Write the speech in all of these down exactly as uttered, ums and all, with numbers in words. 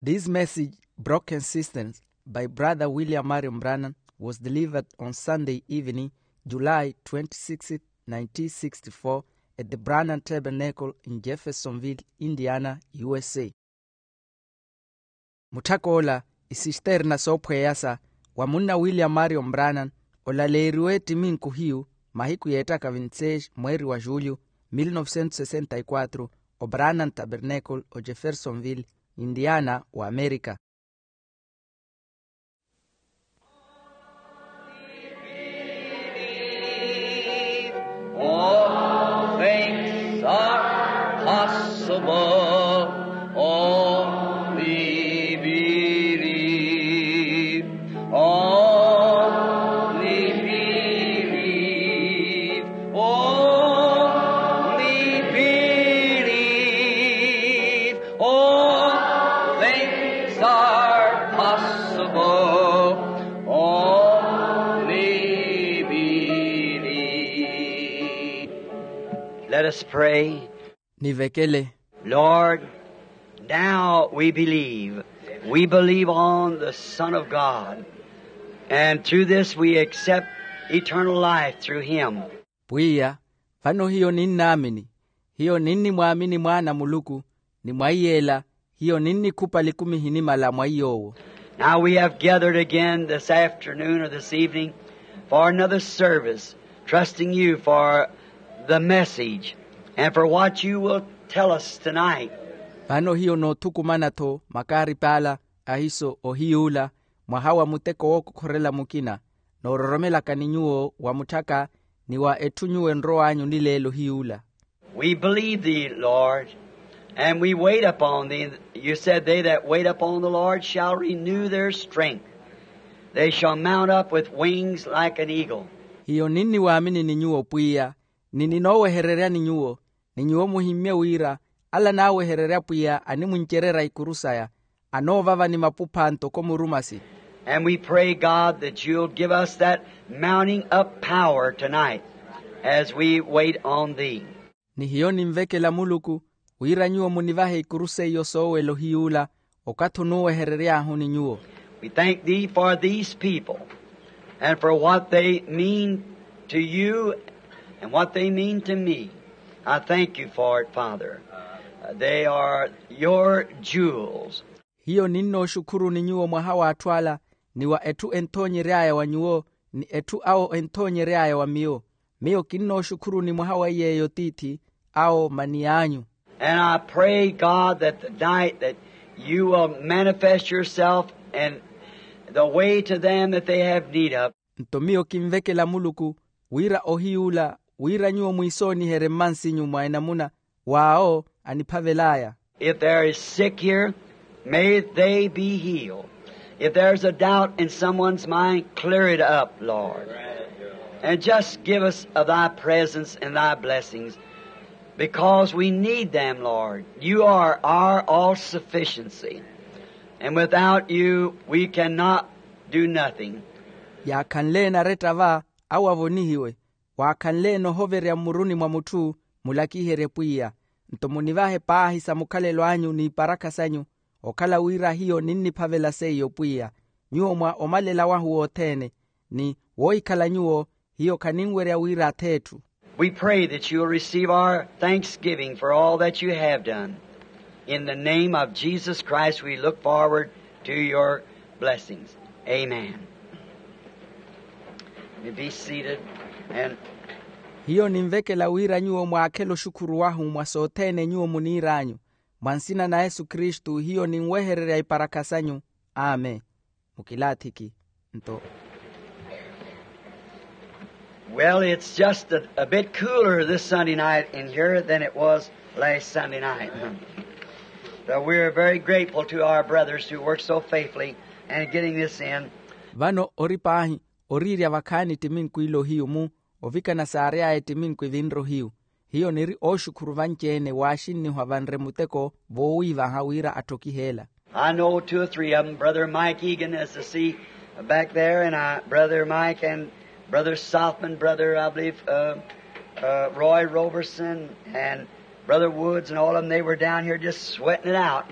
This message, broken systems, by Brother William Marion Branham, was delivered on Sunday evening, July twenty-sixth, nineteen sixty-four, at the Branham Tabernacle in Jeffersonville, Indiana, U S A. Mutthak'ola, isisterna soophweyasa wa munna William Marion Branham, olaleeriwe ettiminku hiyu mahiku yeettaka vinti-seis mweeri wa julho, mil novecentos sessenta y quatro, o Branham Tabernacle, o Jeffersonville, Indiana, wa Amerika. All things are possible. Only believe. Only believe. Only believe. All things are possible. Only believe. Let us pray. Nivekele. Lord, now we believe. We believe on the Son of God. And through this we accept eternal life through him. Pwiya, vano hiyo ninnaamini. Hiyo ninnimwaamini Mwaana a Muluku, ni mwa iy'ela hiyo ninnikhupa likumi ehinimala mwa iy'owo. Now we have gathered again this afternoon or this evening for another service, trusting you for the message and for what you will tell us tonight. Vano hiyo noothukumana-tho makaarip'ala ahiso ohiy'ula, mwaha wa muteko wookokhorela mukina, noororomelaka ni nyuwo wa mutthaka, ni wa etthu nyuwo enrow'anyu nileelo hiy'ula. We believe thee, Lord, and we wait upon thee. You said, "They that wait upon the Lord shall renew their strength. They shall mount up with wings like an eagle." Hiyo ninniwaamini ni nyuwo, Pwiya, ni ninoowehereryani nyuwo, ni nyuwo muhimmye wira ala anaawehererya Pwiya animwincererya ikuru saya, anoovava ni mapupha ntoko murumasi. And we pray, God, that you'll give us that mounting up power tonight as we wait on thee. Ni hiyo ninvekela Muluku, wira nyuwo munivahe ikuru seiyo soowela ohiy'ula, okathi onuuweherery'ahu ni nyuwo. We thank thee for these people and for what they mean to you and what they mean to me. I thank you for it, Father. They are your jewels. Hiyo ninnooxukhuruni nyuwo mwaha w'atthu ala, ni wa etthu enthoonyery'aya wa nyuwo, ni etthu awo enthoonyery'aya wa miyo. Miyo kinnooxukhuruni mwaha wa iy'eyo tiithi, awo maniy'anyu. And I pray, God, that the night that you will manifest yourself and the way to them that they have need of. Nto miyo kinvekela Muluku, wira ohiy'ula, wira nyuwo mwiisooniherye mmansinyu mwa enamuna w'awo aniphavel'aya. If there is sick here, may they be healed. If there's a doubt in someone's mind, clear it up, Lord. And just give us of thy presence and thy blessings, because we need them, Lord. You are our all sufficiency. And without you, we cannot do nothing. Yaakhanle enaretta va, awo avonihiwe. Waakhanle-ene ohoverya mmuruni mwa mutthu, mulakiherye pwiya. Nto munivahe paahi sa mukhalelo anyu n'iparakha sanyu, okhala wira hiyo ninniphavela seiyo pwiya, nyuwo mwa omalela wahu wothene, ni woohikhala nyuwo, hiyo khaninwerya wira ath'etthu. We pray that you will receive our thanksgiving for all that you have done. In the name of Jesus Christ, we look forward to your blessings. Amen. You be seated and Hiyo ninvekela wira nyuwo mwaakhele oxukhuru wahu mwa sothene nyuwo muniir'anyu. Mwa nsina na Yesu Kristu, hiyo ninwehererya iparakha sanyu. Amen. Mukilaathiki. Nto Well, it's just a, a bit cooler this Sunday night in here than it was last Sunday night. But we're very grateful to our brothers who worked so faithfully in getting this in. Vano ori paahi, oriirya vakhaani ettiminku ila ohiyu mu ovikana saary'aya ettiminku evinre ohiyu. Hiyo niri ooxukhuru vanci-ene waaxinnihwa vanre muteko voowiivaha wira atthokih'ela. I know two or three of them. Brother Mike Egan is to see back there, and I, Brother Mike and Brother Sothmann, Brother, I believe, uh, uh, Roy Roberson, and Brother Woods, and all of them, they were down here just sweating it out,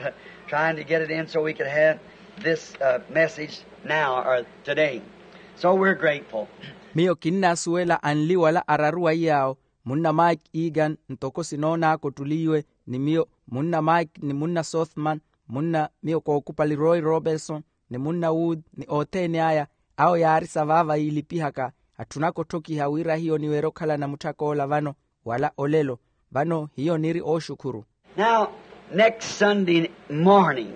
Trying to get it in so we could have this message now or today. So we're grateful. Miyo kinnaasuwela anli wala araru wa iyaawo, munna mike egan ntoko sinoonaaka ottuliiwe, ni miyo munna mike ni munna sothman, munna miyo kookupali roy robertson, ni munna wood ni othene aya, awo yaari savaava yiilipihaka. Atthunaka otthokiha wira hiyo niwerye okhala namutthak'ola vano wala olelo. Vano hiyo niri ooxukhuru. Now, next Sunday morning,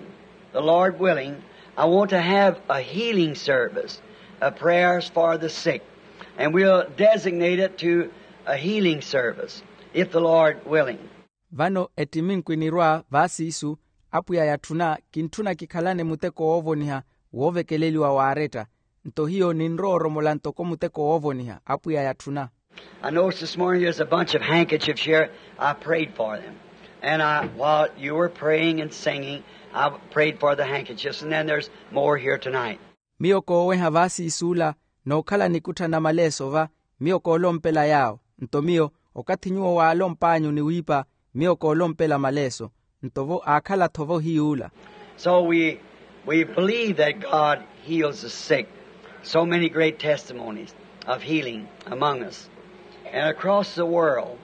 the Lord willing, I want to have a healing service, a prayers for the sick, and we'll designate it to a healing service, if the Lord willing. Vano ettiminku enirwa vaasiisu, apwiya yatthuna kintthuna kikhalane muteko woovoniha woovekeleliwa waaretta. Nto hiyo ninrowa oromola ntoko muteko woovoniha apwiya yatthuna. I noticed this morning there's a bunch of handkerchiefs here. I prayed for them. And I, while you were praying and singing, I prayed for the handkerchiefs. And then there's more here tonight. Miyo kooweha vaasiisuula, nookhala nikutthana maleeso va, miyo koolompela yaawo. Nto miyo, okathi nyuwo waalomp'anyu ni wiipa, miyo koolompela maleeso. Nto vo aakhala-tho vo hiyuula. So we we believe that God heals the sick. So many great testimonies of healing among us and across the world.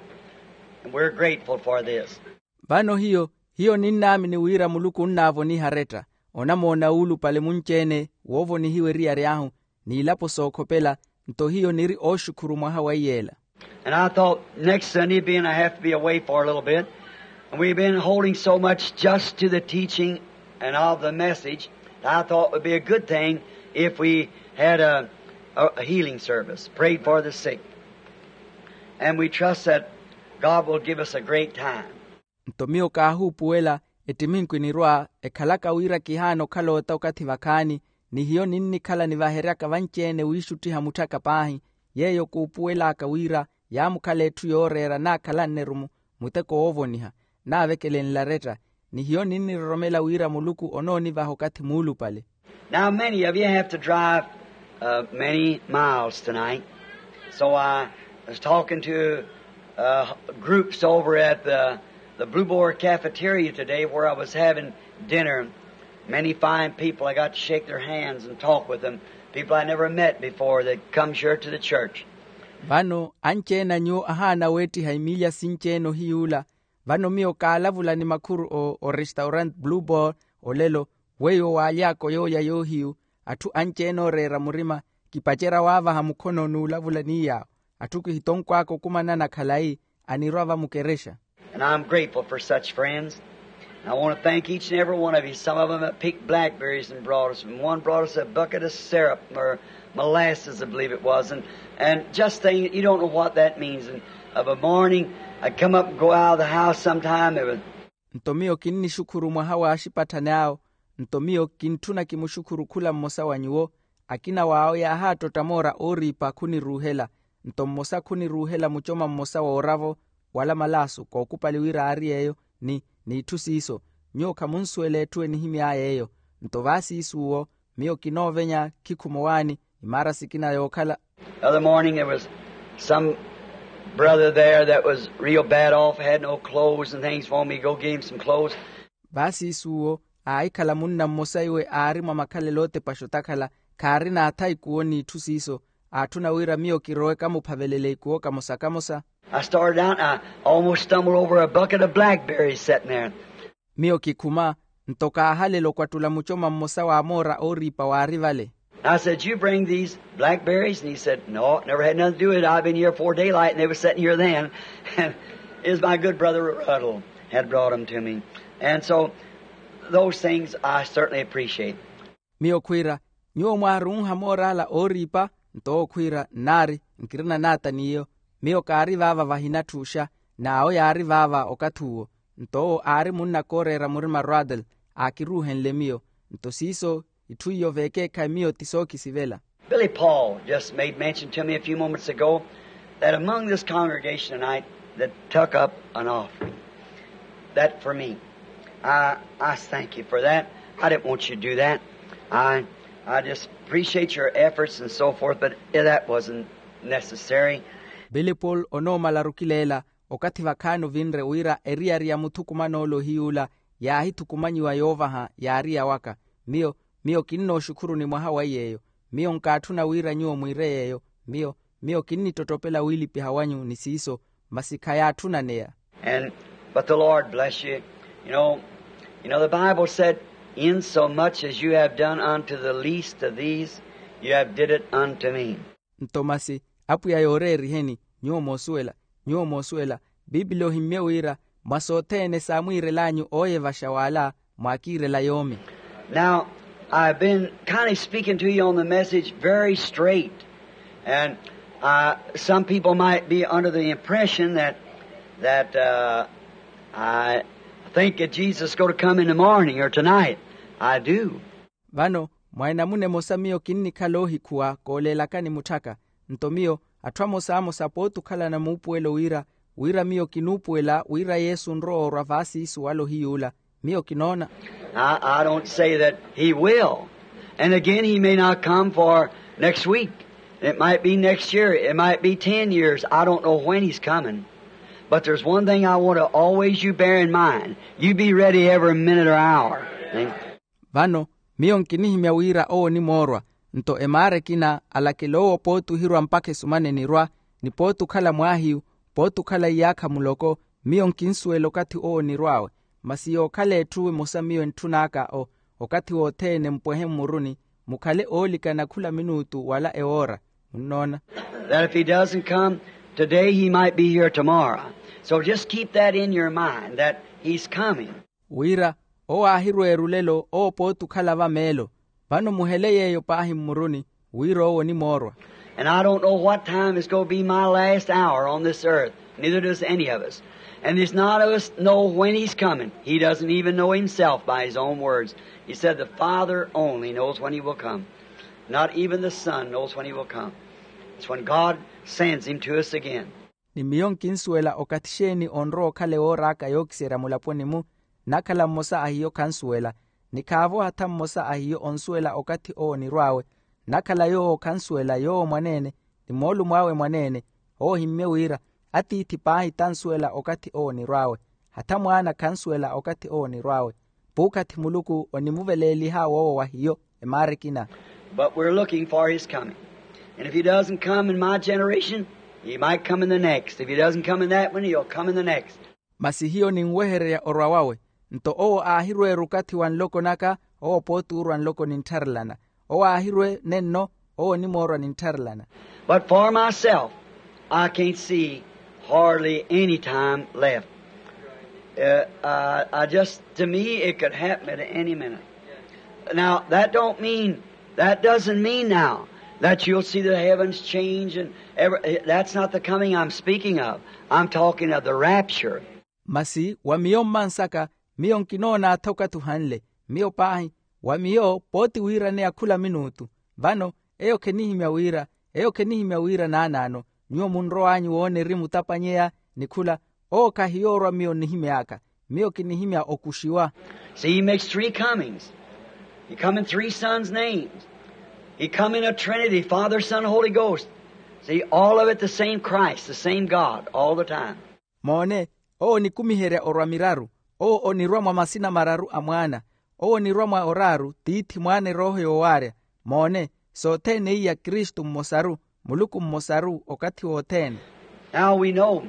And we're grateful for this. Vano hiyo hiyo ninnaamini wira muluku onnaavoniha aretta, onamoona wuulupale munci-ene woovonihiwa eriyari ahu, n'ilapo sookhopela. Nto hiyo niri ooxukhuru mwaha wa iyeela. And I thought next Sunday being I have to be away for a little bit, and we've been holding so much just to the teaching and of the message, I thought it would be a good thing if we had a, a, a healing service, prayed for the sick. And we trust that God will give us a great time. Nto miyo kaahuupuwela, ettiminku enirwa ekhalaka wira kihaana okhala ota okathi vakhaani, ni hiyo ninnikhala nivaheryaka vanci-ene wiixuttiha mutthaka paahi. Yeeyo kuupuwel'aka wira yaamukhala etthu yooreera naakhalanne-ru muteko woovoniha, naavekelenle aretta. Ni hiyo ninniroromela wira muluku onoonivaha okathi muulupale. Now, many of you have to drive uh, many miles tonight. So I was talking to uh, groups over at the, the Blue Boar Cafeteria today where I was having dinner. Many fine people. I got to shake their hands and talk with them. People I never met before that comes here to the church. Vano anci-ene a nyuwo ahaana weettiha emiilya sinci-ene ohiyuula. Vano miyo kaalavula ni makhuru o orestaurant Blue Boar olelo, weiwo waaly'aka oyooya yoohiyu. Atthu anci-ene ooreera murima, kipacerya waavaha mukhono n'ulavula ni yaawo. Atthu kihitonkw'aka okumanana khalayi anirwa vamukerexa. And I'm grateful for such friends. And I want to thank each and every one of you. Some of them have picked blackberries and brought us, and one brought us a bucket of syrup or molasses, I believe it was, and, and just things, you don't know what that means. And of a morning, I'd come up and go out of the house sometime, there was. Nto miyo kinnixukhuru mwaha w'axipatthani awo. Nto miyo kintthuna kimuxukhuru khula mmosa wa nyuwo. Akina w'awo yaahaattotta moora ooriipa khuniruuhela. Nto mmosa khuniruuhela mucoma mmosa wooravo wala malaasu kookupali wira aari yeeyo, ni n'itthu siiso. Nyuwo khamunsuwela etthu enihimy'aya eyo. Nto vaasiisuwo miyo kinoovenya khikhuma owaani imaara sikina yookhala. The other morning there was some brother there that was real bad off, had no clothes and things for me to go give him some clothes. Vaasiisuwo aahikhala munna mmosa iwe aari mwa makhalelo ootepaxa otakhala, khaarina athayi kuwo n'itthu siiso. Aatthuna wira miyo kirowe kamuphavelele ikuwo kamosa kamosa. I started out and I almost stumbled over a bucket of blackberries sitting there. Miyo kikhuma, nto kaahalela okwattula mucoma mmosa wa moora ooriipa waari vale. I said, "You bring these blackberries?" And he said, "No, never had nothing to do with it. I've been here before daylight and they were sitting here then." And it was my good brother Ruddle had brought them to me. And so those things I certainly appreciate. Miyo khwiira, nyuwo mwaarunha moor'ala ooriipa? Nto owo khwiira, nnaari, nkirina naata n'iyo. Miyo kaari vaava vahinatthuxa, n'awo yaari vaava okathi uwo. Nto owo aari munna kooreera murima Ruddle, aakiruuhenle miyo. Nto siiso itthu iyo veekeekhayi miyo ti sookisivela. Billy Paul just made mention to me a few moments ago that among this congregation tonight that took up an offering. That for me. I, I thank you for that. I didn't want you to do that. I, I just appreciate your efforts and so forth, but that wasn't necessary. Billy Paul onoomala arukileela, okathi vakhaani ovinre wira eriyari ya muthukuman'ole ohiyuula Yaahithukumanyiwa yoovaha yaari yawaka. Miyo miyo kinnooxukhuruni mwaha wa yeeyo. Miyo nkaatthuna wira nyuwo mwiire yeeyo. Miyo miyo kinnittottopela wiilipiha wanyu ni siiso. Masi khayaatthuna neya. And but the lord bless you. You know you know the bible said, insomuch as you have done unto the least of these, you have did it unto me. Nto masi apwiya yooreeriheni. Nyuwo moosuwela nyuwo moosuwela. Piipili ohimmye wira mwa sothene saamwiirel'anyu ooyevaxa w'ala mwaakiirela yoomi. Now i've been kind of speaking to you on the message very straight, and some people might be under the impression that that i think that jesus is going to come in the morning or tonight. I do. Vano mwa enamuna emosa miyo kinnikhala oohikhuwa kooleelakani mutthaka. Nto miyo atthu amosa amosa pooti okhalana muupuwelo wira wira miyo kinuupuwela wira yesu onrowa orwa vaasiisu wala ohiyuula. Miyo kinoona. I don't say that he will. And again he may not come for next week. It might be next year, it might be ten years. I don't know when he's coming. But there's one thing I want to always you bear in mind. You be ready every minute or hour. Vano miyo nkinihimya wira owo onimoorwa. Nto emaara ekina alakela owo pooti ohirwa mpakha esumana enirwa, ni pooti okhala mwaahiyu, pooti okhala iyaakha muloko. Miyo nkinsuwela okathi owo onirw'awe. Masi yookhala etthu emosa miyo entthun'aka okathi wothene mpwehe mmuruni, mukhale oolikana khula minuutu wala ewoora. Munnoona? That if he doesn't come today he might be here tomorrow. So just keep that in your mind that he's coming. Wira owo aahirweera olelo owo pooti okhala vameelo. Vano muhele yeeyo paahi mmuruni wira owo onimoorwa. And i don't know what time is going to be my last hour on this earth. Neither does any of us. And there's not of us know when he's coming. He doesn't even know himself by his own words. He said the father only knows when he will come. Not even the son knows when he will come. It's when god sends him to us again. Ni miyo nkinsuwela okathi xeeni onrowa okhala ewoor'aka yookiserya mulaponi-mu. Nnakhala mmosa a hiyo khansuwela, ni khaavo hatha mmosa a hiyo onsuwela okathi owo onirw'awe. Nnakhala yoowo khansuwela yoowo mwaneene, ni moolumo awe mwaneene. Owo ohimmye wira atiithi paahi tansuwela okathi owo onirw'awe. Hatha mwaana khansuwela okathi owo onirw'awe. Puukhathi muluku onimuveleeliha woowo wa hiyo emaara ekina. But we're looking for his coming. And if he doesn't come in my generation, he might come in the next. If he doesn't come in that one, he'll come in the next. Masi hiyo ninwehererya orwa wawe. Nto owo aahirweera okathi wa nloko naka, owo pooti oorwa nloko ninttharelana. Owo aahirwe nenno, owo onimoorwa ninttharelana. But for myself, i can't see hardly any time left. I just to me it could happen at any minute. Now that don't mean that doesn't mean now that you'll see the heavens change and that's not the coming i'm speaking of. I'm talking of the rapture. Masi wa miyo mmansaka, miyo nkinoona-tho okathi ohanle. Miyo paahi, wa miyo pooti wiiraneya khula minuutu. Vano eyo khenihimya wira eyo khenihimya wira naanaano. Nyuwo munrow'anyu woona erimu otapanyeya ni khula. Owo khahiyoorwa miyo nnihimy'aka. Miyo kinihimya okuxiwa. See he makes three comings. He come in three sons' names. He come in a trinity, father, son, holy ghost. See all of it the same christ, the same god all the time. Moone, owo onikumiherya orwa miraru. Owo onirwa mwa masina mararu a mwaana. Owo onirwa mwa oraaru tiithi mwaana erooho yoowaarya. Moone, sothene iya kristu mmosaru, muluku mmosaru okathi wothene. Now we know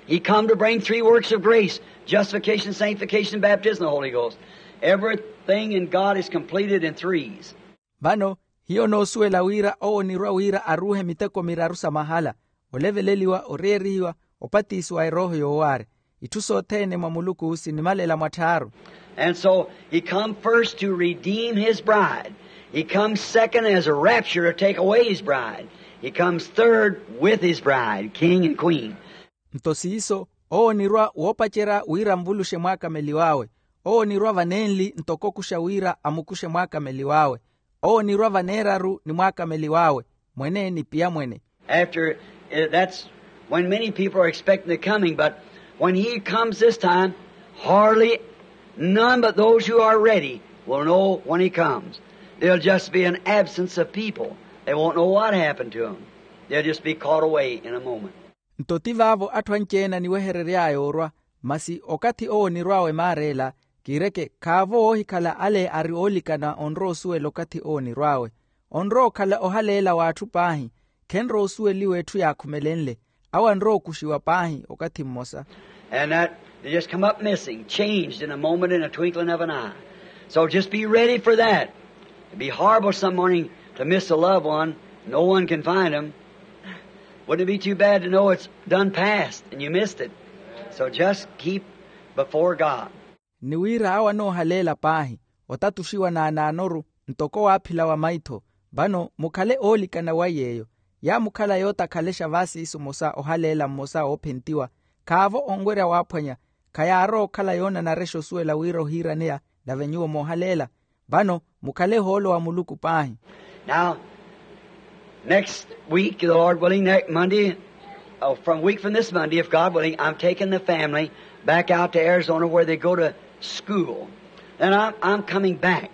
he come to bring three works of grace, justification, sanctification, baptism of the holy ghost. Everything in god is completed in threes. Vano hiyo noosuwela wira owo onirwa wira aruuhe miteko miraru sa mahala, oleveleliwa oreerihiwa, opatisiwa erooho yoowaarya. Itthu sothene mwa muluku sinimalela mwatthaaru. And so he come first to redeem his bride. He come second as a rapture to take away his bride. He comes third with his bride, king and queen. Nto siiso, owo onirwa woopacerya wira anvuluxe mwaakameliw'awe. Owo onirwa vanenli ntoko okuxa wira amukuxe mwaakameliw'awe. Owo onirwa vaneeraru ni mwaakameliw'awe, mwene ni piyamwene. After that's when many people are expecting the coming, but when he comes this time, hardly none but those who are ready will know when he comes. There'll just be an absence of people. They won't know what happened to them. They'll just be caught away in a moment. Nto ti vaavo atthu anci-ene aniweherery'aya orwa. Masi okathi owo onirw'awe maara ela, Kiireke khaavo woohikhala ale ari oolikana onrowa osuwela okathi owo onirw'awe. Onrowa okhala ohaleela w'atthu paahi. Khenrowa osuweliwa etthu yaakhumelenle. Awo anrowa okuxiwa paahi okathi mmosa. And that they just come up missing, changed in a moment, in a twinkling of an eye. So just be ready for that. It'd be horrible some morning to miss a loved one. No one can find him. Wouldn't it be too bad to know it's done past and you missed it? So just keep before God. Ni wira awo anoohaleela paahi, otatuxiwa naanaanoru ntoko waaphila wa maitho. Vano mukhale oolikana wa yeeyo. Yaamukhala yootakhalexa vaasiisu mosa ohaleela mmosa oophentiwa. Khaavo onwerya waaphwanya. Khayaarowa okhala yoonanarexa osuwela wira ohiiraneya. Nave nyuwo moohaleela. Vano mukhale ohoolo wa muluku paahi. Now, next week, the Lord willing, next Monday, uh, from week from this Monday, if God willing, I'm taking the family back out to Arizona where they go to school. Then I'm, I'm coming back.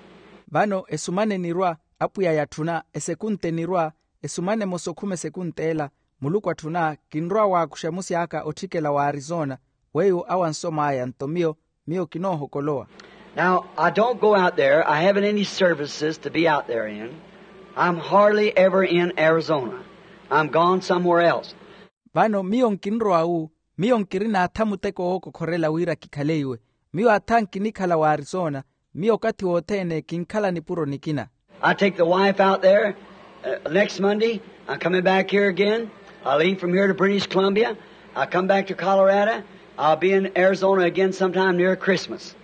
Vano esumana enirwa, apwiya yatthuna esekunta enirwa, esumana emosa okhuma esekunta ela, muluku atthuna kinrowa waakuxa musi aka otthikela wa arizona. Weiwo awo ansom'aya nto miyo, miyo kinoohokolowa. Now, I don't go out there. I haven't any services to be out there in. I'm hardly ever in Arizona. I'm gone somewhere else. Vano miyo nkinrowa wu, miyo nkirina atha muteko wookokhorela wira kikhale iwe. Miyo atha nkinikhala wa arizona. Miyo okathi wothene kinkhala nipuro nikina. I take the wife out there, uh, next Monday. I'm coming back here again. I leave from here to British Columbia. I come back to Colorado. I'll be in Arizona again sometime near Christmas.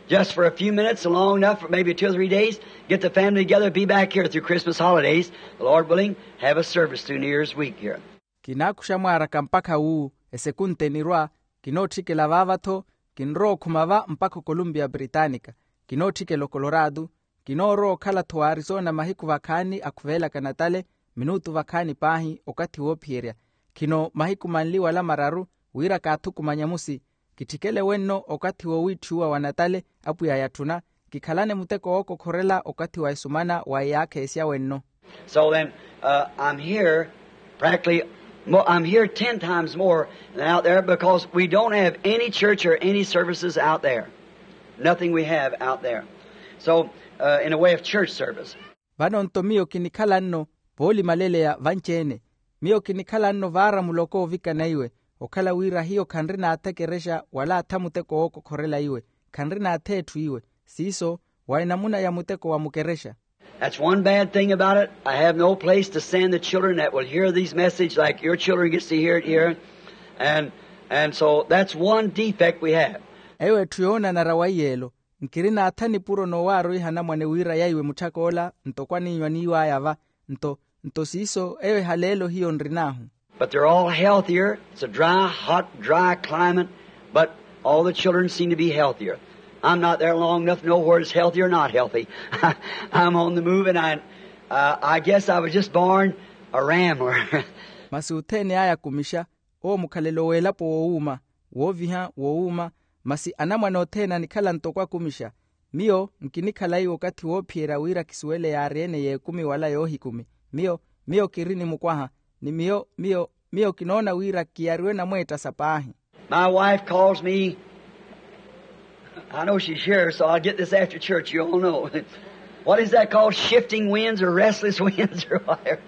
Just for a few minutes, long enough for maybe two or three days, get the family together, be back here through Christmas holidays, the Lord willing, have a service through New Year's week here. Kinaakuxa mwaaraka mpakha wu, esekunta enirwa, kinootthikela vaava-tho. Kinrowa okhuma va mpakha okolumpiya pritaanika. Kinootthikela okolorado. Kinoorowa okhala-tho wa arizona mahiku vakhaani akhuvelaka natale, minutu vakhaani paahi okathi woophiyerya. Khino mahiku manli wala mararu, wira kaathukumanya musi. Kitthikele wenno okathi woowiitthiwa wa natale apwiya yatthuna. Kikhalane muteko wookokhorela okathi wa esumana wa iyaakha esya wenno. So then, uh, I'm here practically, mo- I'm here ten times more than out there because we don't have any church or any services out there. Nothing we have out there. So, uh, in a way of church service. Vano nto miyo kinikhala nno voolimaleleya vanci-ene. Miyo kinikhala nno vaara muloko oovikana iwe, okhala wira hiyo khanrina atha ekerexa wala atha muteko wookokhorela iwe. Khanrina atha etthu iwe. Siiso wa enamuna ya muteko wa mukerexa. That's one bad thing about it. I have no place to send the children that will hear these messages like your children gets to hear it here. And, and so that's one defect we have. Eyo etthu yoonanara wa iyeelo. Nkirina atha nipuro noowaarwiha anamwane wira yaiwe mutthak'ola, nto kwaniinyu aniiw'aya va. Nto, nto siiso eyo ehaleelo hiyo nrin'ahu. But they're all healthier. It's a dry, hot, dry climate, but all the children seem to be healthier. I'm not there long enough to know where it's healthy or not healthy. I'm on the move, and I, uh, I guess I was just born a rambler. Masi othene aya akumixa, owo mukhalelo w'elapo woowuuma, wooviha woowuuma. Masi anamwane othene anikhala ntoko akumixa. Miyo nkinikhala iwo okathi woophiyerya wira kisuwele yaari-ene y'ekumi wala yoohikumi. Miyo, miyo kiri ni mukwaha. Ni miyo, miyo, miyo kinoona wira kiyariwe namweettasa paahi. My wife calls me, I know she's here, so I'll get this after church, you all know. What is that called? Shifting winds or restless winds or whatever.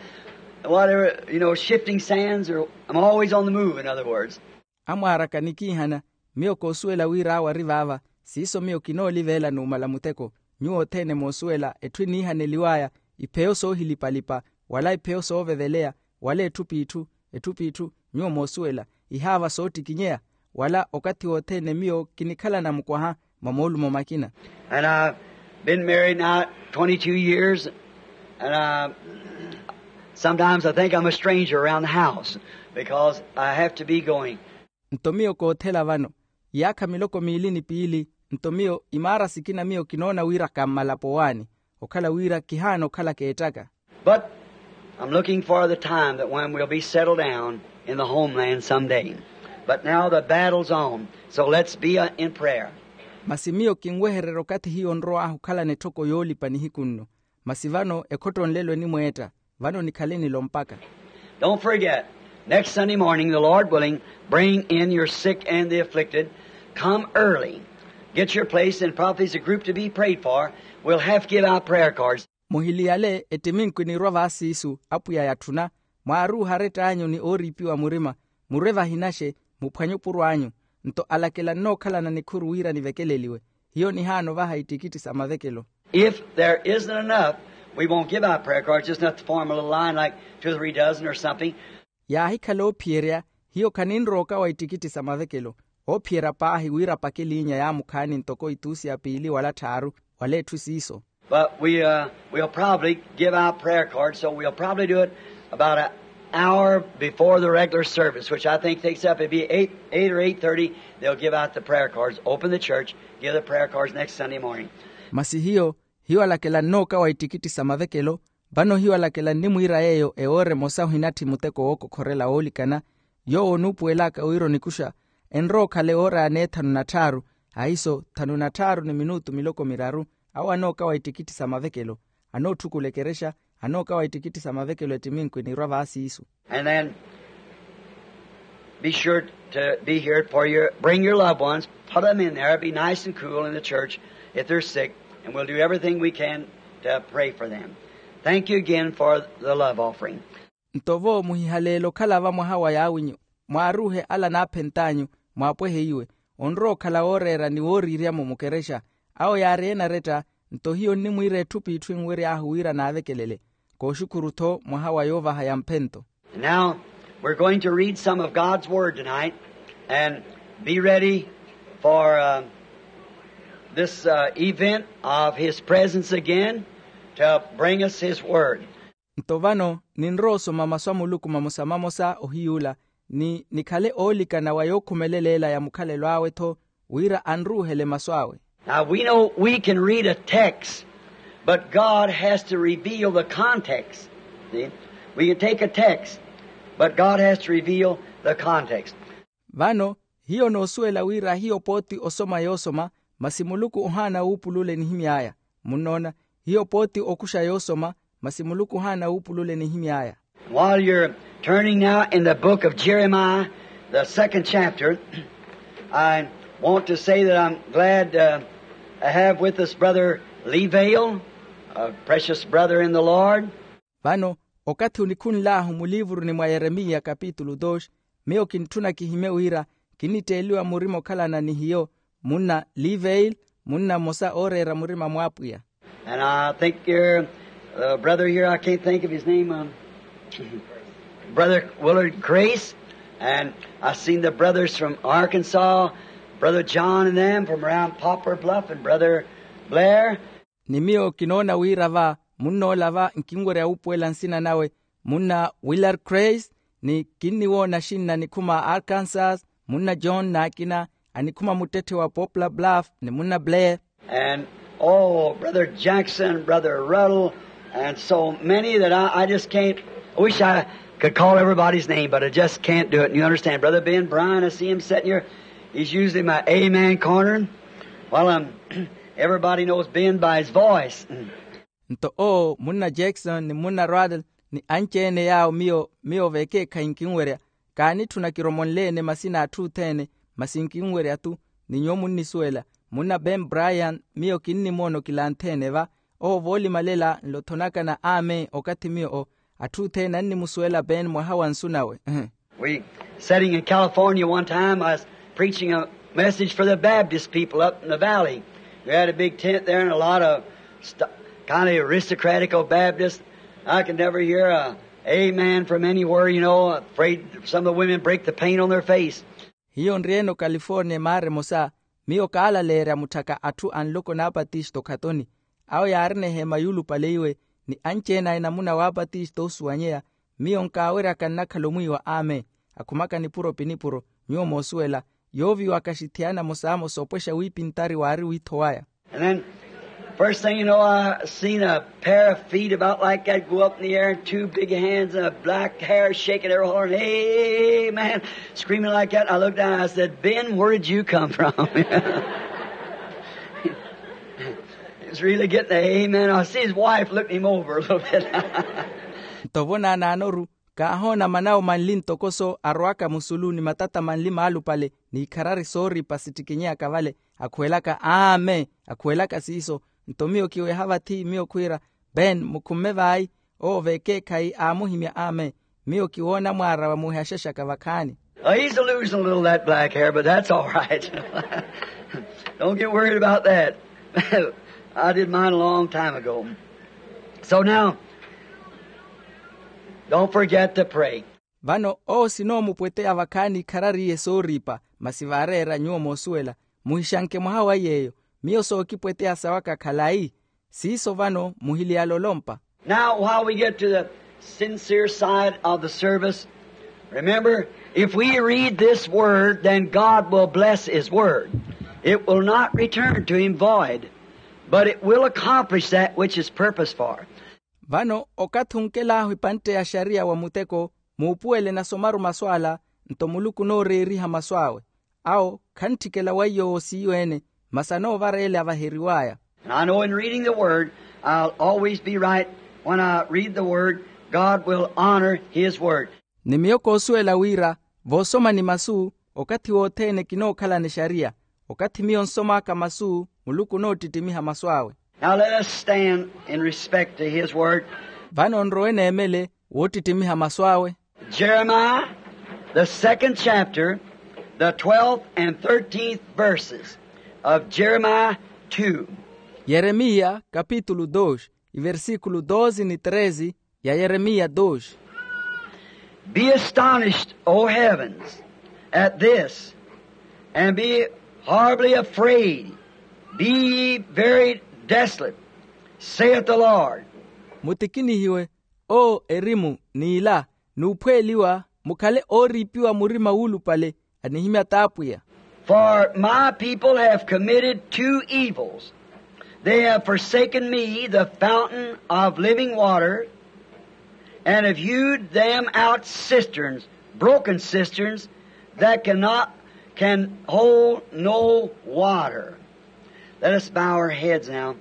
Whatever, you know, shifting sands, or I'm always on the move, in other words. Amwaaraka nikiihana, miyo koosuwela wira awo ari vaava. Siiso miyo kinooliveela numala muteko. Nyuwo othene moosuwela etthu eniihaneliw'aya, ipheyo soohilipa-lipa, wala ipheyo sooveveleya, wala etthu p'itthu, etthu p'itthu. Nyuwo moosuwela ihaava soottikinyeya, wala okathi wothene miyo kinikhalana mukwaha mwa moolumo makina. And I've been married now twenty-two years, and I, sometimes I think I'm a stranger around the house because I have to be going. Nto miyo koothela vano iyaakha miloko miili ni piili. Nto miyo imaara sikina miyo kinoona wira kammalapo owaani, okhala wira kihaana okhala keettaka. But I'm looking for the time that when we'll be settled down in the homeland someday. But now the battle's on, so let's be, uh, in prayer. Masi miyo kinwehererya okathi hiyo onrow'ahu okhalana etthoko yoolipa nihiku nno. Masi vano ekhottonlelo enimweetta. Vano nikhale nilo mpakha. Don't forget, next Sunday morning, the Lord willing, bring in your sick and the afflicted. Come early. Get your place and probably as a group to be prayed for. We'll have to give out prayer cards. Muhiliyale ettiminku eniirwa vaasiisu apwiya yatthuna, mwaaruuha arett'anyu ni ooriipiwa murima, murwe vahinaxe, muphwanye opuro anyu. Nto alakela nnookhalana nikhuru wira nivekeleliwe. Hiyo nihaana ovaha ittikitthi sa mavekelo. If there isn't enough, we won't give out prayer cards, just enough to form a little line like two or three dozen or something. Yaahikhala oophiyerya, hiyo khaninrooka wa ittikitthi sa mavekelo. Oophiyerya paahi wira apake eliinya yaamukhaani ntoko ituusi ya piili wala tthaaru, wala etthu siiso. But we, uh, we'll probably give out prayer cards, so we'll probably do it about an hour before the regular service, which I think takes up, it'd be eight, eight or eight thirty, they'll give out the prayer cards. Open the church, give the prayer cards next Sunday morning. Masi hiyo, hiyo alakela nnooka wa ittikitthi sa mavekelo. Vano hiyo alakela nnimwiira yeeyo ewoora emosa ohinatthi muteko wookokhorela woolikana, yoowo onuupuwelaka wira onikuxa enrowa okhala ewoora ya neethanu na tthaaru, ahiso thanu na tthaaru ni minutu miloko miraru. Awo anooka wa ittikitthi sa mavekelo, anootthukulela ekerexa, anooka wa ittikitthi sa mavekelo ettiminku eniirwa vaasiisu. And then be sure to be here for your, bring your loved ones, put them in there, be nice and cool in the church if they're sick, and we'll do everything we can to pray for them. Thank you again for the love offering. Nto vo muhihaleele okhala va mwaha wa yaawinyu, mwaaruuhe ala anaaphent'anyu, mwaapwehe iwe, onrowa okhala wooreera ni wooriiryamo mukerexa. Awo yaari eenaretta. Nto hiyo nnimwiira etthu p'itthu enwery'ahu wira naavekelele. Kooxukhuru-tho mwaha wa yoovaha ya mphento. And now we're going to read some of God's Word tonight and be ready for, uh, this, uh, event of His presence again to bring us His Word. Nto vano ninrowa osoma masu a Muluku mamosa mamosa ohiy'ula, ni nikhale oolikana wa yookhumeleleela ya mukhalelo awe-tho, wira anruuhele masu awe. Now, we know we can read a text, but God has to reveal the context. See? We can take a text, but God has to reveal the context. Vano hiyo noosuwela wira hiyo pooti osoma yoosoma, masi Muluku ohaana wuupulula enihimy'aya. Munnoona, hiyo pooti okuxa yoosoma, masi Muluku ohaana wuupulula enihimy'aya. While you're turning now in the book of Jeremiah, the second chapter, I want to say that I'm glad, uh, to have with us Brother Lee Vale, a precious brother in the Lord. Vano, okathi onikhunl'ahu muliivuruni mwa Yeremiya kapitulu doxi, miyo kintthuna kihimye wira kinnitteeliwa murima okhalana ni hiyo, munna Lee Vale, munna mmosa ooreera murima mw'apwiya. And I think here, uh, brother here, I can't think of his name, um, Brother Willard Grace, and I've seen the brothers from Arkansas, Brother John and them from around Poplar Bluff, and Brother Blair. Ni miyo kinoona wira va munn'ola va nkinwerya wuupuwela nsina nawe, munna Willard Grace, ni kinniwoona axinna anikhuma a Arkansas, munna John n'akina anikhuma muttetthe wa Poplar Bluff, ni munna Blair. And, oh, Brother Jackson, Brother Ruddle, and so many that I, I just can't, I wish I could call everybody's name, but I just can't do it. And you understand, Brother Ben Bryan, I see him sitting here. He's usually my amen corner. Well, um, everybody knows Ben by his voice. Nto owo munna Jackson ni munna Ruddle ni anci-ene yaawo miyo, miyo vekeekhayi nkinwerya, kaanitthuna kiromonle-ene masina a atthu othene, masi nkinwerya-thu. Ni nyuwo munnisuwela, munna Ben Bryan, miyo kinnimoona okilanthe-ene va. Owo voolimalela nlothonakana amen okathi miyo o, atthu othene annimusuwela Ben mwaha wa nsu nawe. We, sitting in California one time, I was preaching a message for the Baptist people up in the valley. We had a big tent there and a lot of st-, kind of aristocratical Baptists. I could never hear a amen from anywhere, you know, afraid some of the women break the paint on their face. Hiyo nri-ene ocalifornia emaara emosa, miyo kaalaleerya mutthaka atthu a nloko n'apatisto okhatoni. Awo yaarina eheema yuulupale iwe, ni anci-ene a enamuna w'apatisto oosuwanyeya. Miyo nkaaweryaka nnakhala omwiiwa amen, akhumaka nipuro pi nipuro. Nyuwo moosuwela, yooviwaka axithiyana amosamosa opwexa wiipintari waari wiitho waya. And then, first thing you know, I seen a pair of feet about like that go up in the air and two big hands and a black hair shaking every holler, and amen, screaming like that. I looked down and I said, Ben, where did you come from? He was really getting the amen. I see his wife looking him over a little bit. Nto vo naanaanoru, kaahoona manawo manli ntokoso arowaka musulu ni matata manli maalupale, n'ikharari sooripa sittikinyeyaka vale, akhuwelaka aame, akhuwelaka siiso. Nto miyo kiweha vathi miyo khwiira, ben mukhumme vayi. Owo v'ekeekhayi aamuhimya aame. Miyo kiwoona mwaara wa muhexexaka vakhaani. He's losing a little of that black hair, but that's all right. Don't get worried about that. I did mine a long time ago. So now, don't forget to pray. Vano owo sinoomupweteya vakhaani ikharariye sooripa. Masi vaareera nyuwo moosuwela, muhixanke mwaha wa yeeyo. Miyo sookipweteya sawaka khalayi. Siiso vano muhiliyala olompa. Now, while we get to the sincere side of the service, remember, if we read this word, then God will bless his word. It will not return to him void, but it will accomplish that which is purposed for. Vano okathi onkel'ahu epantte ya xariya wa muteko, muupuwele nasomaru masu ala, nto muluku onooreeriha masu awe. Awo khantthikela weiyo woosiiwe-ene, masi anoovareele avaheriw'aya. And I know in reading the word, I'll always be right. When I read the word, God will honor his word. Ni miyo koosuwela wira, voosomani masu, okathi wothene kinookhalana exariya. Okathi miyo nsom'aka masu, muluku onoottittimiha masu awe. Now let us stand in respect to his word. Vano nrowe neemele woottittimiha masu awe. Jeremiah, the second chapter, the twelfth and thirteenth verses of Jeremiah two. Yeremiya kapitulu dos, iversikulu dos ni tres. Ya Yeremiya dos. Be astonished, O heavens, at this, and be horribly afraid. Be ye very desolate, saith the Lord. Mutikinihiwe, o erimu, n'ila, n'uphweeliwa, mukhale ooriipiwa murima wuulupale, anihimya t'apwiya. For my people have committed two evils. They have forsaken me, the fountain of living water, and have hewed them out cisterns, broken cisterns, that cannot, can hold no water. Let us bow our heads now.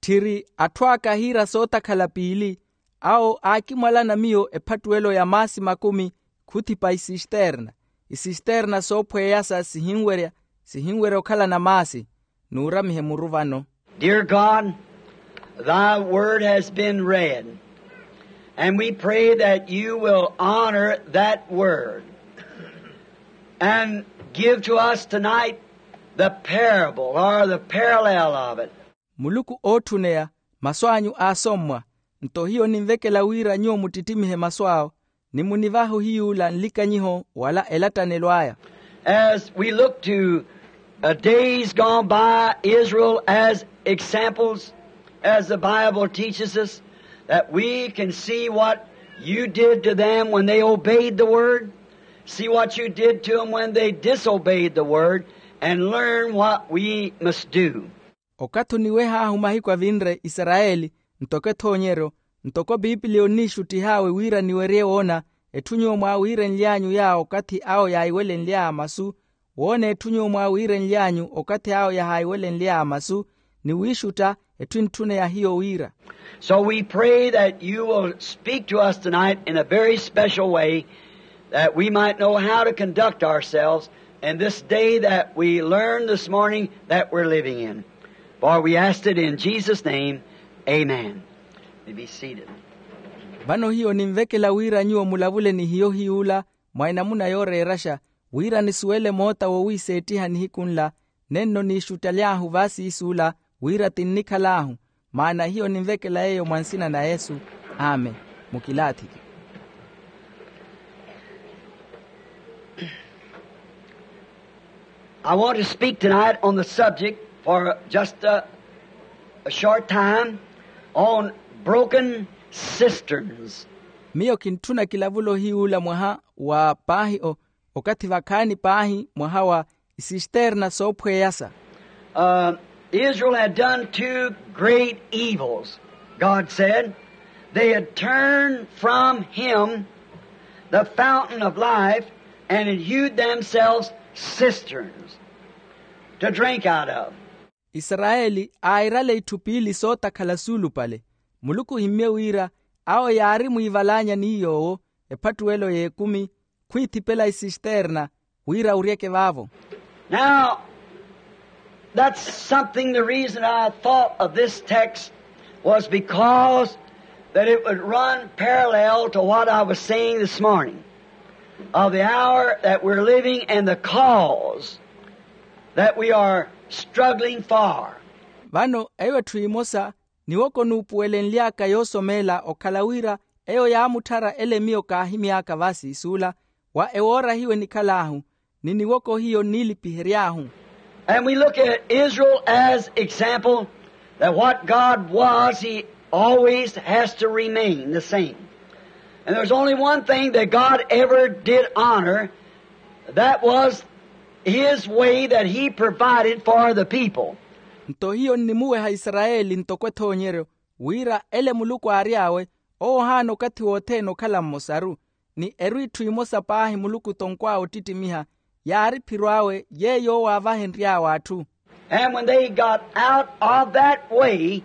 Tthiri atthu aka ahiira sootakhala piili, awo aakimwalana miyo ephattuwelo ya maasi makumi, khuthipa isisterna. Isisterna soophweyasa sihinwerya, sihinwerya okhalana maasi. Nuuramihe muru vano. Dear God, thy word has been read, and we pray that you will honor that word and give to us tonight the parable or the parallel of it. Muluku ootthuneya, masu anyu aasommwa. Nto hiyo ninvekela wira nyuwo muttitimihe masu awo, ni munivahe ohiyuula nlikanyiho wala elattanelo aya. As we look to, uh, days gone by, Israel as examples, as the Bible teaches us, that we can see what you did to them when they obeyed the word, see what you did to them when they disobeyed the word, and learn what we must do. Okathi oniweh'ahu mahiku avinre isarayeli, ntoko ethoonyeryo, ntoko piipiliya onniixuttih'awe wira niwerye woona, etthu nyuwo mwaawiirenly'anyu yaawo okathi awo yaahiwelenly'aya masu, woona etthu nyuwo mwaawiirenly'anyu okathi awo yahaahiwelenly'aya masu, ni wiixutta etthu entthuneya hiyo wira. So we pray that you will speak to us tonight in a very special way, that we might know how to conduct ourselves in this day that we learned this morning that we're living in. For we asked it in Jesus' name. Amen. You may be seated. Vano hiyo ninvekela wira nyuwo mulavule ni hiyo hiyuula mwa enamuna yooreeraxa, wira nisuwele moota wowiiseettiha nihiku nla, nenno niixuttaly'ahu vaasiisuula wira tinnikhal'ahu. Maana hiyo ninvekela yeeyo mwa nsina na yesu. Amen. Mukilaathiki. I want to speak tonight on the subject for just a, a short time on broken cisterns. Miyo kintthuna kilavulo hiyuula mwaha wa paahi o, okathi vakhaani paahi mwaha wa isisterna soophweyasa. Uh, Israel had done two great evils, God said. They had turned from him the fountain of life and had hewed themselves cisterns to drink out of. Isarayeli aairale itthu piili sootakhala suulupale. Muluku ohimmye wira awo yaari mwiivalaanya ni yoowo ephattuwelo y'ekumi, khwiithipela isisterna. wira uryeke vaavo. Now, that's something, the reason I thought of this text was because that it would run parallel to what I was saying this morning of the hour that we're living and the cause that we are struggling for. Vano eyo etthu emosa niwoko nuupuwelenly'aka yoosomeela okhala wira eyo yaamutthara ele miyo kaahimy'aka va siisuula wa ewoora hiyo enikhal'ahu ni niwoko hiyo nniilipihery'ahu. And we look at Israel as example that what God was, he always has to remain the same. And there's only one thing that God ever did honor, that was his way that he provided for the people. Nto hiyo nnimuweha isarayeli ntoko ethoonyeryo wira ele muluku aary'awe owo ohaana okathi wothene okhala mmosaru ni eru itthu imosa paahi muluku tonkw'awe ottittimiha yaari phiro awe yeeyo owo aavahenry'awe atthu. And when they got out of that way,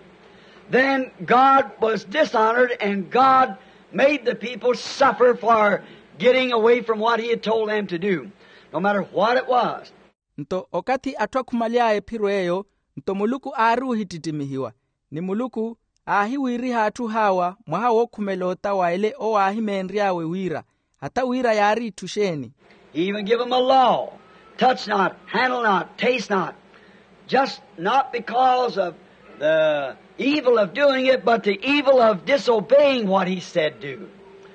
then God was dishonored and God made the people suffer for getting away from what he had told them to do, no matter what it was. Nto okathi atthu akhumaly'aya ephiro eyo nto muluku aari ohittittimihiwa ni muluku aahiwiiriha atthu haawa mwaha wookhumela ota wa ele owo aahimeenry'awe wira hata wira yaari itthu exeeni. He even give them a law, touch not, handle not, taste not, just not because of the evil of doing it but the evil of disobeying what he said do.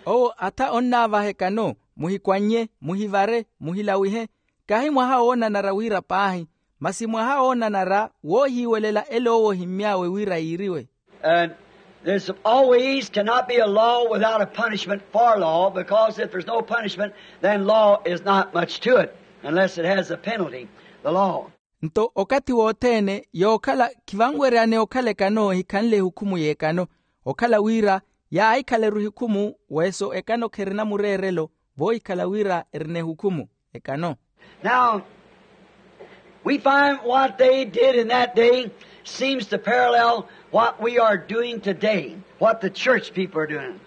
Owo atha onnaavaha ekano muhikwannye muhivare muhilawihe kahi mwaha woonanara wira paahi masi mwaha woonanara woohiiwelela ele owo ohimmy'awe wira yiiriwe. And there's always cannot be a law without a punishment for law, because if there's no punishment, then law is not much to it, unless it has a penalty, the law. Nto okathi wothene yookhala khivanweryane okhala ekano ehikhanle ehukhumu y'ekano okhala wira yaahikhaleru ehukhumu weso ekano kherina mureerelo voohikhala wira erina ehukhumu ekano. Now, we find what they did in that day seems to parallel what we are doing today, what the church people are doing.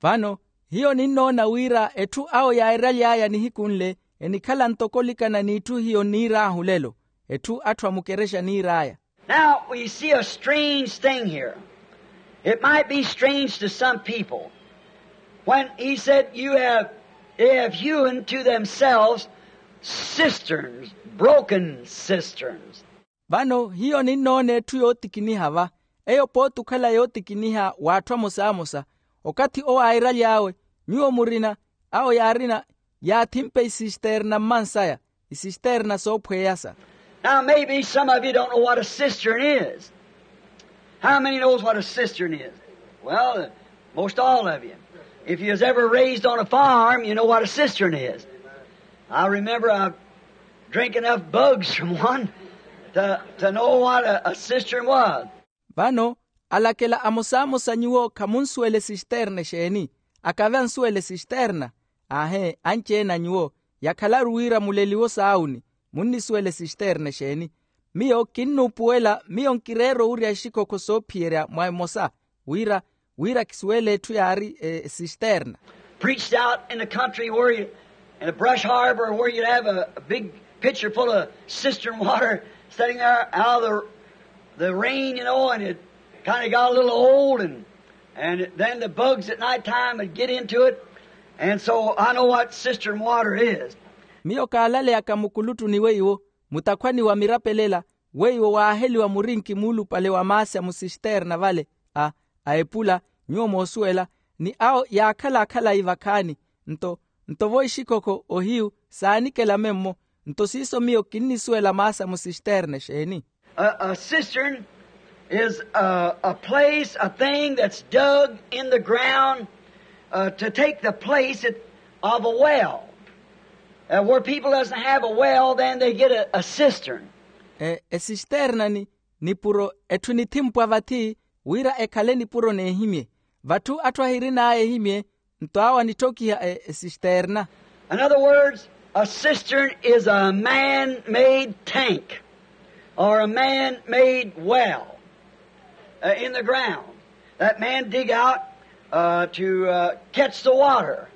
Vano hiyo ninnoona wira etthu awo yaairaly'aya nihiku nle enikhala ntoko olikana n'itthu hiyo nniir'ahu lelo etthu atthu a mukerexa niir'aya. Now, we see a strange thing here. It might be strange to some people. When he said, you have, they have hewn to themselves cisterns, broken cisterns. Vano hiyo ninnoona etthu yootikiniha va eyo pooti okhala yootikiniha w'atthu amosamosa okathi owo airaly'awe nyuwo murina awo yaarina yaathimpe isisterna mmansaya isisterna soophweyasa. Now maybe some of you don't know what a cistern is. How many knows what a cistern is? Well, most all of you. If you was ever raised on a farm, you know what a cistern is. I remember I drank enough bugs from one to, to know what a, a cistern was. Vano alakela amosamosa nyuwo khamunsuwela esisterna exeeni? Akave ansuwela esisterna. Aahe anci-ene a nyuwo yakhalaru wira muleliwo saawuni munnisuwela esisterna exeeni? Miyo kinnuupuwela miyo nkireera owurya exikhokho soophiyerya mwa emosa wira wira kisuwele etthu yaari esisterna. Preached out in the country where you, in a brush harbor where you'd have a, a big pitcher full of cistern water sitting there out of the, the rain, you know, and it kind of got a little old, and, and then the bugs at night time would get into it. And so I know what cistern water is. Miyo kaalaleyaka mukuluttuni weiwo mutakhwani wa mirapelela weiwo waaheliwa murinki muulupale wa maasi a musisterna vale a a epula nyuwo moosuwela ni awo yaakhala akhalayi vakhaani. Nto nto vo ixikhokho ohiyu saanikela memmo nto siiso miyo kinnisuwela maasi a musisterna exeeni? A, a cistern is a, a place, a thing that's dug in the ground, uh, to take the place it, of a well. Uh, where people doesn't have a well, then they get a, a cistern. E, esisterna ni nipuro etthu enithimpwa vathi wira ekhale nipuro n'ehimye vatthu atthu ahirin'aya ehimye nto awo anittokiha esisterna. In other words, a cistern is a man-made tank or a man-made well, uh, in the ground that man dig out, uh, to, uh, catch the water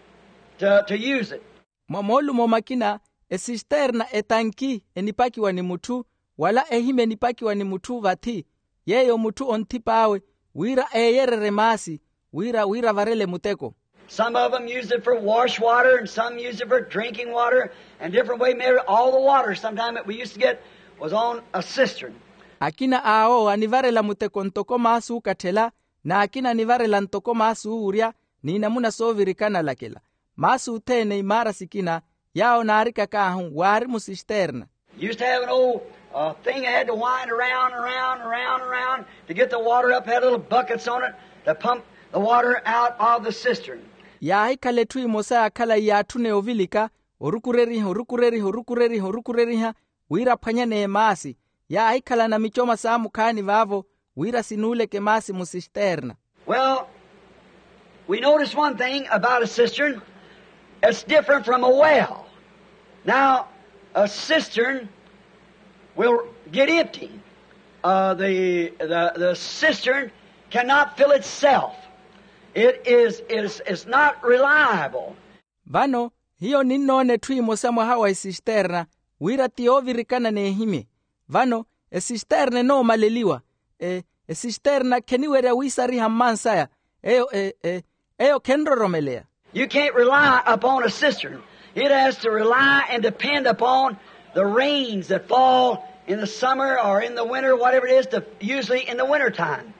to, to use it. Mwa moolumo makina Esisterna etanki enipakiwa ni mutthu, wala ehimya enipakiwa ni mutthu vathi, yeeyo mutthu onthip'awe wira eeyererye maasi, wira wira avarele muteko. Some of them use it for wash water and some use it for drinking water and different way. Maybe all the water sometime that we used to get was on a cistern. Akina awo anivarela muteko ntoko maasi ookatthela, n'akina anivarela ntoko maasi oowurya, n'inamuna soovirikana lakela. Maasi othene imaara sikina yaawo naarikak'ahu waari musisterna. Used to have an old uh, thing that had to wind around, around, around, around to get the water up, had little buckets on it to pump the water out of the cistern. Yaahikhala etthu emosa yaakhala iyaatthuneya ovilika, orukureriha orukureriha orukureriha orukureriha, wira aphwanyaneye maasi. Yaahikhala na micoma saamukhaani vaavo, wira sinuuleke maasi musisterna. Well, we notice one thing about a cistern. It's different from a well. Now, a cistern will get empty. Uh, the, the, the cistern cannot fill itself. It is, is, is not reliable. Vano hiyo ninnoona etthu emosa mwaha wa esisterna, wira ti yoovirikana n'ehimye. Vano esisterna enoomaleliwa. E, esisterna kheniwerya wiisariha mmansaya. Eyo e, e, eyo khenroromeleya. You can't rely upon a cistern. It has to rely and depend upon the rains that fall in the summer or in the winter, whatever it is, to, usually in the winter time.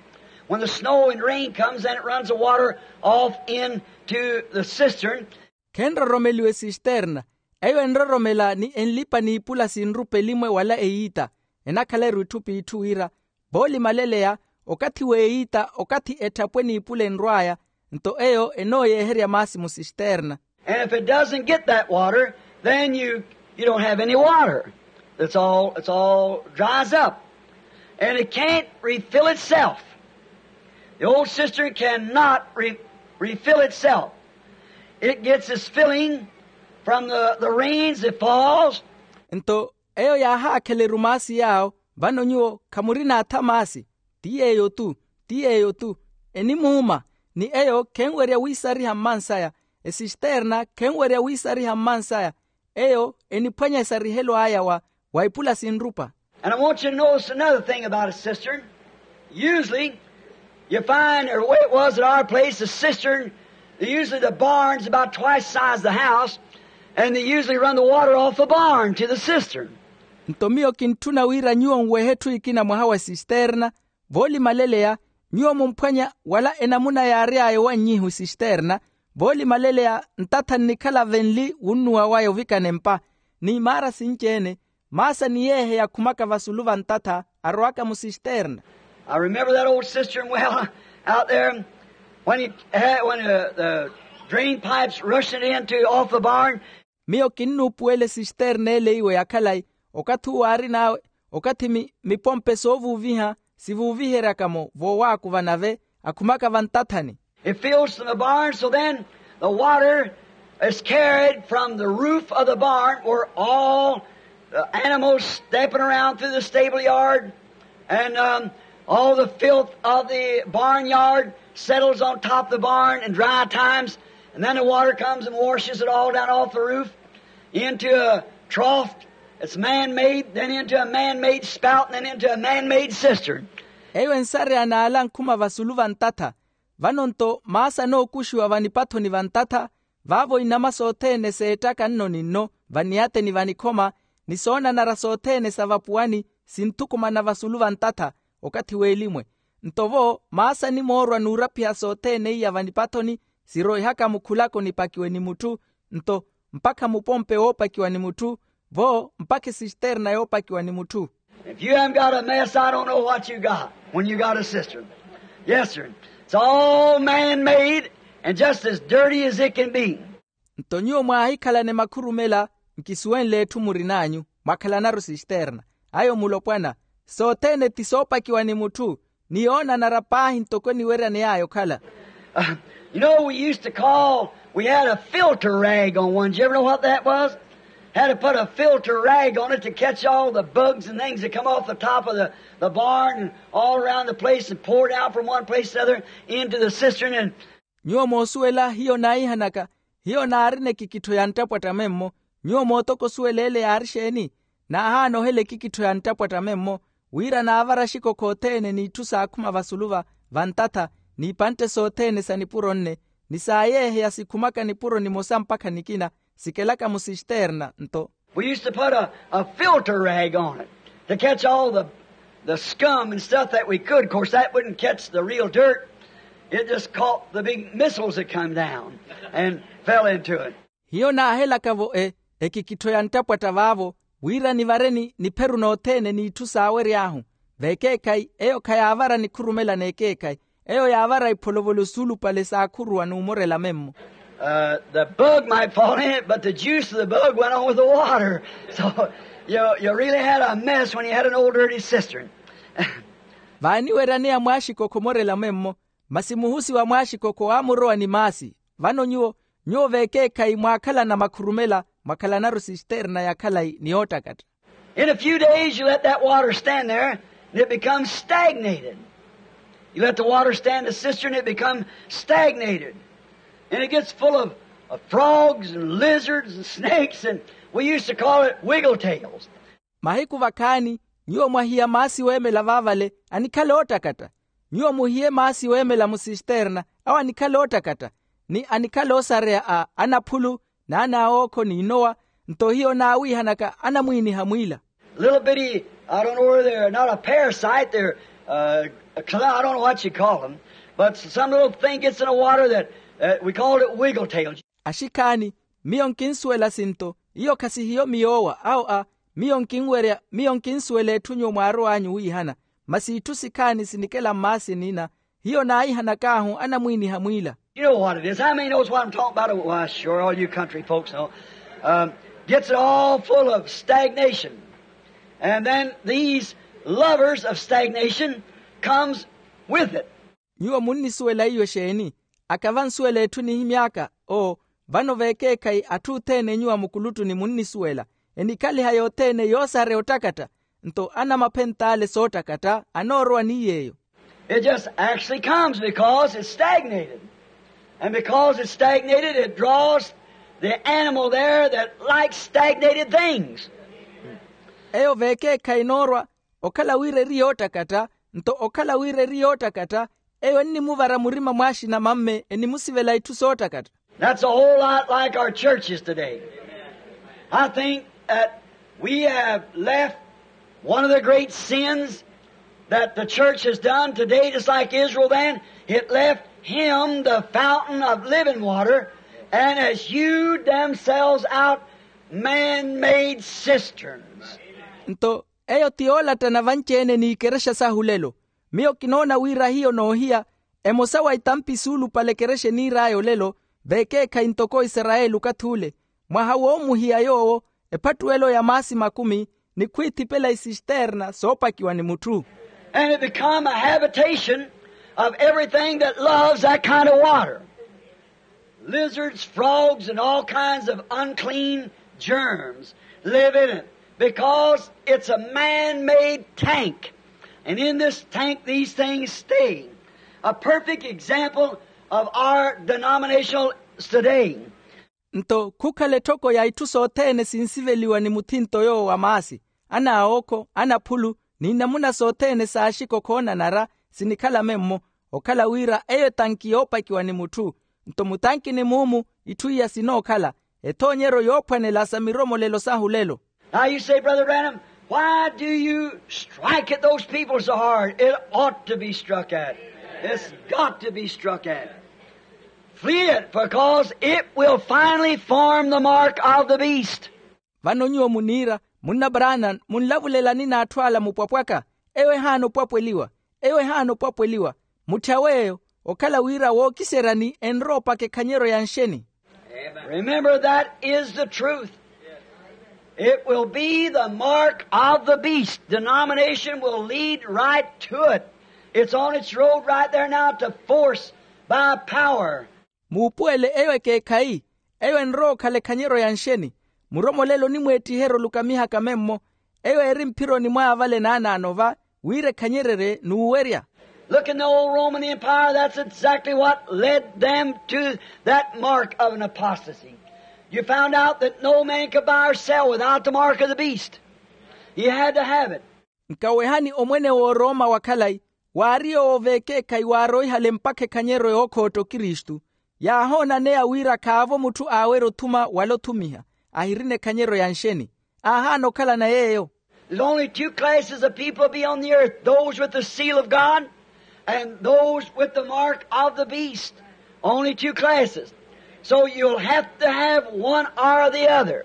When the snow and rain comes, then it runs the water off into the cistern. Khenroromeliwa esisterna. Eyo enroromela ni enlipa n'ipula sinrupa elimwe wala eyiita. Enakhala-ru itthu p'itthu wira voolimaleleya, okathi w'eyiita okathi etthapwe n'ipula enrw'aya, nto eyo enooyeeherya maasi musisterna. And if it doesn't get that water, then you, you don't have any water. It's all, it's all dries up. And it can't refill itself. The old cistern cannot re, refill itself. It gets its filling from the, the rains that falls. Nto eyo yaahaakhela erumaasi yaawo. Vano nyuwo khamurina atha maasi. Ti yeeyo-tu, ti yeeyo-tu. Enimuuma. Ni eyo khenwerya wiisariha mmansaya. Esisterna khenwerya wiisariha mmansaya. Eyo eniphwanya esarihelo aya wa, wa ipula sinrupa. And I want you to notice another thing about a cistern. Usually, you find, or the way it was at our place, the cistern, usually the barn's about twice the size of the house, and they usually run the water off the barn to the cistern. Nto miyo kintthuna wira nyuwo nwehe etthu ekina mwaha wa esisterna. Voolimaleleya nyuwo mumphwanya wala enamuna yaary'aya owannyiha esisterna. Voolimaleleya ntatha nnikhala venli wunnuwa waya ovikana empa. N'imaara sinci-ene, maasi aniyeeheya akhumaka vasulu va ntatha, arowaka musisterna. I remember that old cistern well, out there when, he had, when uh, the drain pipes rushing into off the barn. Miyo kinnuupuwela esisterna ele iwe ya khalayi, okathi uwo aarin'awe, okathi mi, mipompe soovuuviha sivuuviheryaka-mo voowaakuva nave akhumaka vantathani. It fills from the barn, so then the water is carried from the roof of the barn where all the animals stepping around through the stable yard and um, all the filth of the barnyard settles on top of the barn in dry times, and then the water comes and washes it all down off the roof into a trough that's man-made, then into a man-made spout, and then into a man-made cistern. Eyo ensareya n'ala ankhuma vasulu va ntatha. Vano-nto maasi anookuxiwa vanipathoni va ntatha, vaavo inama sothene seettaka nno ni nno vaniyateni vanikhoma, ni soonanara sothene sa vapuwani sinthukumana vasulu va ntatha, okathi w'elimwe. Nto vo maasi animoorwa n'urapiha sothene iya vanipathoni, siroihaka mukhulako nipakiwe ni mutthu. Nto mpakha mupompe woopakiwa ni mutthu, vo mpakha esisterna yoopakiwa ni mutthu. If you haven't got a mess, I don't know what you got when you got a cistern. Yes, sir. It's all man-made and just as dirty as it can be. Nto nyuwo mwaahikhalana makhurumela, nkisuwenle etthu murin'anyu, mwakhalanaru sisterna. Ayo mulopwana, sothene ti soopakiwa ni mutthu, ni yoonanara paahi ntoko eniweryane yaya okhala. You know, we used to call, we had a filter rag on one. Did you ever know what that was? Had to put a filter rag on it to catch all the bugs and things that come off the top of the, the barn and all around the place and pour it out from one place to the other into the cistern. And nyuwo moosuwela hiyo naihanaka, hiyo naarina ekikittho ya nttapwatta memmo, Nyuwo mootoko osuwela ele yaari exeeni? Naahaana ohela ekikittho ya nttapwatta memmo, wira naavara axikokho othene n'itthu saakhuma vasulu va vantatha, n'ipantte sothene sa nipuro nne, ni saayeeheya sikhumaka nipuro nimosa mpakha nikina, sikelaka musisterna nto. We used to put a, a filter rag on it to catch all the, the scum and stuff that we could. Of course, that wouldn't catch the real dirt. It just caught the big missiles that come down and fell into it. Hiyo naahelaka-vo e ekikittho ya nttapwatta vaavo, wira nivareni nipheru nothene n'itthu saawery'ahu. Veekeekhayi eyo khayaavara nikhurumela n'ekeekhayi, eyo yaavara ipholovolo suulupale saakhuruwa n'umorela memmo. The bug might fall in it, but the juice of the bug went on with the water. So you really had a mess when you had an old dirty cistern. Vaaniweryaneya mwaaxikokho omorela memmo, masi muhusi wa mwaaxikokho aamurowa ni maasi. Vano nyuwo nyuwo veekeekhayi mwaakhalana makhurumela, mwakhalanaru sisterna ya khalayi ni yoottakatta. In a few days you let that water stand there, and it becomes stagnated. You let the water stand a cistern, it becomes stagnated. And it gets full of, of frogs and lizards and snakes, and we used to call it wiggle tails. Mahiku vakhaani, nyuwo mwahiya maasi weemela vaavale, anikhala oottakatta. Nyuwo muhiye maasi weemela musisterna, awo anikhala oottakatta, ni anikhala oosareya a anaphulu, n'anaawookho n'inowa. Nto hiyo naawiihanaka anamwiiniha mwiila. Little bitty, I don't know where they're not a parasite, they're uh, I don't know what you call them, but some little thing gets in the water that uh, we called it wiggle tail. Axikhaani, miyo nkinsuwela sinto, iyo khasihiyo miyoowa awo a miyo nkinwerya miyo nkinsuwela etthu nyuwo mwaarow'anyu wiihana. Masi itthu sikhaani sinikela mmaasi nina, hiyo naahihanak'ahu anamwiiniha mwiila. You know what it is. How many knows what I'm talking about? Why, sure, all you country folks know. Um, gets it all full of stagnation. And then these lovers of stagnation comes with it. Nyuwo munnisuwela iyo exeeni? Aka vansuwela etthu enihimy'aka. Oo, vano veekeekhayi atthu othene enyuwa mukuluttuni munnisuwela, enikhaliha yothene yoosareya ottakatta. Nto anamaphent'ale soottakatta anoorowa ni yeeyo. It just actually comes because it's stagnated. And because it's stagnated, it draws the animal there that likes stagnated things. Eyo veekeekhayi enoorwa, okhala wira eri yoottakatta. Nto okhala wira eri yoottakatta, eyo ennimuvara murima mwaaxina mamme enimusivela itthu soottakatta. That's a whole lot like our churches today. I think that we have left one of the great sins that the church has done today, just like Israel then. It left him the fountain of living water and has hewed themselves out man-made cisterns. Nto eyo ti yoolattana vanci-ene n'ikerexa sahu lelo. Miyo kinoona wira hiyo noohiya, emosa wa itampi suulupale ekerexa eniir'aya olelo, veekeekhayi ntoko isarayeli okathi ule, mwaha woomuhiya yoowo ephattuwelo ya maasi makumi, ni khwiithipela isisterna soopakiwa ni mutthu. And it become a habitation of everything that loves that kind of water. Lizards, frogs, and all kinds of unclean germs live in it because it's a man-made tank. And in this tank, these things stay. A perfect example of our denominational today. Nto khukhala etthoko ya itthu sothene sinsiveliwa ni muthinto yoowo wa maasi, anaawookho, anaphulu, n'inamuna sothene s'axiko khoonanara sinikhala memmo. Okhala wira eyo etanki yoopakiwa ni mutthu. Nto mutankini muumu itthu iya sinookhala ethoonyeryo yoophwanela sa miromolelo sahu lelo. Now you say, Brother Branham, why do you strike at those people so hard? It ought to be struck at. It's got to be struck at. Flee it, because it will finally form the mark of the beast. Vano nyuwo muniira, munna branham, munlavulelani n'atthu ala mupwapwaka? Eyo ehaana opwapweliwa. Eyo ehaana opwapweliwa. Mutthyawe eyo. Okhala wira wookiseryani enrowa opaka ekhanyeryo ya nxeni. Remember, that is the truth. It will be the mark of the beast. Denomination will lead right to it. It's on its road right there now to force by power. Muupuwele eyo ekeekhayi. Eyo enrowa okhala ekhanyeryo ya nxeni. Muromolelo onimweettiherya olukamihaka memmo. Eyo eri mphironi mwaya vale naanaano va, wira ekhanyererye n'uwerya. Look, in the old Roman Empire, that's exactly what led them to that mark of an apostasy. You found out that no man could buy or sell without the mark of the beast. He had to have it. Nkawehani omwene w'oroma wa khalayi, waari yoowo veekeekhayi waaroihale mpakha ekhanyeryo yookhootta okristu. Yaahoonaneya wira khaavo mutthu aawerya othuma wala othumiha ahirina ekhanyeryo ya nxeni. Aahaana okhalana yeeyo. There's only two classes of people be on the earth, those with the seal of God and those with the mark of the beast. Only two classes. So you'll have to have one or the other.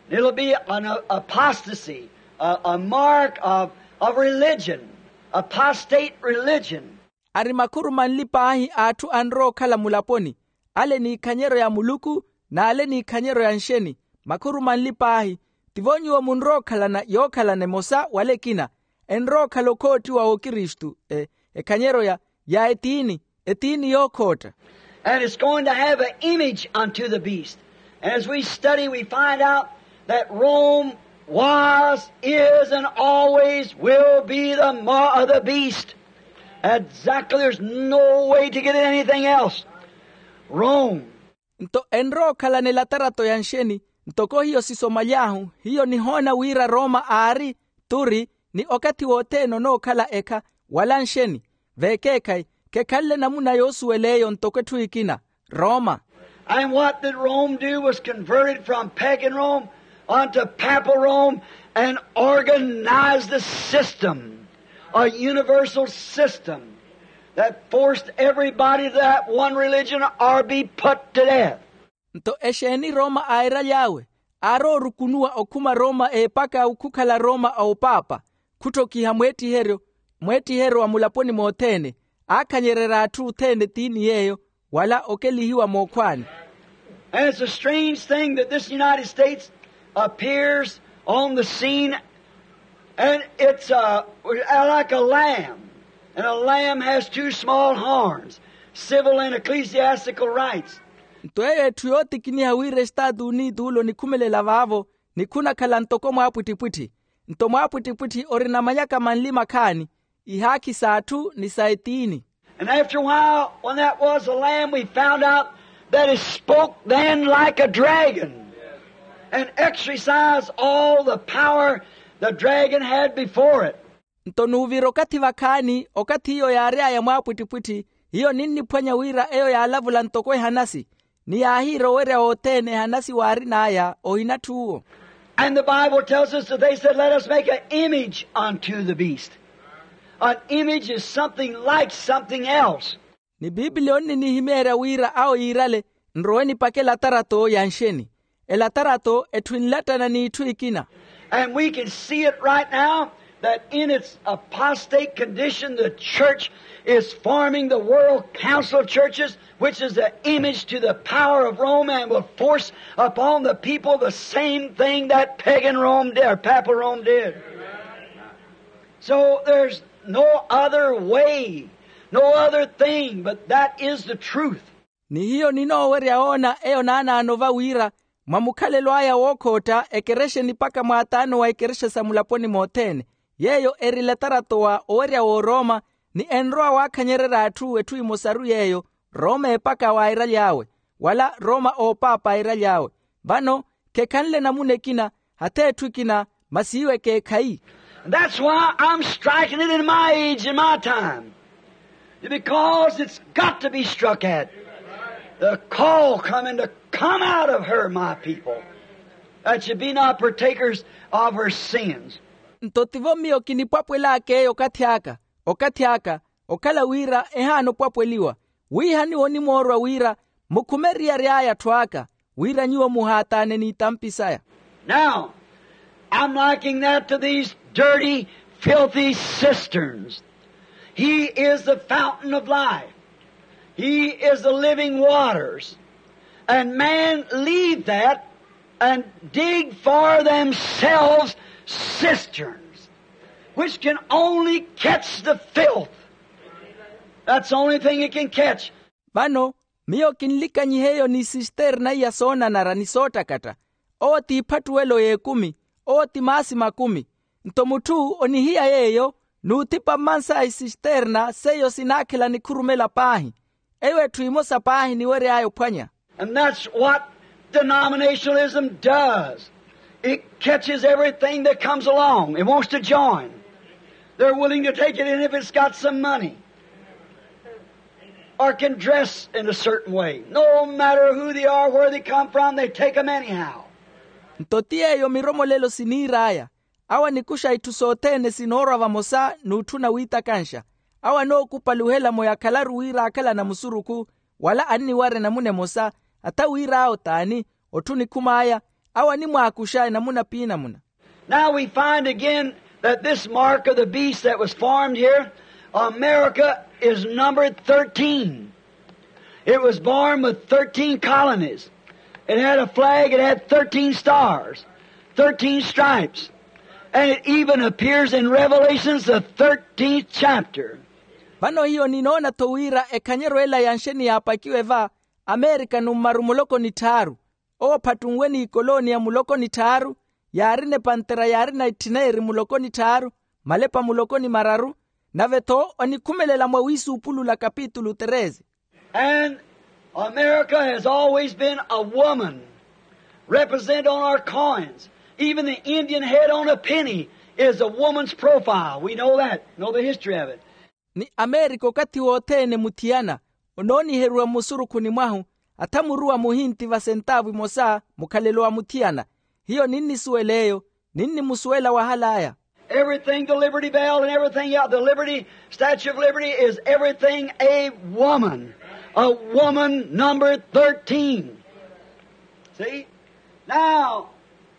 It'll be an a- apostasy, a, a mark of, of religion, apostate religion. Ari makhuru manli paahi a atthu anrowa okhala mulaponi, ale n'ikhanyeryo ya muluku n'ale n'ikhanyeryo ya nxeni. Makhuru manli paahi. Tivo nyuwo munrowa okhalana yookhalana emosa wala ekina. Enrowa okhala okhoottiwa w'okristu, e, ekhanyeryo ya, ya etiini, etiini yookhootta. And it's going to have an image unto the beast. And as we study, we find out that Rome was, is, and always will be the mar of the beast. Exactly, there's no way to get it anything else. Rome. Nto enrowa okhalana elatarato ya nxeni. Ntoko hiyo sisomaly'ahu, hiyo nihoona wira roma aari, turi, ni okathi wothene onookhala ekha wala nxeni. Veekeekhayi, khekhanle namuna yoosuwela eyo ntoko etthu ekina, roma. And what did Rome do was converted from pagan Rome unto papal Rome and organized a system, a universal system that forced everybody to that one religion or be put to death. Nto exeeni roma airaly'awe? Aarowa orukunuwa okhuma roma epaka okhukhala roma a opaapa, khuttokiha mweettiheryo, mweettiheryo wa mulaponi mothene, aakhanyererya atthu othene etiini yeeyo, wala okelihiwa mookhwaani. And it's a strange thing that this United States appears on the scene, and it's uh, like a lamb, and a lamb has two small horns, civil and ecclesiastical rights. Nto eyo etthu yootikiniha wira estaatu unitu ole onikhumelela vaavo, nikhunakhala ntoko mwaapwittipwitthi. Nto mwaapwittipwitthi orina manyaka manli makhaani, ihaakhi s'atthu ni sa etiini. And after a while, when that was the lamb, we found out that it spoke then like a dragon and exercised all the power the dragon had before it. Nto nuuvira okathi vakhaani, okathi hiyo yaary'aya mwaapwittipwitthi, hiyo ninniphwanya wira eyo yaalavula ntoko ehanasi, ni yaahiira owerya wothene ehanasi waarin'aya ohinatthu uwo. And the Bible tells us that they said, let us make an image unto the beast. An image is something like something else. Ni biipiliya onninihimyeerya wira awo yiirale, nrowe nipake elatarato ya nxeni. Elatarato etthu enlattana n'itthu ekina. And we can see it right now that in its apostate condition, the church is forming the World Council of Churches, which is the image to the power of Rome and will force upon the people the same thing that pagan Rome did, or papal Rome did. So there's no other way, no other thing, but that is the truth. Ni hiyo ninoowerya woona eyo naanaano va wira, mwa mukhalelo aya wookhootta ekerexe nipaka mwaataano wa ekerexa sa mulaponi mothene, yeeyo eri elatarato wa owerya w'orooma, ni enrowa waakhanyererya atthu etthu emosaru yeeyo, rooma epaka waairaly'awe, wala rooma oopaapa airaly'awe. Vano khekhanle namuna ekina, hata etthu ekina, masi iwo ekeekhayi. And that's why I'm striking it in my age and my time. Because it's got to be struck at. The call coming to come out of her, my people, that you be not partakers of her sins. Nto tivo miyo kinipwapwel'aka eyo okathi aka, okathi aka, okhala wira ehaana opwapweliwa, wihaniwa onimoorwa wira mukhume eriyari aya atthu aka, wira nyuwo muhaataane n'itampi saya. Now, I'm liking that to these dirty, filthy cisterns. He is the fountain of life. He is the living waters. And man leave that and dig for themselves cisterns, which can only catch the filth. That's the only thing it can catch. Vano, miyo kinlikanyiha eyo ni sisterna iya soonanara ni soottakatta. Owo ti iphattuwelo y'ekumi, owo ti maasi makumi. Nto mutthu onihiya yeeyo, n'uthipa mmansa a isisterna seiyo sinaakhela nikhurumela paahi. Eyo etthu emosa paahi niwery'aya ophwanya. And that's what Denominationalism does. It catches everything that comes along and wants to join. They're willing to take it in if it's got some money or can dress in a certain way. No matter who they are, where they come from, they take 'em anyhow. Nto ti yeeyo miromolelo siniir'aya. Awo anikuxa itthu sothene sinoorwa vamosa n'utthuna wiitakanxa. Awo anookupaluhela-mo yakhalaru wira akhala anamusurukhu, wala anniwara enamuna emosa, atha wir'awo t'ani, otthu onikhum'aya. Awo animwaakuxa enamuna p'inamuna. Now we find again that this mark of the beast that was formed here, America is numbered thirteen. It was born with thirteen colonies. It had a flag, it had thirteen stars, thirteen stripes, and it even appears in Revelations, the thirteenth chapter. Vano hiyo ninoona-tho wira ekhanyeryo ela ya nxeni yaapakiwe va, amerika nummaru muloko nitthaaru. Owo phattunwe n'ikoloniya muloko nitthaaru, yaarina epantera yaarina etthina eri muloko nitthaaru, malepa muloko ni mararu. Nave-tho onikhumelela mwa wiisuupulula kapitulu treze. And America has always been a woman represented on our coins. Even the Indian head on a penny is a woman's profile. We know that, know the history of it. Ni amerika okathi wothene muthiyana onooniheriwa mmusurukhuni mwahu, atha muruwa muhinti vasentaavu imosa mukhalelo wa muthiyana. Hiyo ninnisuwela eyo, ninnimusuwela wahal'aya. Everything, the Liberty Bell and everything else, the Liberty, Statue of Liberty is everything a woman. A woman number thirteen. See? Now,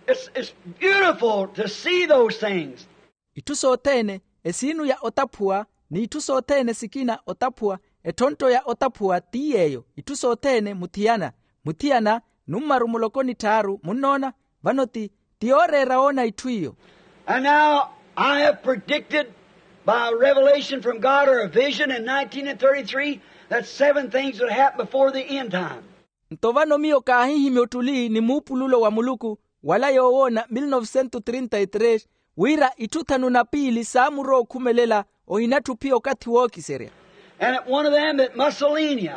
it's, it's beautiful to see those things. Itthu sothene, esiinu ya otaphuwa, n'itthu sothene sikina otaphuwa, ettontto ya otaphuwa ti yeeyo, itthu sothene muthiyana. Muthiyana nummaru muloko nitthaaru, munnoona? Vano ti, ti yooreera woona itthu iyo. And now I have predicted by revelation from God or a vision in nineteen thirty-three that seven things would happen before the end time. Nto vano miyo kaahihimya ottuli ni muupululo wa muluku, wala yoowoona mil novecentos trinta y tres, wira itthu thanu na piili saamurowa okhumelela, ohinatthu phiya okathi wookiserya. And one of them, that Mussolini,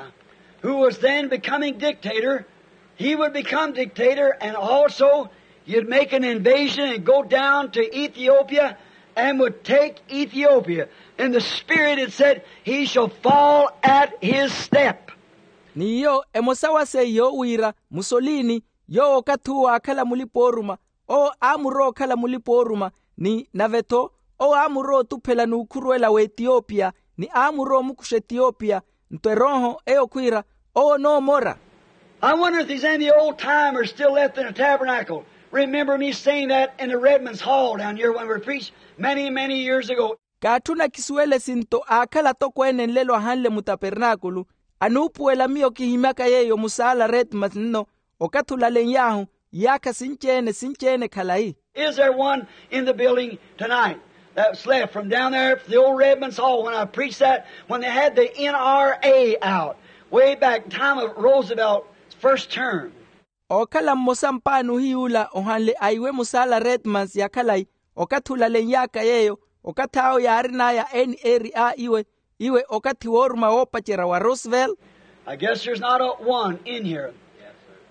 who was then becoming dictator, he would become dictator, and also you'd make an invasion and go down to Ethiopia and would take Ethiopia. And the Spirit had said, "He shall fall at his step." Ni iyo emosa wa seiyo wira musolini, yoowo okathi uwo aakhala mulipa-ooruma, owo aamurowa okhala mulipa-ooruma, ni nave-tho owo aamurowa otuphela n'ukhuruwela w'etiyopiya, ni aamurowa omukuxa etiyopiya. Nto erooho eyo khwiira, owo onoomora. I wonder if there's any old timers still left in the tabernacle. Remember me saying that in the Redmond's Hall down here when we preached many, many years ago. Kaatthuna kisuwele sinto aakhala atokweene nlelo ahanle mutapernaakulu, anuupuwela miyo kihimyaka yeeyo musaala redmond nno, okathi olalen'y'ahu iyaakha sinci-ene sinci-ene khalayi. Is there one in the building tonight that's left from down there at the old Redmond's Hall when I preached that, when they had the N R A out, way back time of Roosevelt's first term? Ookhala mmosa mpaani ohiy'ula ohanle aiwe musaala redmans ya khalayi, okathi olalen'yaka yeeyo, okathi awo yaarin'aya n r a iwe, iwe okathi wooruma woopacerya wa roosevelt. I guess there's not a one in here.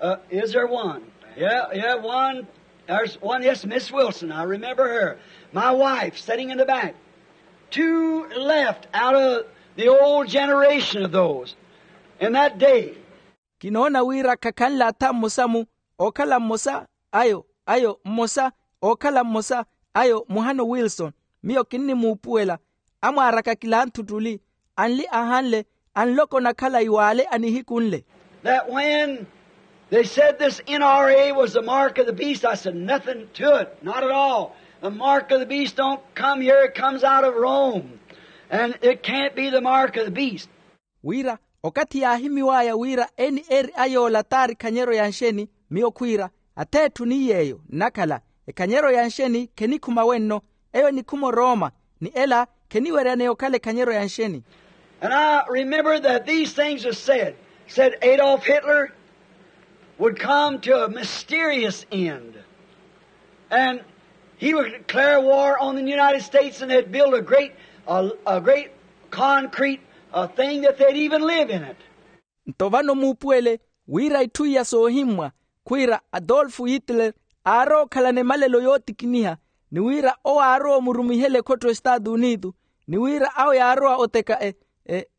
Uh, is there one? Yeah, yeah, one. There's one. Yes, Miss Wilson. I remember her. My wife sitting in the back. Two left out of the old generation of those in that day. Kinoona wira khakhanle atha mmosa-mu, ookhala mmosa ayo ayo mmosa ookhala mmosa ayo muhano wilson. Miyo kinnimuupuwela, amwaaraka kilanthu ttuli, anli ahanle, anloko na khalayi w'ale anihikunle. That when they said this N R A was the mark of the beast, I said, "Nothing to it, not at all. The mark of the beast don't come here, it comes out of Rome. And it can't be the mark of the beast." Wira, okathi yaahimiw'aya wira n r a yoola t'ari ekhanyeryo ya nxeni, miyo khwiira, ath'etthu ni yeeyo nnakhala, ekhanyeryo ya nxeni khenikhuma wenno, eyo enikhuma orooma, ni ela kheniweryaneya okhala ekhanyeryo ya nxeni. And I remember that these things were said, said Adolf Hitler would come to a mysterious end. And he would declare war on the United States, and they'd build a great, a, a great concrete, uh, thing that they'd even live in it. Nto vano muupuwele wira itthu iya soohimmwa, Khwiira adolfo hitler aarowa okhalana emalelo yootikiniha, ni wira owo aarowa omurumihela ekhotto estaatu unitu, ni wira awo yaarowa oteka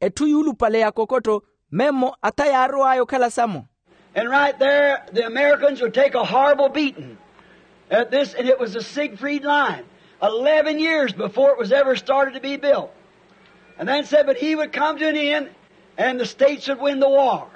etthu yuulupale ya kokottho, memmo ata yaarow'aya okhala samo. And right there the americans would take a horrible beating at this and it was a siegfried line, eleven years before it was ever started to be built. And then said but he would come to an end and the states would win the war.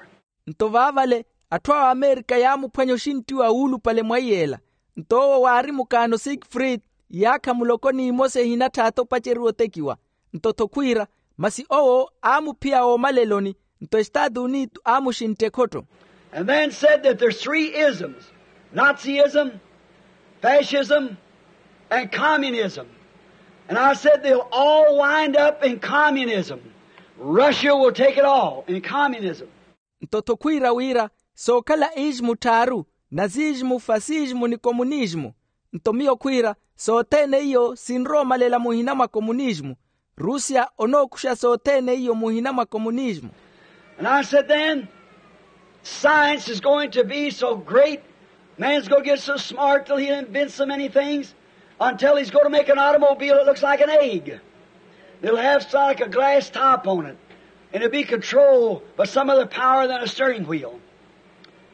Nto vaavale atthu a amerika yaamuphwanya oxinttiwa wuulupale mwa iyeela. Nto owo waari mukaano sikfrid, iyaakha muloko n'imosa ehinatthaatha opaceriwa otekiwa. Nto-tho khwiira, masi owo aamuphiya woomaleloni. Nto estaatu unitu aamuxintta ekhotto. And then said that there's three isms, nazism, fascism, and communism. And I said they'll all wind up in communism. Russia will take it all in communism. Nto-tho khwiira wira sookhala ismu tthaaru, nazismu fasismu ni komunismu. Nto miyo khwiira sothene iyo sinrowa omalela muhina mwa komunismu. Rusia onookuxa sothene iyo muhina mwa komunismu. And I said then, science is going to be so great, man's going to get so smart till he'll invent so many things, until he's going to make an automobile that looks like an egg. It'll have like a glass top on it, and it'll be controlled by some other power than a steering wheel.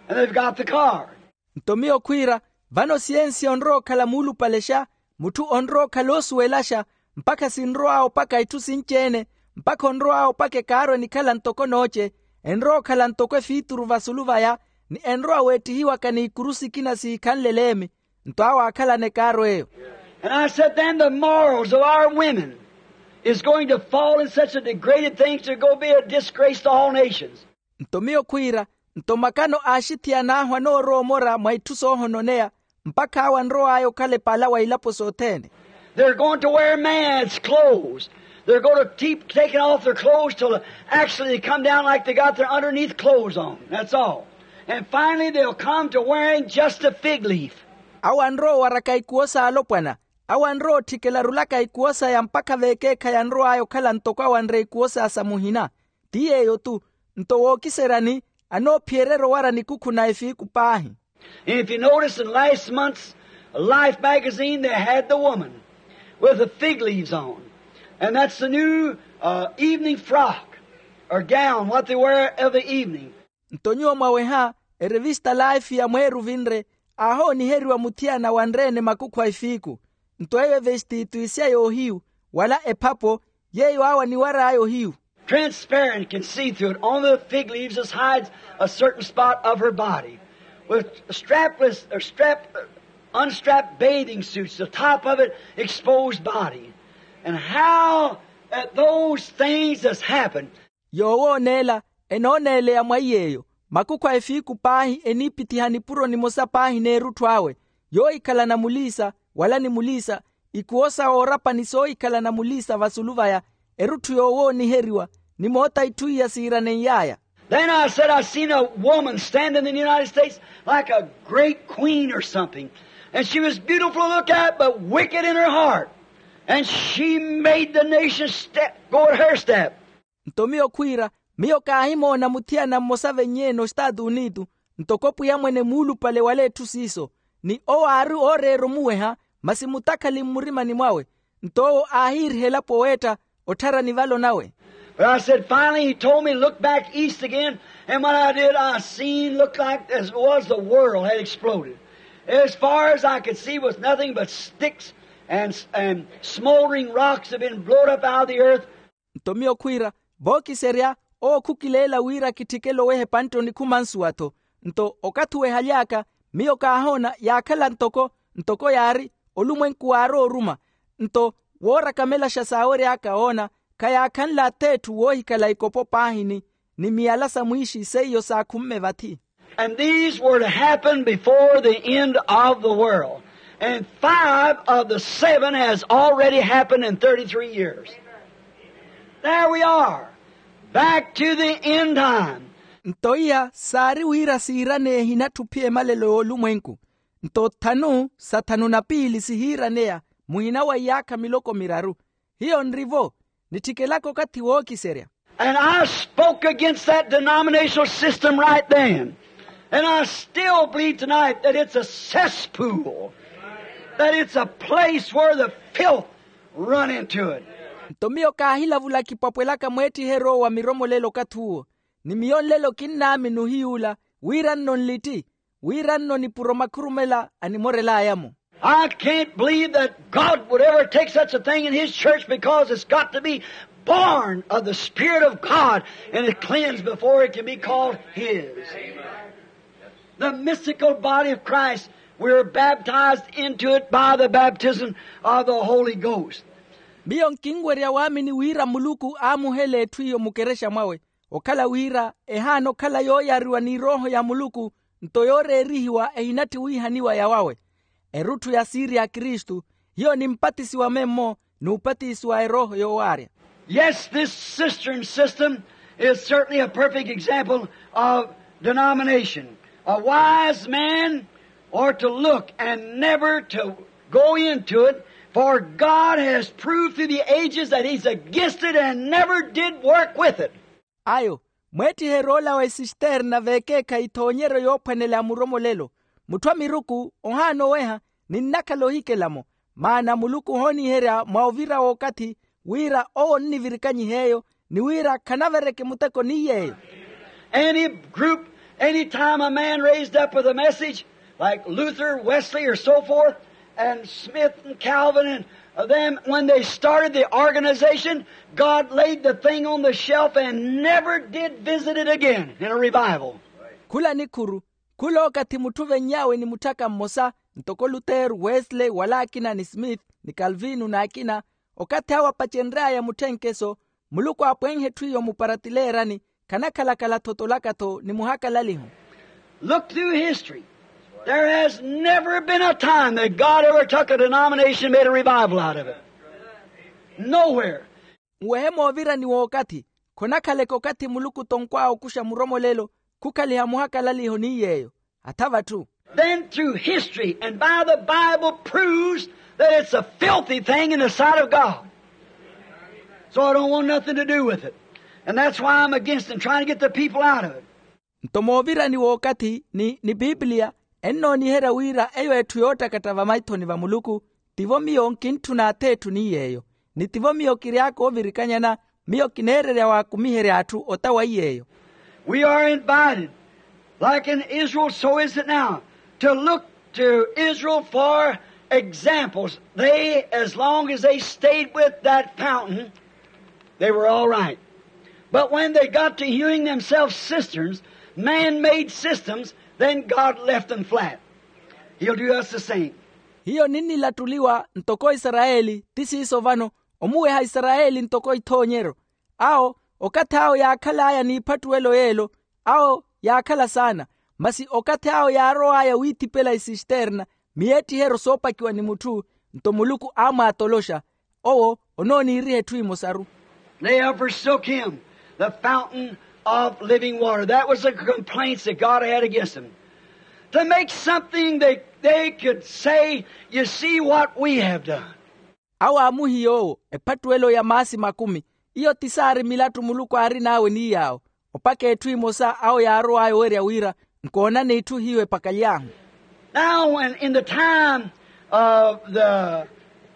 And they've got the car. Nto miyo khwiira, vano siyensiya onrowa okhala muulupalexa, mutthu onrowa okhala oosuwelaxa, mpakha sinrow'awe opaka itthu sinci-ene, mpakha onrow'awe opaka ekaaro enikhala ntoko nooce, enrowa okhala ntoko efiituru vasulu vaya, ni enrowa weettihiwaka n'ikuru sikina siikhanle eleemi. Nto awo aakhalana ekaaro eyo. And I said then the morals of our women is going to fall in such a degraded thing to go be a disgrace to all nations. Nto miyo khwiira, nto makano a axithiyana ahu anoorowa omora mwa itthu soohononeya, mpakha awo anrow'aya okhala epala wa ilapo sothene. They're going to wear man's clothes. They're going to keep taking off their clothes till actually they come down like they got their underneath clothes on, that's all. And finally they'll come to wearing just a fig leaf. Awo anrowa owaraka ikuwo s'alopwana. Awo anrowa otthikela arulaka ikuwo saya mpakha veekeekhayi anrow'aya okhala ntoko awo anre ikuwo saya sa muhina. Ti yeeyo-tu. Nto wookiseryani, anoophiyererya owara nikukhu na efiiku paahi. And if you notice in last month's life magazine they had the woman with the fig leaves on. And that's the new evening frock or gown what they wear of the evening. Nto nyuwo mwaweha, erevista laifi ya mweeru vinre, aahooniheriwa muthiyana wanre-ene makukhu a efiiku. Nto eyo evestitu isya yoohiyu, wala ephapo, yeeyo awo aniwar'aya ohiyu. Transparent can see through it on the fig leaves as hides a certain spot of her body, with strapless or strap unstrapped bathing suits the top of it exposed body. And how that those things has happened. Yoowooneela, enooneeleya mwa iy'eyo, makukhu a efiiku paahi eniipithiha nipuro nimosa paahi n'erutthu awe, yoohikhalana muliisa, wala ni muliisa, ikuwo sa woorapa ni soohikhalana muliisa vasulu vaya, erutthu yoowooniheriwa, ni moota itthu iya siiranen'y'aya. Then I said I seen a woman standing in the united states like a great queen or something, and she was beautiful to look at but wicked in her heart, and she made the nation step go at her step. Nto miyo khwiira, miyo kaahimoona muthiyana mmosa venyi-ene ostaatu unitu, ntoko pwiya mwene muulupale wala etthu siiso, ni owo aari ooreera omuweha, masi mutakhali mmurimani mwawe. Nto owo aahiiriha elapo weetta otthara nivalo nawe. But I said finally he told me look back east again, and what I did I seen looked like as was the world had exploded. As far as I could see was nothing but sticks and and smoldering rocks had been blown up out of the earth. Nto miyo khwiira, vookiserya, owo khukileela wira kitthikele oweha epantte onikhuma nsuwa-tho. Nto okathi owehaly'aka, miyo kaahoona yaakhala ntoko ntoko yaari olumwenku waarowa oruma. Nto woorakamelaxa saawery'aka woona, khayaakhanle ath'etthu woohikhala ikopo paahini, ni miyala sa mwiixi seiyo saakhumme vathi. And these were to happen before the end of the world. And five of the seven has already happened in thirty-three years. There we are, back to the end time. Nto iya saari wira siiraneya ehinatthu ophiya emalelo y'olumwenku. Nto thanu sa thanu na piili sihiiraneya muhina wa iyaakha miloko miraru. Hiyo nri-vo, nitthikelaka okathi wookiserya. And I spoke against that denominational system right then. And I still believe tonight that it's a cesspool, that it's a place where the filth run into it. Nto miyo kaahilavula kipwapwelaka mweettiheryo wa miromolelo okathi uwo. Ni miyo nlelo kinnaamini ohiyuula wira nno nlitti, wira nno nipuro makhurumela animorel'aya-mo. I can't believe that God would ever take such a thing in His church, because it's got to be born of the Spirit of God and it cleansed before it can be called His. The mystical body of Christ, we were baptized into it by the baptism of the Holy Ghost. Miyo nkinwerya waamini wira muluku aamuhela etthu iyo mukerexa mwawe, okhala wira ehaana okhala yooyariwa ni erooho ya muluku, nto yooreerihiwa ehinatthi wiihaniwa yawawe. Erutthu ya siiri ya kristu hiyo nimpatisiwa memmo, n'upatisiwa erooho yoowaarya. Yes, this cistern system is certainly a perfect example of denomination. A wise man ought to look and never to go into it, for God has proved through the ages that He's against it and never did work with it. Ayo, mweettiheryo ola wa esisterna veekeekhayi ethoonyeryo yoophwanela ya muromolelo. Mutthu a miruku ohaana oweha, ninnakhala ohikela-mo. Maana muluku ohooniherya mwa ovira w'okathi wira owo onnivirikanyiha eyo, ni wira khanavereke muteko ni yeeyo. Any group, any time a man raised up with a message, like Luther, Wesley, or so forth, and Smith and Calvin, and them, when they started the organization, God laid the thing on the shelf and never did visit it again in a revival. Khula nikhuru, khula okathi mutthu ovenny'awe ni mutthaka mmosa, ntoko lutero, wesley, wala akina ni smith, ni kalvino n'akina, okathi awo apacenry'aya mutthenkeso, muluku aapwenhe etthu iyo muparatileerani, khanakhalakhala thotolaka-tho ni muhakalaliho. Look through history. There has never been a time that God ever took a denomination and made a revival out of it. Nowhere. Nwehe moovirani w'okathi, khonakhaleke okathi muluku tonkw'awe okuxa muromolelo, khukhaliha muhakalaliho ni yeeyo. Athava atthu. Then through history and by the Bible proves that it's a filthy thing in the sight of God. So I don't want nothing to do with it. And that's why I'm against and trying to get the people out of it. Nto moovirani w'okathi ni ni piipiliya, ennooniherya wira eyo etthu yoottakatha vamaithoni va muluku. Tivo miyo nkintthuna ath'etthu ni yeeyo, ni tivo miyo kiry'aka oovirikanyana. Miyo kineererya waakumiherya atthu ota wa iy'eyo. We are invited, like in Israel, so is it now, to look to Israel for examples. They, as long as they stayed with that fountain, they were all right. But when they got to hewing themselves cisterns, man-made systems, then God left them flat. He'll do us the same. Hiyo ninnilattuliwa ntoko isarayeli ti siiso vano, omuweha isarayeli ntoko ithoonyeryo. Awo, okathi awo yaakhal'aya n'iphattuwelo y'elo, awo yaakhala saana. Masi okathi awo yaarow'aya wiithipela isisterna, miyeettiheryo soopakiwa ni mutthu, nto muluku aamwaatoloxa. Owo onooniiriha etthu emosaru. They have forsook him, the fountain of living water. That was the complaints that God had against them. To make something that they could say, you see what we have done. Awo aamuhiya owo ephattuwelo ya maasi makumi. Iyo ti saari milattu muluku aarin'awe ni yaawo. Opaka etthu emosa awo yaarow'aya owerya wira, nkoonani etthu hiyo epakaly'ahu. Now, when in the time of the,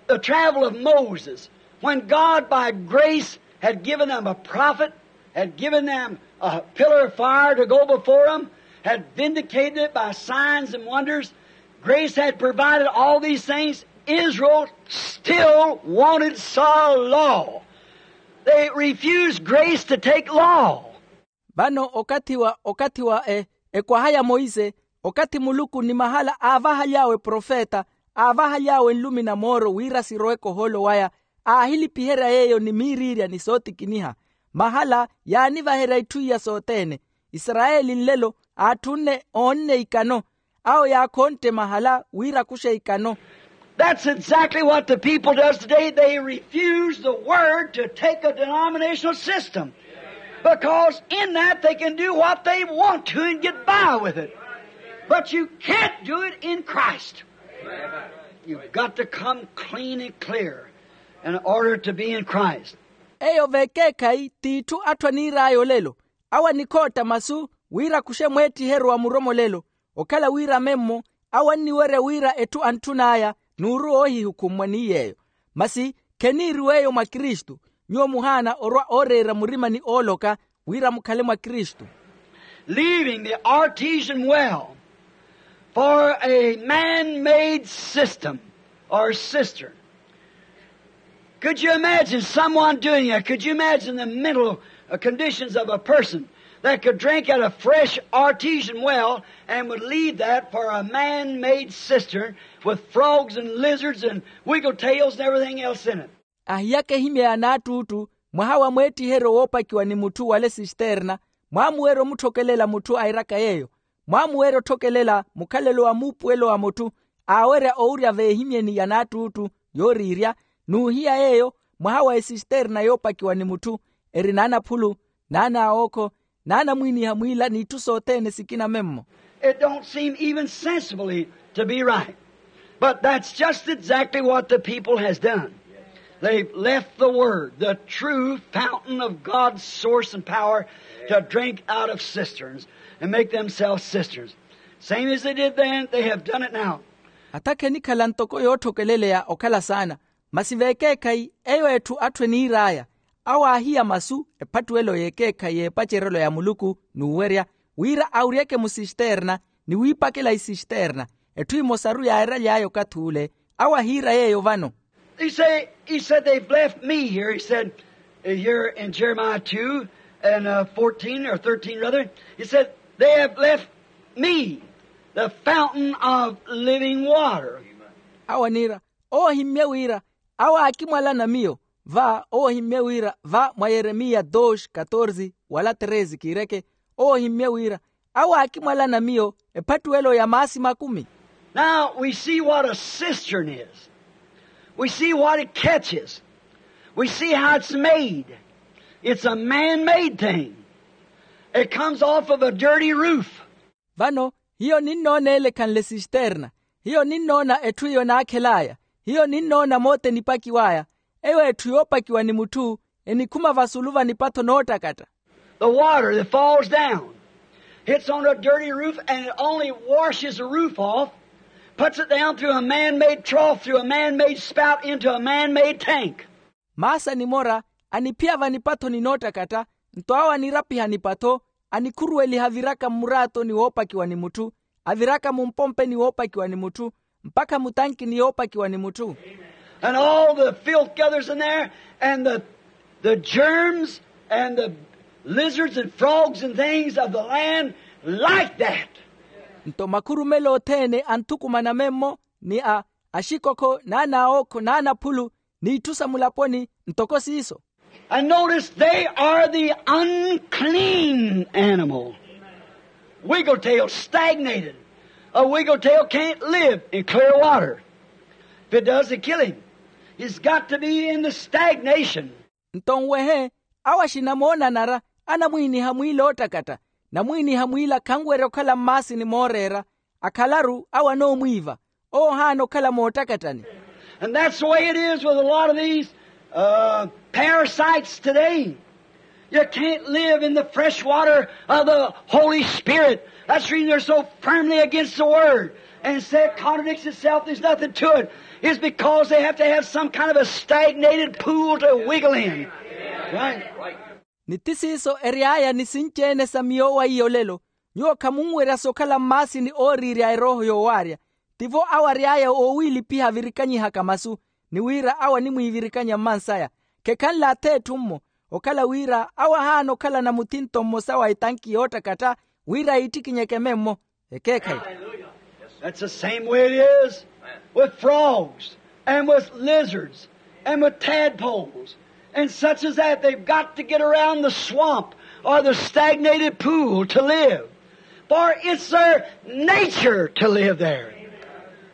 the travel of Moses, when God by grace had given them a prophet, had given them a pillar of fire to go before them, had vindicated it by signs and wonders, grace had provided all these things, Israel still wanted saw law. They refused grace to take law. Vano okathi wa okathi wa e ekwaha ya moise, okathi muluku ni mahala aavahaly'awe profeta, aavahaly'awe nlumi na mooro wira siroweke ohoolo waya, aahilipiherya yeeyo ni miiriirya ni sootikiniha. Mahala yaanivaherya itthu iya sothene. Isarayeli nlelo aatthunne oonne ikano. Awo yaakhontte mahala wira akuxe ikano. That's exactly what the people does today. They refuse the word to take a denominational system, because in that they can do what they want to and get by with it. But you can't do it in Christ. You've got to come clean and clear in order to be in Christ. Eyo vekeekhayi t'itthu atthu aniir'aya olelo. Awo anikhootta masu wira akuxe mweettiheryo wa muromolelo. Okhala wira memmo awo anniwerya wira etthu antthun'aya n'uru oohihukhummwa ni yeeyo. Masi kheniiriw'eyo mwa kristu. Nyuwo muhaana orwa ooreera murima ni ooloka wira mukhale mwa kristu. Leaving the artesian well for a man-made system or cistern. Could you imagine someone doing that? Could you imagine the mental uh, conditions of a person that could drink at a fresh artesian well and would leave that for a man-made cistern with frogs and lizards and wiggle tails and everything else in it? Ahiyaka ehimyeya n'attuuttu mwaha wa mweettiheryo woopakiwa ni mutthu wale sisterna. Mwaamuwerya omutthokelela mutthu airaka yeeyo. Mwaamuwerya otthokelela mukhalelo wa muupuwelo wa mutthu aawerya owurya veehimyeni ya n'attuuttu yooriirya. N'uhiya yeeyo mwaha wa esisterna yoopakiwa ni mutthu eri n'anaphulu, n'anaawookho, n'anamwiiniha mwiila n'itthu sothene sikina memmo. It don't seem even sensibly to be right. But that's just exactly what the people has done. They've left the word, the true fountain of God's source and power, to drink out of cisterns and make themselves cisterns. Same as they did then, they have done it now. Atakhe enikhala ntoko yootthokeleleya okhala saana. Masi veekeekhayi eyo etthu atthu eniir'aya, awo aahiya masu ephattuwelo y'ekeekhayi y'epacerelo ya muluku n'uwerya wira awuryeke musisterna ni wiipakela isisterna. Etthu emosaru yaairaly'aya okathi ule awo ahiira yeeyo vano. He say, he said, they've left me here, he said, here in Jeremiah two and uh, fourteen or thirteen rather, he said, they have left me the fountain of living water. Awo aniira, owo ohimmye wira awo aakimwalana miyo. Va owo ohimmye wira va mwa yeremiya dos katorze wala treze kiireke, owo ohimmye wira awo aakimwalana miyo ephattuwelo ya maasi makumi. Now we see what a cistern is. We see what it catches. We see how it's made. It's a man-made thing. It comes off of a dirty roof. Vano hiyo ninnoona ele ekhanle sisterna. Hiyo ninnoona etthu iyo naakhel'aya. Hiyo ninnoona moota enipakiw'aya. Eyo etthu yoopakiwa ni mutthu enikhuma vasulu va nipatho noottakatta. The water that falls down hits on a dirty roof and it only washes the roof off, puts it down through a man-made trough, through a man-made spout into a man-made tank. Maasi animora aniphiya vanipathoni noottakatta. Nto awo anirapiha nipatho anikhuruweliha aviraka mmuraatoni woopakiwa ni mutthu, aviraka mumpompeni woopakiwa ni mutthu, mpakha mutankini yoopakiwa ni mutthu. And all the filth gathers in there and the, the germs and the lizards and frogs and things of the land like that. Nto makhurumelo othene anthukumana memmo ni a axikokho n'anaawookho n'anaphulu n'itthu sa mulaponi ntoko siiso. And notice they are the unclean animal. Wiggletail stagnated. A wiggletail can't live in clear water. If it does, they kill him. He's got to be in the stagnation. Nto nwehe awo axina moonanara anamwiiniha mwiila oottakatta, namwiiniha mwiila khanwerya okhala mmaasini mooreera. Akhalaru awo anoomwiiva. Owo ohaana okhala moottakattani. And that's the way it is with a lot of these uh, parasites today. You can't live in the fresh water of the Holy Spirit. That's the reason they're so firmly against the word and say it contradicts itself, there's nothing to it. It's because they have to have some kind of a stagnated pool to wiggle in. Right? Ni ti siiso ery'aya ni sinci-ene sa miyo wa iyo lelo. Nyuwo khamunwerya sokhala mmaasini ooriirya erooho yoowaarya. Tivo awo ary'aya oowiilipiha avirikanyihaka masu ni wira awo animwiivirikanya mmansaya. Khekhanle ath'etthu mmo okhala wira awo ahaana okhalana muthinto mmosa wa etanki yoottakatta wira yiittikinyeke memmo. Ekeekhayi. That's the same way it is with frogs and with lizards and with tadpoles and such as that. They've got to get around the swamp or the stagnated pool to live, for it's their nature to live there.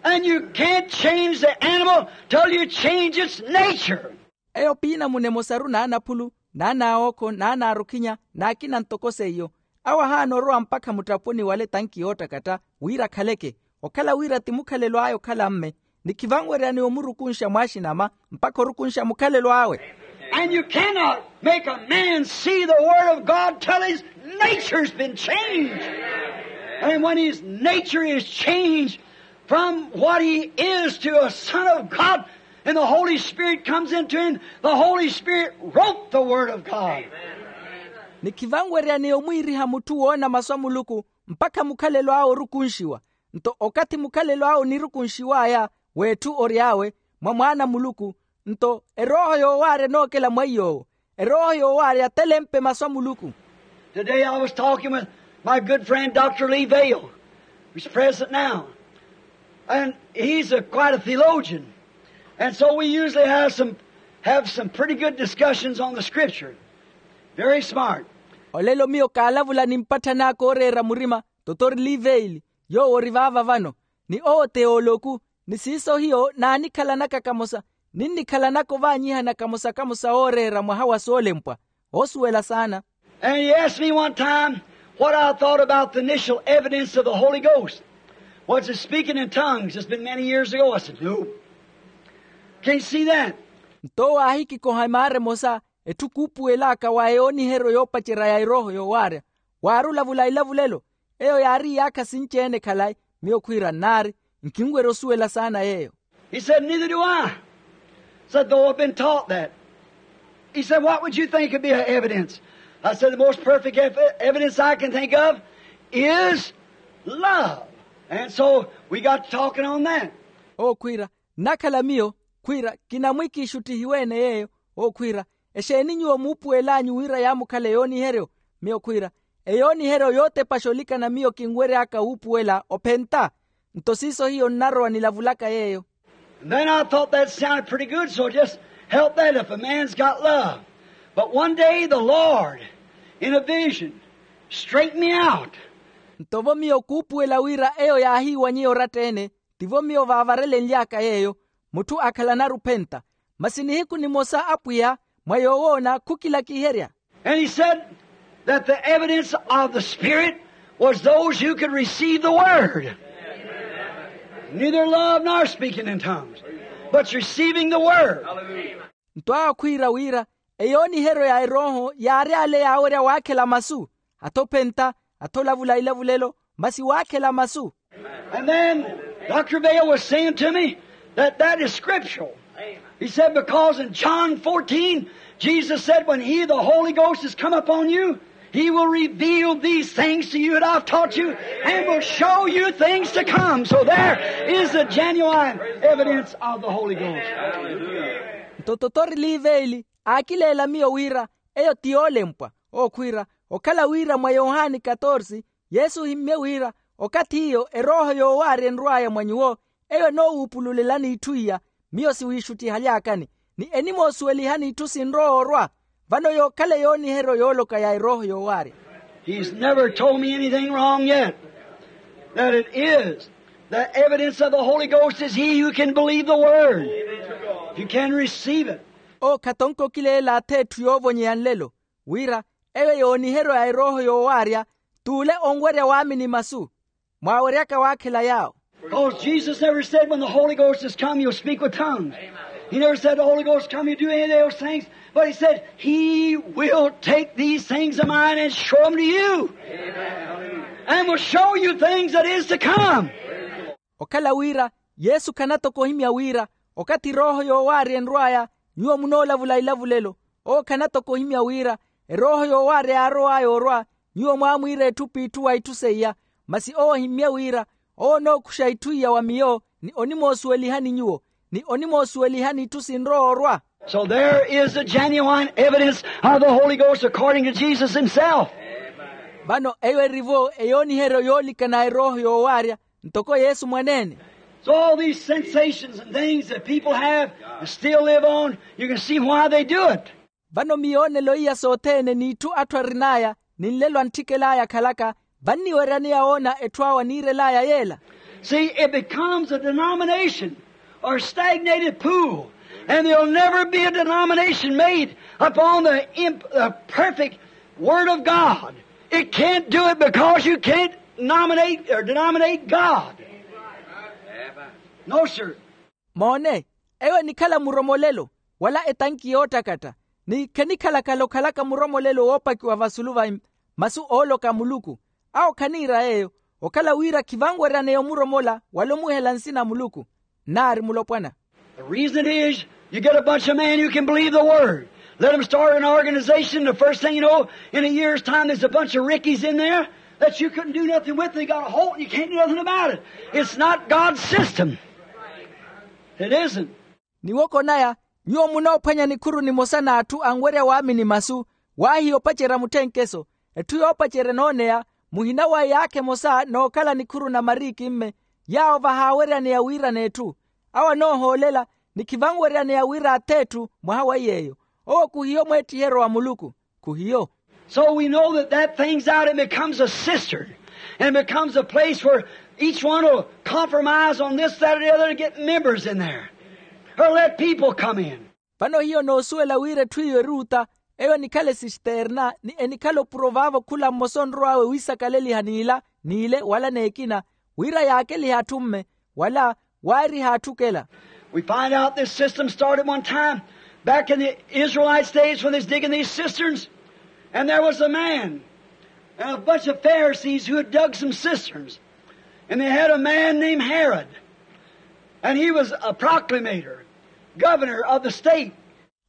And you can't change the animal till you change its nature. Eyo piinamuna emosaru n'anaphulu n'anaawookho n'anaarukhinya n'akina ntoko seiyo. Awo ahaana orowa mpakha mutthaponi wale tanki yoottakatta wira akhaleke. Okhala wira ti mukhalelo aya okhala mme ni khivanweryani omurukunxa mwaaxinama mpakha orukunxa mukhalelo awe. And you cannot make a man see the word of God till his nature's been changed. And when his nature is changed from what he is to a son of God, and the Holy Spirit comes into him, the Holy Spirit wrote the word of God. Ni khivanweryaneya omwiiriha mutthu woona masu a muluku mpakha mukhalelo awe orukunxiwa. Nto okathi mukhalelo awe onirukunxiw'aya w'etthu ory'awe mwa mwaana a muluku, nto erooho yoowaarya enookela mwa iy'owo. Erooho yoowaarya telempe masu a muluku. Today I was talking with my good friend Doctor Lee Vayle, who's present now. And he's a, quite a theologian. And so we usually have some, have some pretty good discussions on the scripture. Very smart. Olelo miyo kaalavula ni mpatthani aka ooreera murima, totori liveili, yoowo ori vaava vano, ni owo teoloku, ni siiso hiyo naanikhalanaka kamosa, ninnikhalanaka ovaanyihana kamosa-kamosa ooreera mwaha wa soolempwa. Oosuwela saana. And he asked me one time what I thought about the initial evidence of the Holy Ghost. Was it speaking in tongues? It's been many years ago. I said, no. Can't see that. Nto owo aahikikoha emaara emosa, etthu kuupuwel'aka wa eyooniheryo yoopacerya ya erooho yoowaarya, waari olavula ilavulelo. Eyo yaari iyaakha sinci-ene khalayi. Miyo khwiira nnaari, nkinwerya osuwela saana yeeyo. He said, neither do I. Said, though I've been taught that. He said, what would you think would be an evidence? I said, the most perfect ev- evidence I can think of is love. And so we got to talking on that. Owo khwiira, nnakhala miyo, khwiira, kinamwikiixuttihiwe-ene yeeyo. Owo khwiira, exeeni nyuwo muupuwel'anyu wira yaamukhala eyooniheryo? Miyo khwiira, eyooniheryo yootepaxa olikana miyo kinwery'aka wuupuwela ophenta. Nto siiso hiyo nnarowa nilavulaka yeeyo. And then I thought that sounded pretty good, so just help that if a man's got love. But one day the Lord, in a vision, straightened me out. Nto vo miyo kuupuwela wira eyo yaahiiwanyeya oratta-ene, tivo miyo vaavarelenly'aka yeeyo, mutthu akhalanaru ophenta. Masi nihiku nimosa apwiya mwa yoowoona khukilakiherya. And he said that the evidence of the Spirit was those who could receive the word. Neither love nor speaking in tongues, but receiving the word. Nto awo khwiira wira, eyooniheryo ya erooho yaari ale yaawerya waakhela masu, atho ophenta, atho olavula ilavulelo, masi waakhela masu. And then Doctor Vayle was saying to me that that is scriptural. He said, because in John fourteen, Jesus said, when he, the Holy Ghost, has come upon you, he will reveal these things to you that I've taught you and will show you things to come. So there is the genuine evidence of the Holy Ghost. Nto totori liveeli aakileela miyo wira eyo ti yoolempwa. Owo khwiira, okhala wira mwa yohani katorsi, yesu ohimmye wira, okathi iyo erooho yoowaarya enrw'aya mwa nyuwo, eyo enoowuupululelani itthu iya. Miyo siwiixuttihaly'akani, ni enimoosuwelihani itthu sinrowa orwa. Vano yookhala eyooniheryo yooloka ya erooho yoowaarya. He's never told me anything wrong yet. That it is. The evidence of the Holy Ghost is he who can believe the word. If you can receive it. Owo khatonke okileela atha etthu yoovonyeya nlelo, wira eyo yooniheryo ya erooho yoowaarya, t'ule onwerya waamini masu. Mwaaweryaka waakhela yaawo. Because Jesus never said, when the Holy Ghost has come, you'll speak with tongues. He never said, the Holy Ghost come, you do any of those things. But he said, he will take these things of mine and show them to you. And will show you things that is to come. Okhala wira yesu khanatoka ohimya wira, okathi erooho yoowaarya enrw'aya, nyuwo munoolavula ilavulelo. Owo khanatoka ohimya wira erooho yoowaarya yaarow'aya orwa, nyuwo mwaamwiira etthu p'itthu wa itthu seiya. Masi owo ohimmye wira owo onookuxa itthu iya wa miyo, ni onimoosuwelihani nyuwo, ni onimoosuwelihani itthu sinrowa orwa. So there is the genuine evidence of the Holy Ghost according to Jesus himself. Vano eyo eri-vo eyooniheryo yoolikana erooho yoowaarya, ntoko yesu mwaneene. So all these sensations and things that people have and still live on, you can see why they do it. Vano miyoonelo iya sothene n'itthu atthu arin'aya, ni nlelo antthikela aya akhalaka, vanniweryaneya woona etthu awo aniirel'aya yeela. See, it becomes a denomination or stagnated pool, and there'll never be a denomination made upon the imp- the perfect word of God. It can't do it because you can't nominate or denominate God. No, sir. Moone, eyo enikhala muromolelo, wala etanki yoottakatta. Ni khenikhalakhala okhalaka muromolelo woopakiwa vasulu va masu ooloka a muluku. Awo khaniira yeeyo, okhala wira khivanweryaneya omuromola wala omuhela nsina a muluku. Nnaari mulopwana. The reason is, you get a bunch of men who can believe the word. Let them start an organization. The first thing you know, in a year's time, there's a bunch of rickies in there that you couldn't do nothing with. They got a hold, you can't do nothing about it. It's not God's system. It isn't. Ni woko naya, nyuwo munoophwanya nikhuru nimosa n'atthu anwerya waamini masu, waahiya opacerya mutthenkeso. Etthu yoopacerya enooneya, muhina wa yaakha emosa nookhala nikhuru na mariikimme, yaawo vahaaweryaneya wiira n'etthu. Awo anoohoolela, ni khivanweryaneya wira ath'etthu mwaha wa yeeyo. Owo khuhiyo mweettiheryo wa muluku. Khuhiyo. So we know that that things out, it becomes a cistern, and it becomes a place where each one will compromise on this, that, or the other to get members in there, or let people come in. Vano hiyo noosuwela wira etthu iyo eruuta, eyo enikhala esisterna ni enikhala opuro vaavo khula mmosa onrow'awe wiisakaleliha n'ila n'ile wala n'ekina, wira yaakelihe atthu mme, wala waariha atthukela. We find out this system started one time back in the Israelites' days when they was digging these cisterns. And there was a man and a bunch of Pharisees who had dug some cisterns. And they had a man named Herod. And he was a proclamator, governor of the state.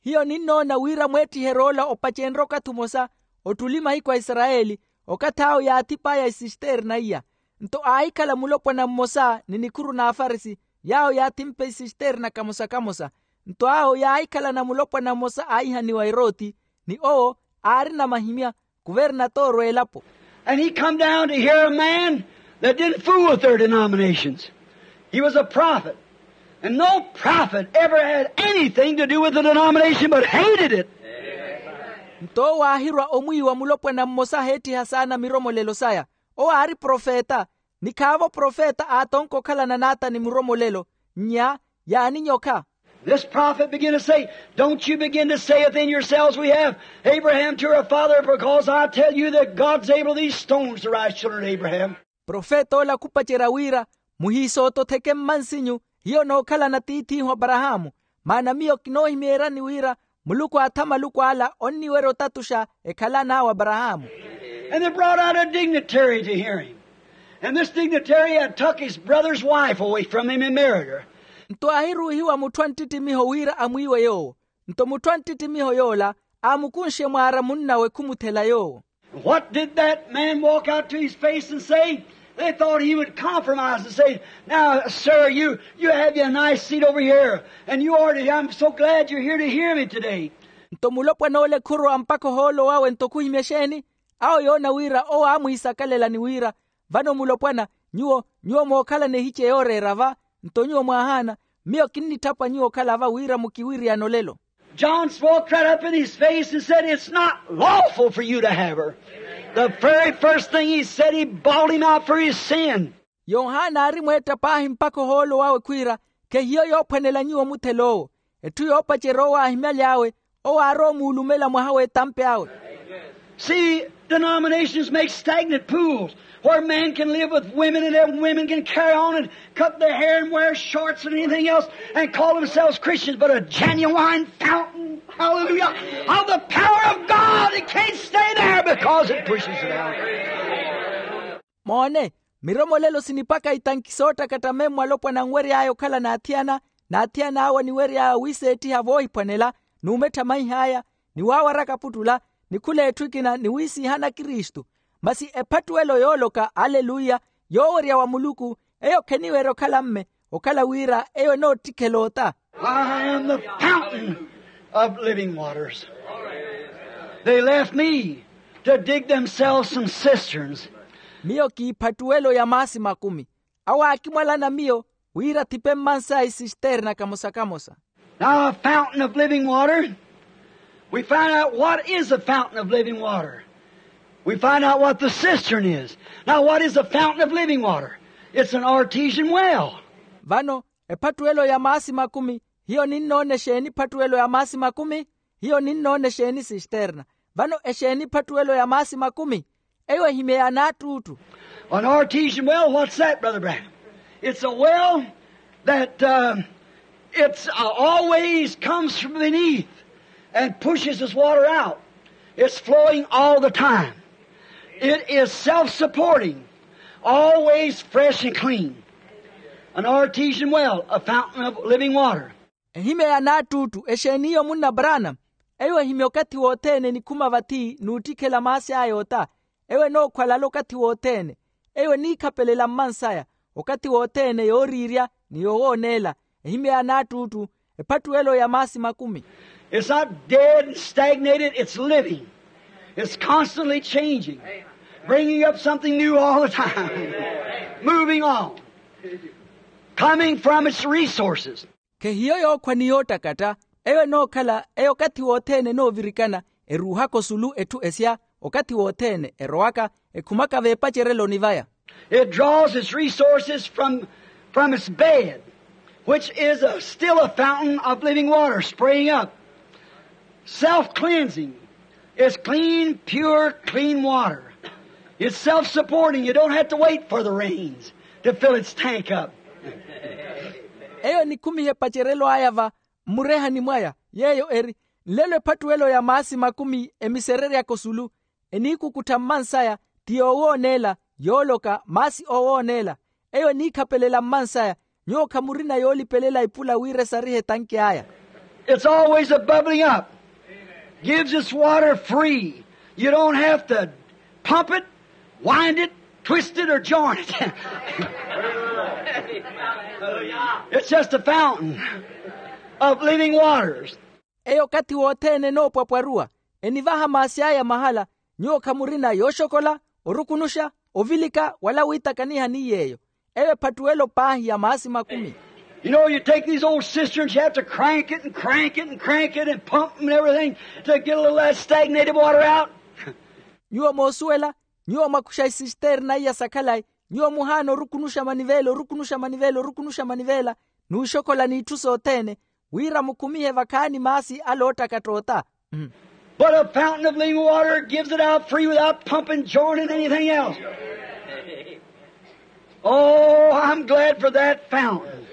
Hiyo ninnoona wira mweettiheryo ola opacenrya okathi omosa ottuli mahiku a isarayeli, okathi awo yaathip'aya esisterna iya. Nto aahikhala mulopwana mmosa ni nikhuru n'afarisi, yaawo yaathimpa esisterna kamosa-kamosa. Nto awo yaahikhalana mulopwana mmosa aahihaniwa eroti, ni owo aarina mahimya, kuvernatoro a elapo. And he come down to hear a man that didn't fool with their denominations. He was a prophet. And no prophet ever had anything to do with the denomination but hated it. Nto owo aahirwa omwiiwa mulopwana mmosa aheettiha saana miromolelo saya. Owo aari profeta, ni khaavo profeta aatonka okhalana n'ata ni muromolelo, nnya yaaninyokha. This prophet began to say, "Don't you begin to say within yourselves, 'We have Abraham to our father,' because I tell you that God's able these stones to rise children of Abraham." Profeta ola khupacerya wira, muhiisoototheke mmansinyu, hiyo nookhalana tiith'ihu aparahaamu. Maana miyo kinoohimeeryani wira muluku aatha maluku ala onniwerya otatuxa ekhalan'awe aparahaamu. And they brought out a dignitary to hear him. And this dignitary had took his brother's wife away from him and married her. Nto aahiruuhiwa mutthu a nttittimiho wira amwiiwe yoowo. Nto mutthu a nttittimiho yoola aamukunxe mwaara munn'awe khumuthela yoowo. What did that man walk out to his face and say? They thought he would compromise and say, "Now, sir, you, you have your nice seat over here, and you are to, I'm so glad you're here to hear me today." Nto mulopwana ole khurwa mpakha ohoolo wawe nto khuhimya exeeni? Awo yoona wira owo aamwiisakalela ni wira, vano mulopwana, nyuwo nyuwo mookhalana ehice yooreera va, nto nyuwo mwaahaana, miyo kinnitthapwa nyuwo okhala va wira mukiwiriyane olelo. John spoke right up in his face and said, "It's not lawful for you to have her." The very first thing he said, he bawled him out for his sin. Yohana aari mweetta paahi mpakha ohoolo wawe khwiira, khehiyo yoophwanela nyuwo omuthela owo. Etthu yoopacerya owo aahimyaly'awe, owo aari omuulumela mwaha w'etampi awe. See, denominations make stagnant pools where men can live with women and then women can carry on and cut their hair and wear shorts and anything else and call themselves Christians, but a genuine fountain, hallelujah, of the power of God. It can't stay there because it pushes it out. Moone, miromolelo sinipaka itanki soottakatta memmo alopwana anwery'aya okhala n'athiyana, n'athiyan'awe aniwery'aya wiiseettiha voohiphwanela, n'umettha maih'aya, ni waawaraka puttula, ni khula etthu ekina ni wiisiihana kristu. Masi ephattuwelo yooloka aleluya, yoowerya wa muluku, eyo kheniwerya okhala mme, okhala wira eyo enoottikhela ota. I am the fountain of living waters. They left me to dig themselves some cisterns. Miyo kiiphattuwelo ya maasi makumi. Awo aakimwalana miyo wira athipe mmansaya isisterna kamosa-kamosa. Now, a fountain of living water, we find out what is a fountain of living water. We find out what the cistern is. Now, what is a fountain of living water? It's an artesian well. Vano, ephattuwelo ya maasi makumi, hiyo ninnoona exeeni ephattuwelo ya maasi makumi? Hiyo ninnoona exeeni sisterna? Vano exeeni ephattuwelo ya maasi makumi? Eyo ehimya ya naattuuttu. An artesian well, what's that, Brother Branham? It's a well that, uh, it's, uh, always comes from beneath. And pushes this water out. It's flowing all the time. It is self-supporting, always fresh and clean. An artesian well, a fountain of living water. Ehimya ya naattuuttu exeeni iyo munna brana? Eyo ehimya okathi wothene enikhuma vathi n'uttikhela maasi aya ota. Eyo enookhwalala okathi wothene. Eyo eniikhapelela mmansaya okathi wothene yooriirya ni yowooneela. Ehimya ya naattuuttu ephattuwelo ya maasi makumi. It's not dead and stagnated, it's living. It's constantly changing, bringing up something new all the time, moving on, coming from its resources. Khehiyo yookhwa ni yoottakatta. Eyo enookhala eyo okathi wothene enoovirikana, eruuhaka osulu etthu esya okathi wothene erowaka ekhumaka veepacereloni vaya. It draws its resources from, from its bed, which is a, still a fountain of living water spraying up. Self-cleansing. It's clean, pure, clean water. It's self-supporting. You don't have to wait for the rains to fill its tank up. Eyo enikhumiha epacerelo aya va mmurehani mwaya, yeeyo eri nlelo ephattuwelo ya maasi makumi emisereryaka osulu, eniikukuttha mmansaya, ti yoowooneela, yooloka maasi oowooneela. Eyo eniikhapelela mmansaya. Nyuwo khamurina yoolipelela ipula wira esarihe etanki aya. It's always a bubbling up. Gives its water free. You don't have to pump it, wind it, twist it, or join it. It's just a fountain of living waters. Eyo okathi wothene enoopwapwaruwa, enivaha maasi aya mahala. Nyuwo khamurina yooxokola, orukunuxa, ovilika wala wiitakaniha ni yeeyo. Eyo ephattuwelo paahi ya maasi makumi. You know, you take these old cisterns, you have to crank it and crank it and crank it and pump and everything to get a little of that stagnated water out. Nyuwo moosuwela, nyuwo mwakuxa isisterna iya sa khalayi, nyuwo muhaana orukunuxa manivela, orukunuxa manivela, orukunuxa manivela, n'uxokola n'itthu sothene, wira mukhumihe vakhaani maasi ale oottakatta ota. But a fountain of living water gives it out free without pumping, joining anything else. Oh, I'm glad for that fountain.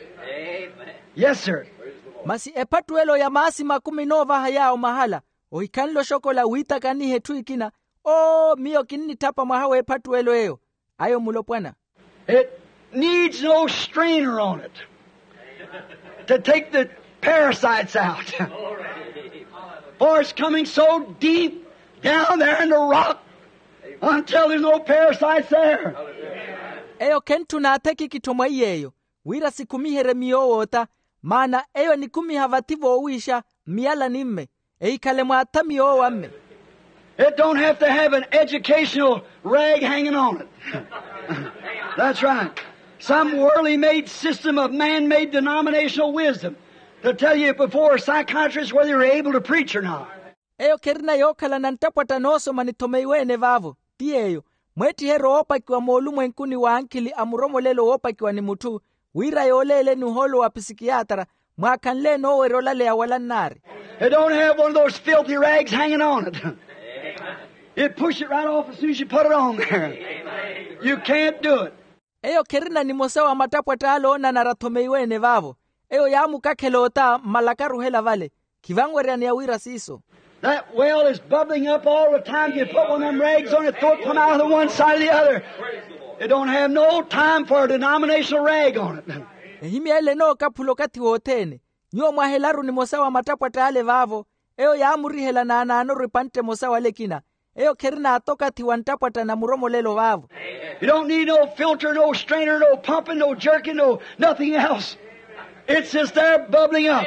Yes, sir. Masi ephattuwelo ya maasi makumi enoovaha yaawo mahala, ohikhanle oxokola wiitakaniha etthu ekina. Oo, miyo kinnitthapa mwaha w'ephattuwelo eyo. Ayo mulopwana. It needs no strainer on it to take the parasites out. For it's coming so deep down there in the rock until there's no parasites there. Eyo khentthuna athekikitho mwa iy'eyo, wira sikhumiherye miyo owoota, maana eyo enikhumiha vathi voowiixa mmiyalani mme, ehikhale mwaathami yoowa mme. It don't have to have an educational rag hanging on it. That's right. Some worldly made system of man made denominational wisdom to tell you before a psychiatrist whether you're able to preach or not. Eyo kherina yookhala na nttapwatta noosoma nithomeiwe-ene vaavo, ti yeeyo, mweettiheryo woopakiwa moolumwenkuni w'ankhili a muromolelo woopakiwa ni mutthu, wira yooleeleni ohoolo wa pisikiyaatara, mwaakhanle enoowerya olaleya wala nnaari. It don't have one of those filthy rags hanging on it. It push it right off as soon as you put it on there. You can't do it. Eyo kherina nimosa wa mattapwatta ale oonanara athomeiwe-ene vaavo. Eyo yaamukakhela ota mmalakaruhela vale. Khivanweryaneya wira siiso. That well is bubbling up all the time. You put one of them rags on it, throw it, come out of the one side or the other. It don't have no time for a denominational rag on it. Ehimya ele enookaphula okathi wothene. Nyuwo mwahelaru nimosa wa mattapwatta ale vaavo. Eyo yaamurihela naanaanoru epantte emosa wala ekina. Eyo kherina ata okathi wa nttapwatta na muromolelo vaavo. You don't need no filter, no strainer, no pumping, no jerking, no nothing else. It's just there bubbling up.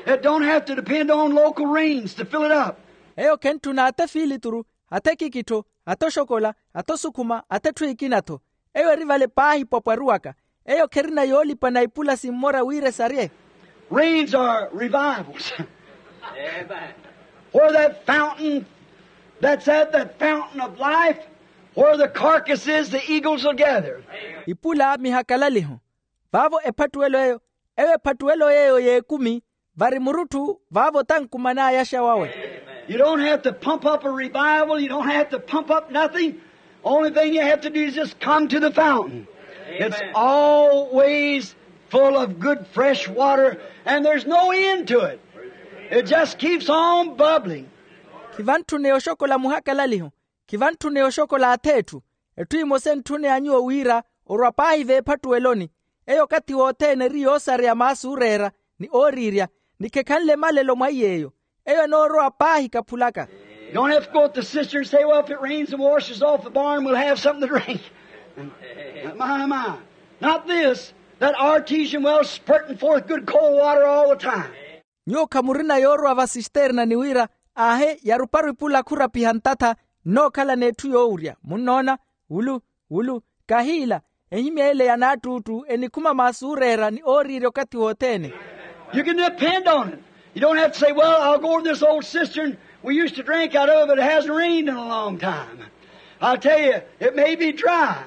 It don't have to depend on local rains to fill it up. Eyo khentthuna ata efiilituru, ata ekikittho, ata oxokola, ata osukhuma, ata etthu ekina-tho. Eyo eri vale paahi pwapwaruwaka. Eyo kherina yoolipana ipula simmora wira esarye. Rains are revivals. Where that fountain, that's at that fountain of life, where the carcass is, the eagles will gather. Ipula mihakalaliho. Vaavo ephattuwelo eyo, eyo ephattuwelo yeeyo y'ekumi, vari murutthu vaavo tankuman'aya axawawe. You don't have to pump up a revival. You don't have to pump up nothing. Only thing you have to do is just come to the fountain. It's always full of good fresh water, and there's no end to it. It just keeps on bubbling. Khivantthuneya oxokola muhakalaliho, khivantthuneya oxokola ath'etthu. Etthu emosa entthuneya nyuwo wira orwa paahi veephattuweloni. Eyo okathi wothene eri yoosareya maasi ooreera, ni ooriirya, ni khekhanle malelo mwa iy'eyo. Eyo enoorowa paahi kaphulaka. You don't have to go to the cistern and say, "Well, if it rains and washes off the barn, we'll have something to drink." My, my. Not this. That artesian well spurting forth good cold water all the time. Nyuwo khamurina yoorowa vasisterna ni wira, aahe, yaruparu ipula khurapiha ntatha, nnookhala n'etthu yoowurya. Munnoona? Wulu, wulu. Kahiila, ehimya ele ya naattuuttu enikhuma maasi ooreera ni ooriirya okathi wothene. You can depend on it. You don't have to say, "Well, I'll go over this old cistern we used to drink out of, but it hasn't rained in a long time." I'll tell you, it may be dry.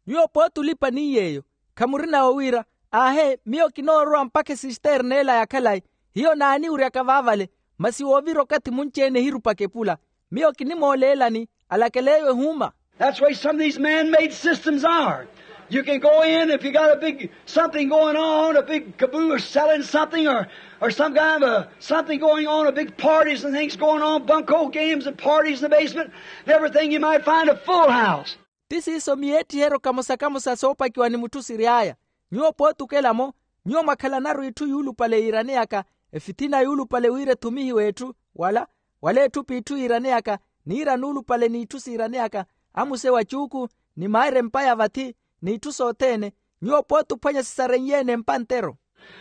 Nyuwo pooti olipa ni yeeyo, khamurina owiira, aahe, miyo kinoorowa mpakha esisterna ela ya khalayi. Hiyo naaniwuryaka vaavale, masi woovira okathi munci-ene ehirupaka epula. Miyo kinimooleelani, alakela eyo ehuuma. That's the way some of these man-made systems are. You can go in, if you got a big something going on, a big caboose selling something, or, or some kind of a something going on, a big parties and things going on, bunco games and parties in the basement, and everything, you might find a full house. Ti siiso miyeettiheryo kamosa-kamosa soopakiwa ni mutthu siry'aya. Nyuwo pootukela-mo, nyuwo mwakhalanaru itthu yuulupale yiiraneyaka, efithina yuulupale wira ethumihiwe etthu, wala, wala etthu p'itthu yiiraneyaka, niira nuulupale n'itthu siiraneyaka, amuse wa cuuku, ni maayira empa ya vathi, n'itthu sothene. Nyuwo pootuphwanya sisarenye-ene empa ntero.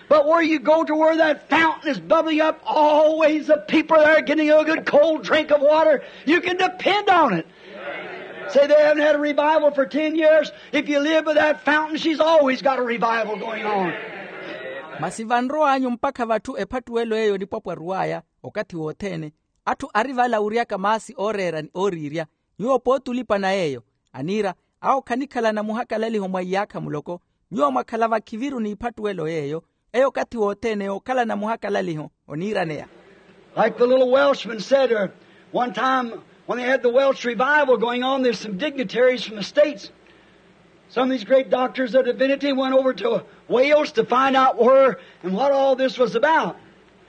But where you go to where that fountain is bubbling up, always the people there are getting a good cold drink of water. You can depend on it. Say they haven't had a revival for ten years. If you live by that fountain, she's always got a revival going on. Masi vanrow'anyu mpakha vatthu ephattuwelo eyo enipwapwaruw'aya okathi wothene, atthu ari valawuryaka maasi ooreera ni ooriirya. Nyuwo pooti olipa na yeeyo, aniira, awo khanikhalana muhakalaliho mwa iyaakha muloko. Nyuwo mwakhala vakhiviru n'iphattuwelo yeeyo, eyo okathi wothene yookhalana muhakalaliho oniiraneya. Like the little Welshman said, uh, one time when they had the Welsh revival going on, there's some dignitaries from the States. Some of these great doctors of divinity went over to Wales to find out where and what all this was about.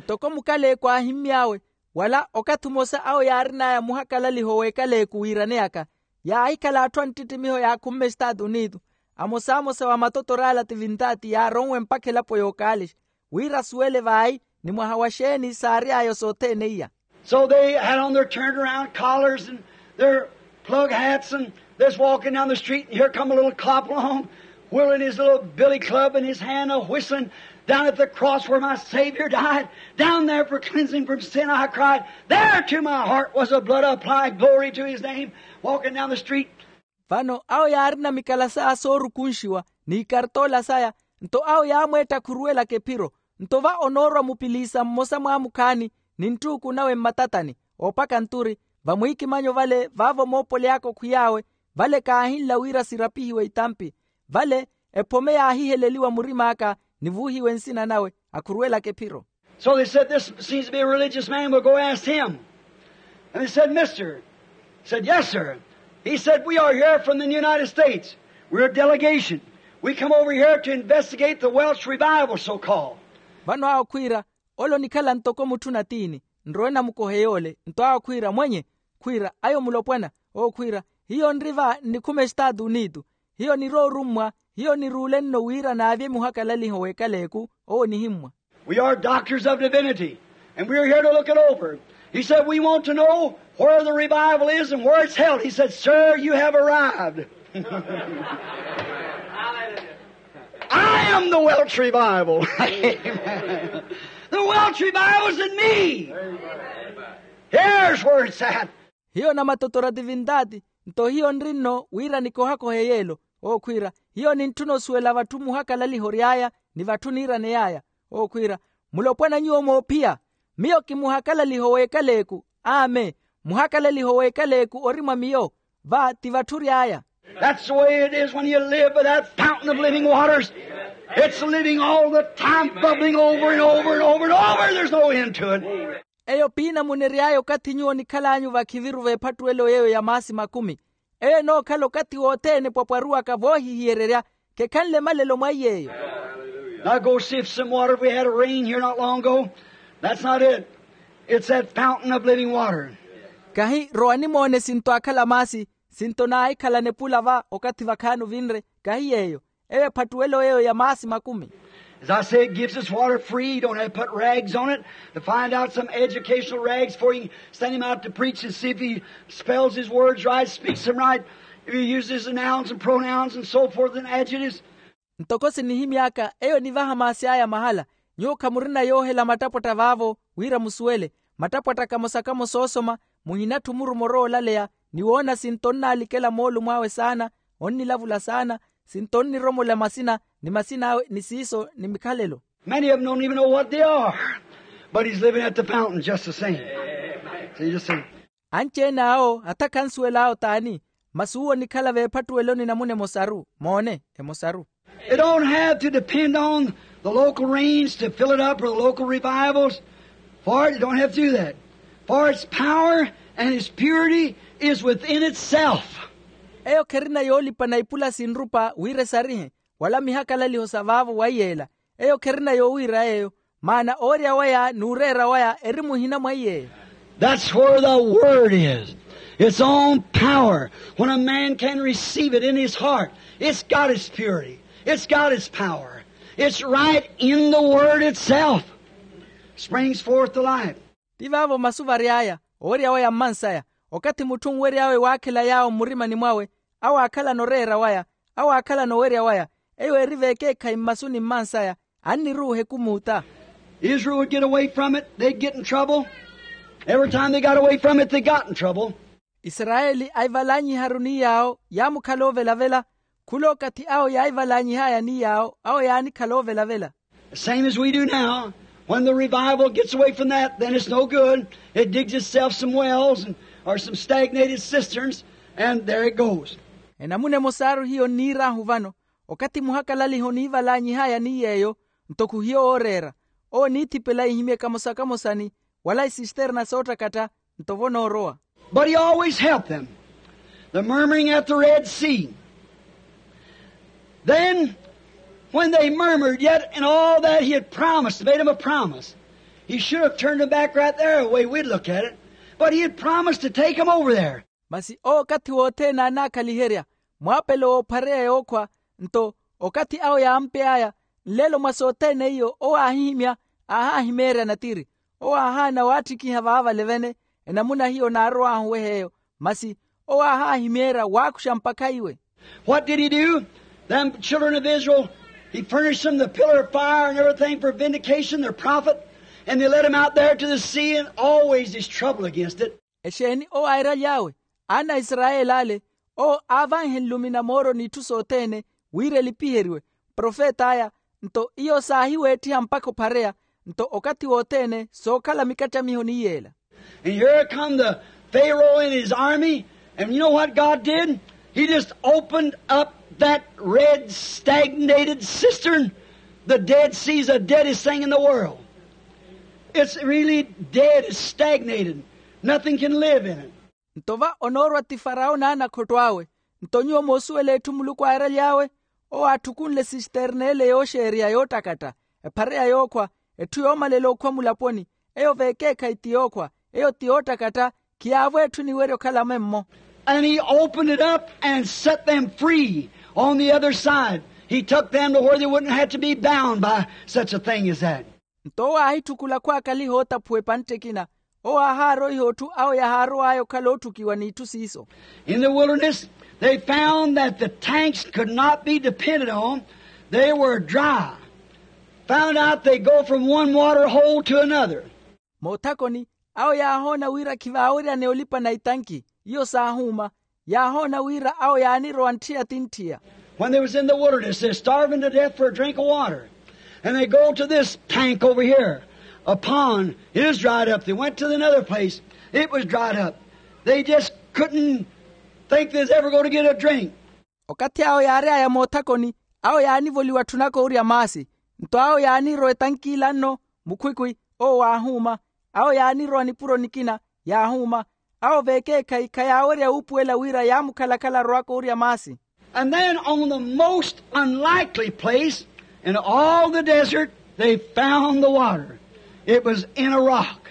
Ntoko mukaleeku aahimmy'awe, wala okathi omosa awo yaarin'aya muhakalaliho w'ekaleeku wiiraneyaka, yaahikhala atthu a nttittimiho yaakhumme estaatu unitu. Amosamosa wa matotor'ala tivintaati yaaronwe mpakha elapo yookaalixa, wira asuwele vaayi ni mwaha wa xeeni saary'aya sothene iya. So they had on their turned around collars and their plug hats, and they're walking down the street, and here come a little cop along, whirling his little billy club in his hand, a whistling, "Down at the cross where my Savior died, down there for cleansing from sin I cried, there to my heart was the blood applied, glory to his name," walking down the street. Vano awo yaarina mikalasa soorukunxiwa, n'ikartoola saya, nto awo yaamweetta khuruwelaka ephiro. Nto va onoorwa mupiliisa mmosa mwaamukhaani, ni nttuuku nawe mmatatani, oopaka nturi, vamwiikimanyo vale vaavo moopoly'aka okhwiy'awe, vale kaahinla wira sirapihiwe itampi. Vale ephome yaahiheleliwa murim'aka, ni vuuhiwe nsina nawe, akhuruwelaka ephiro. So they said, "This seems to be a religious man. We'll go ask him." And they said, "Mister," said, "Yes, sir." He said, "We are here from the United States. We're a delegation. We come over here to investigate the Welsh revival, so-called." Vano awo khwiira, ole onikhala ntoko mutthu natiini, nrowe namukohe yoole. Nto awo khwiira, "Mwenye," khwiira, "ayo mulopwana." Owo khwiira, "Hiyo nri va nnikhuma estaatu unitu. Hiyo nirowa orummwa, hiyo niruule nno wira naavye muhakalaliho w'ekaleeku." Owo onihimmwa. "We are doctors of divinity, and we are here to look it over." He said, "We want to know where the revival is and where it's held." He said, "Sir, you have arrived." "I am the Welsh revival." Amen. "The Welsh revival is in me. Here's where it's at." Hiyo namatotora tivintaati, nto hiyo nri nno wira nikohakohe yeelo. Owo khwiira, "Hiyo nintthuna osuwela vatthu muhakalaliho ory'aya, ni vatthu niiraney'aya." Owo khwiira, "Mulopwana nyuwo moophiya, miyo kimuhakalaliho w'ekaleeku. Amen. Muhakalaliho w'ekaleeku ori mwa miyo, va ti vatthu ory'aya." That's the way it is when you live by that fountain of living waters. It's living all the time, bubbling over and over and over and over. There's no end to it. Eyo piina munery'aya okathi nyuwo onikhal'anyu vakhiviru v'ephattuwelo yeeyo ya maasi makumi. Eyo enookhala okathi wothene epwapwaruwaka voohihiyererya, khekhanle malelo mwa iy'eyo. Now go see if some water, if we had a rain here not long ago. That's not it. It's that fountain of living water. Kahi rowa nimoone sinto akhala maasi, sinto naahikhalana epula va okathi vakhaani ovinre. Kahi yeeyo. Eyo ephattuwelo eyo ya maasi makumi. As I say, it gives us water free. You don't have to put rags on it. To find out some educational rags before you send him out to preach and see if he spells his words right, speaks them right, if he uses nouns and pronouns and so forth and adjectives. Ntoko sinihimy'aka eyo nivaha maasi aya mahala. Nyuwo khamurina yoohela mattapwatta vaavo wira musuwele. Mattapwatta kamosa kamosa oosoma, muhinatthu murumo roolaleya ni woona sinto onnaalikela moolumo awe saana, onnilavula saana, sinto onniromola masina ni masin'awe ni siiso ni mikhalelo. Many of them don't even know what they are, but he's living at the fountain just the same. See, just see. Anci-ene awo hatha khansuwel'awo t'ani? Masi uwo onikhala veephattuweloni namuna emosaru. Moone, emosaru. They don't have to depend on the local rains to fill it up or the local revivals, for it, they don't have to do that. For its power and its purity is within itself. Eyo kherina yoolipana ipula sinrupa wira esarihe, wala mihakalaliho sa vaavo wa iyeela. Eyo kherina yoowiira yeeyo, maana owerya waya n'ureera waya eri muhina mwa iyeeyo. That's where the word is. Its own power. When a man can receive it in his heart, it's got its purity. It's got its power. It's right in the word itself. Springs forth to life. Ti vaavo masu vary'aya, owerya waya mmansaya. Okathi mutthu onwery'awe waakhela yaawo mmurimani mwawe, awo aakhalana oreera waya, awo aakhalana owerya waya, eyo eri vekeekhayi mmasuni mmansaya, anniruuha ekumuuta. Israel would get away from it, they'd get in trouble. Every time they got away from it, they got in trouble. Isarayeli aivalaanyiharu ni yaawo yaamukhala oovelavela. Khula okathi awo yaivalaanyih'aya ni yaawo, awo yaanikhala oovelavela. Same as we do now. When the revival gets away from that, then it's no good. It digs itself some wells and, or some stagnated cisterns, and there it goes. Enamuna emosaaru hiyo nniir'ahu vano, okathi muhakalaliha oniivalaanyih'aya ni yeeyo, nto khuhiyo wooreera. Owo oniithipela ihimye kamosa kamosani, wala isisterna soottakatta, nto vo noorowa. But he always helped them. The murmuring at the Red Sea. Then, when they murmured yet and all that, he had promised, made them a promise. He should have turned them back right there, the way we'd look at it. But he had promised to take them over there. Masi owo okathi wothene aanaakhaliherya mwaapelo w'ophareya yookhwa, nto okathi awo yaampe'aya, nlelo mwa sothene iyo owo aahihimya, aahaahimeerya natiri. Owo aahaana waatthikiha vaavale vene, enamuna hiyo naarow'ahu weh'eyo. Masi owo aahaahimeerya waakuxa mpakha iwe. What did he do? Them children of Israel, he furnished them the pillar of fire and everything for vindication, their prophet, and they let him out there to the sea, and always there's trouble against it. Exeeni owo airaly'awe? Aana a isarayeli ale, owo aavanhe nlumi na mooro n'itthu sothene, wira elipiheriwe profet'aya. Nto iyo saahiweettiha mpakha ophareya, nto okathi wothene sookhala mikattamiho ni yeela. And here come the Pharaoh and his army, and you know what God did? He just opened up that red stagnated cistern. The Dead Sea is the deadest thing in the world. It's really dead, it's stagnated. Nothing can live in it. Nto va onoorwa ti farao n'anakhotto awe. Nto nyuwo moosuwela etthu muluku aaraly'awe? Owo aatthukunle sisterna ele yooxeerya yoottakatta, ephareya yookhwa, etthu yoomalela okhwa mulaponi. Eyo vekeekhayi ti yookhwa, eyo ti yoottakatta. Khiyaavo etthu eniwerya okhala memmo. And he opened it up and set them free on the other side. He took them to where they wouldn't have to be bound by such a thing as that. Nto owo aahitthukula khwaakaliha ootaphuwa epantte ekina. Owo aahaaroiha otthu awo yahaarow'aya okhala ootthukiwa n'itthu siiso. In the wilderness, they found that the tanks could not be depended on. They were dry. Found out they go from one water hole to another. Moothakoni, awo yaahoona wira khivaaweryaneya olipana itanki. Iyo saahuuma. Yaahoona wira awo yaanirowa ntthiya ti ntthiya. When they was in the wilderness, they're starving to death for a drink of water. And they go to this tank over here, a pond. It is dried up. They went to another place. It was dried up. They just couldn't think they was ever going to get a drink. Okathi awo yaary'aya moothakoni, awo yaanivoliwa tthunaka owurya maasi. Nto awo yaanirowa etanki ila nno, mukhwikhwi, owo waahuuma. Awo yaanirowa nipuro nikina, yaahuuma. Awo vekeekhayi khayaawerya wuupuwela wira yaamukhalakhala arowaka owurya maasi. And then on the most unlikely place, In all the desert they found the water. It was in a rock.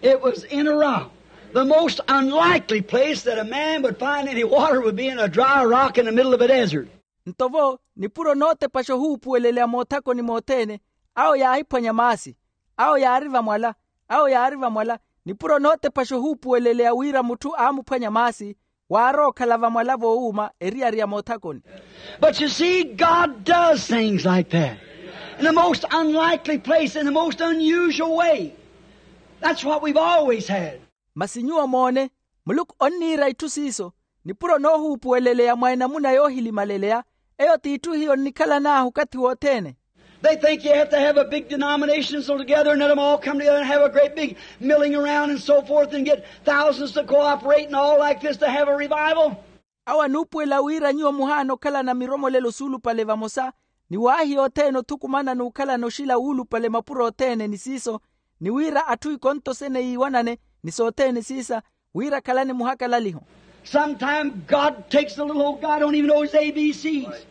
It was in a rock. The most unlikely place that a man would find any water would be in a dry rock in the middle of a desert. Nto vo nipuro nootepaxa ohuupuweleleya moothakoni mothene, awo yaahiphwanya maasi. Awo yaari vamwala. Awo yaari vamwala. Nipuro nootepaxa ohuupuweleleya wira mutthu aamuphwanya maasi, waarowa okhala vamwala voowuuma eriyari ya moothakoni. But you see, God does things like that in the most unlikely place, in the most unusual way. That's what we've always had. Masi nyuwo moone, muluku onniira itthu siiso. Nipuro noohuupuweleleya mwa enamuna yoohilimaleleya. Eyo t'itthu hiyo nnikhalan'ahu okathi wothene. They think you have to have a big denomination so together and let them all come together and have a great big milling around and so forth and get thousands to cooperate and all like this to have a revival. Awo anuupuwela wira nyuwo muhaana okhalana miromolelo suulupale vamosa, ni waahi yothene othukumana n'ukhalana oxila wuulupale mapuro othene ni siiso, ni wira atthu ikonto sene yiiwanane ni sothene siisa, wira akhalane muhakalaliho. Sometime God takes a little old guy don't even know his A B C's,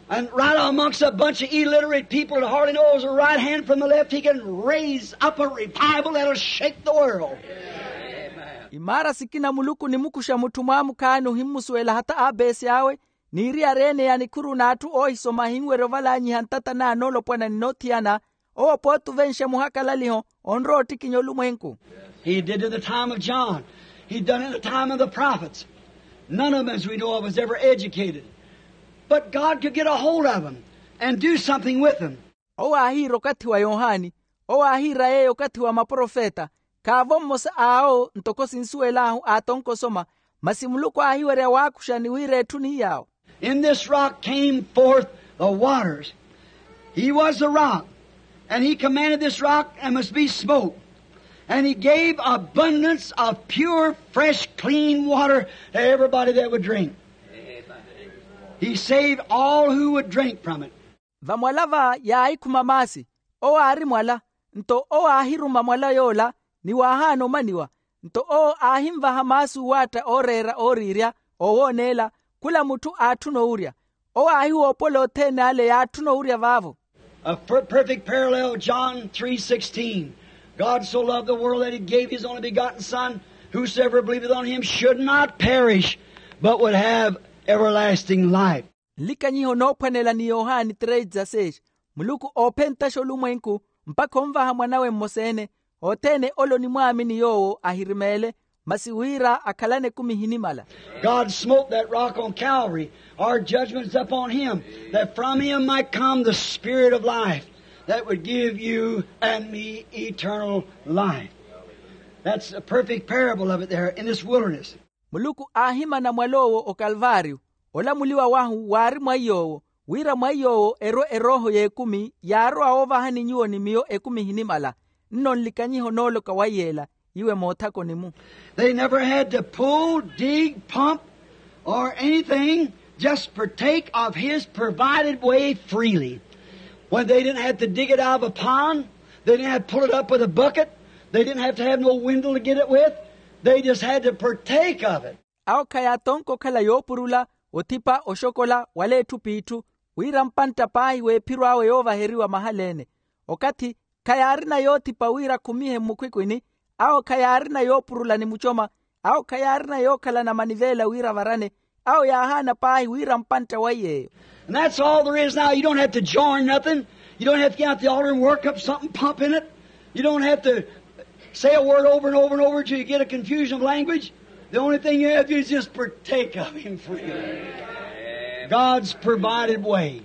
and right amongst a bunch of illiterate people that hardly knows the right hand from the left, he can raise up a revival that'll shake the world. Imaara sikina muluku onimukuxa mutthu mwaamukhaani ohimmusuwela hata apeesi awe, n'iriyari ene ya nikhuru n'atthu oohisoma ahinwerya ovalanyiha ntata n'anoolopwana ni noothiyana. Owo pooti ovenxa muhakalaliho onrowa ottikinya olumwenku. He did it in the time of John. He done it in the time of the prophets. None of them, as we know of, was ever educated. But God could get a hold of them and do something with them. Owo aahiira okathi wa yohani. Owo aahiira yeeyo okathi wa maprofeta. Khaavo mmosa awo ntoko sinsuwel'ahu aatonka osoma. Masi muluku aahiwerya waakuxa ni wira etthu ni yaawo. In this rock came forth the waters. He was the rock, and he commanded this rock and must be smote. And he gave abundance of pure, fresh, clean water to everybody that would drink. He saved all who would drink from it. Vamwala va yaahikhuma maasi. Owo aari mwala. Nto owo aahiruma mwala yoola ni waahaana omaniwa. Nto owo aahinvaha maasi uwaatta ooreera ooriirya, oowooneela. Khula mutthu aatthuna owurya. Owo aahiwoopola othene ale yaatthuna owurya vaavo. A per- perfect parallel, John three sixteen. God so loved the world that he gave his only begotten Son, whosoever believeth on him should not perish, but would have everlasting life. Nlikanyiho noophwanela ni yohani três dezasseis. Muluku oophentaxa olumwenku mpakha onvaha mwan'awe mmosa-ene. Othene ole onimwaamini yoowo ahirimeele, masi wira akhalane ekumi ehinimala. God smote that rock on Calvary. Our judgment's upon him, that from him might come the Spirit of life that would give you and me eternal life. That's a perfect parable of it there in this wilderness. Muluku aahimana mwal'owo okalvaariyo. Olamuliwa wahu waari mwa iy'owo, wira mwa iy'owo erwe erooho y'ekumi yaarowa woovahani nyuwo ni miyo ekumi ehinimala. Nno nlikanyiho nooloka wa yeela iwe moothakoni-mu. They never had to pull, dig, pump, or anything, just partake of his provided way freely. When they didn't have to dig it out of a pond, they didn't have to pull it up with a bucket, they didn't have to have no windle to get it with, they just had to partake of it. Awo khayaatonka okhala yoopurula, othipa, oxokola wala etthu p'itthu, wira mpantta paahi w'ephiro awe yoovaheriwa mahala-ene. Okathi khayaarina yoothipa wira akhumihe mmukhwikhwini. Awo khayaarina yoopurula ni mucoma. Awo khayaarina yookhalana maniveela wira avarane. Awo yaahaana paahi wira mpantta wa iy'eyo. And that's all there is now. You don't have to join nothing. You don't have to get out the altar and work up something, pump in it. You don't have to say a word over and over and over until you get a confusion of language. The only thing you have to do is just partake of him freely. God's provided way.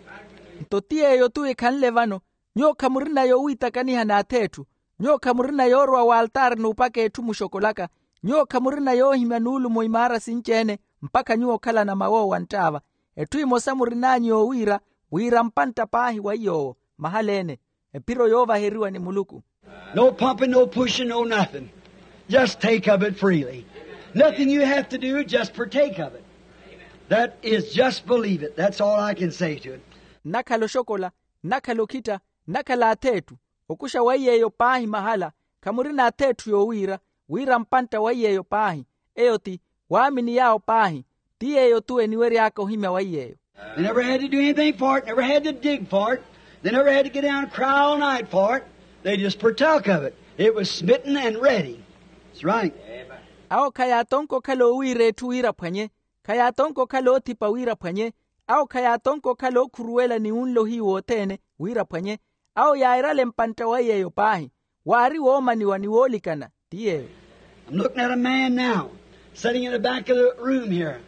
Nto ti yeeyo-tu ekhanle vano. Nyuwo khamurina yowiitakaniha n'ath'etthu. Nyuwo khamurina yoorowa w'altaari n'upaka etthu muxokolaka. Nyuwo khamurina yoohimya nuulumo imaara sinci-ene mpakha nyuwo okhalana mawoowa nttaava. Etthu emosa murin'anyu yoowiira, wira mpantta paahi wa iy'owo mahala-ene, ephiro yoovaheriwa ni muluku. No pumping, no pushing, no nothing. Just take of it freely. Nothing you have to do, just partake of it. That is, just believe it. That's all I can say to it. Nnakhala oxokola, nnakhala okhitta, nnakhala ath'etthu, okuxa wa iy'eyo paahi mahala. Khamurina ath'etthu yoowiira, wira mpantta wa iy'eyo paahi. Eyo ti waamini yaawo paahi. Ti yeeyo-tu eniwery'aka ohimya wa iy'eyo. They never had to do anything for it, never had to dig for it. They never had to get down and cry all night for it. They just partook of it. It was smitten and ready. That's right. Awo khayaatonka okhala oowiira etthu wira aphwanye. Khayaatonka okhala oothipa wira aphwanye. Awo khayaatonka okhala ookhuruwela ni wunla ohiyu wothene wira aphwanye. Awo yairale mpantta wa yeeyo paahi. Waari woomaniwa ni woolikana. Ti yeeyo. I'm looking at a man now, sitting in the back of the room here.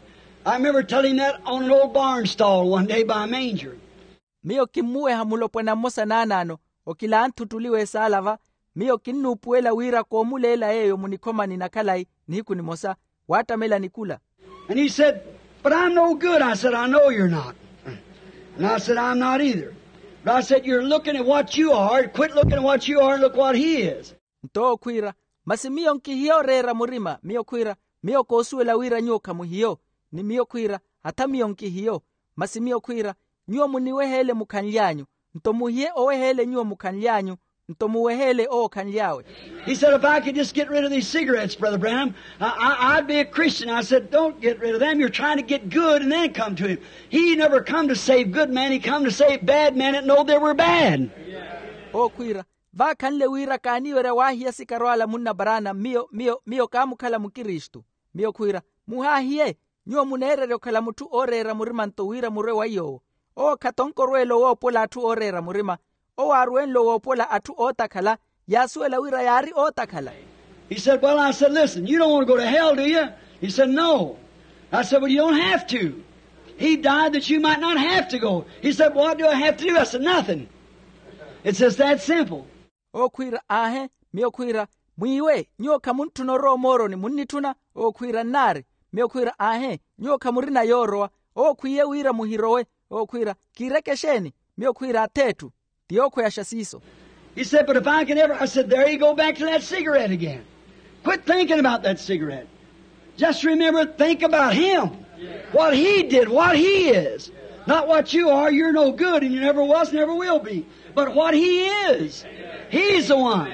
I remember telling that on an old barn stall one day by a manger. Miyo kimmuweha mulopwana mmosa naanaano, okilanthuttuli w'esaala va. Miyo kinnuupuwela wira koomuleela yeeyo munikhomani na khalayi nihiku nimosa, waattamela nikula. And he said, but I'm no good. I said, I know you're not. And I said, I'm not either. But I said, you're looking at what you are. Quit looking at what you are and look what he is. Nto owo khwiira, masi miyo nkihiyo oreera murima. Miyo khwiira, miyo koosuwela wira nyuwo khamuhiyo. Ni miyo khwiira, hatha miyo nkihiyo. Masi miyo khwiira, nyuwo muniweheele mukhanly'anyu. Nto muhiye oweheele nyuwo mukhanly'anyu. Nto muweheele owo okhanly'awe. He said, if I could just get rid of these cigarettes, Brother Branham, I, I, I'd be a Christian. I said, don't get rid of them. You're trying to get good and then come to him. He never come to save good men. He come to save bad men that know they were bad. Owo khwiira, vaakhanle wira kaaniwerya waahiya sikaro ala munna paraana. Miyo miyo miyo kaamukhala mukristu. Miyo khwiira, muhaahiye. Nyuwo muneererya okhala mutthu ooreera murima-nto wira murwe wa iy'owo. Owo khatonka orweela owoopola atthu ooreera murima. Owo aaruwenle owoopola atthu ootakhala. Yaasuwela wira yaari ootakhala. He said, well, I said, listen, you don't want to go to hell, do you? He said, no. I said, well, you don't have to. He died that you might not have to go. He said, what do I have to do? I said, nothing. It's just that simple. Owo khwiira, aahe. Miyo khwiira, mwiiwe nyuwo khamuntthuna orowa omooroni munnitthuna? Owo khwiira, nnaari. Miyo khwiira, aahe, nyuwo khamurina yoorowa. Owo khwiiye wira muhirowe. Owo khwiira, kiireke exeeni? Miyo khwiira, ath'etthu. Ti yookhweyaxa siiso. He said, but if I can ever, I said, there you go back to that cigarette again. Quit thinking about that cigarette. Just remember, think about him. What he did, what he is. Not what you are, you're no good, and you never was, never will be. But what he is, he's the one.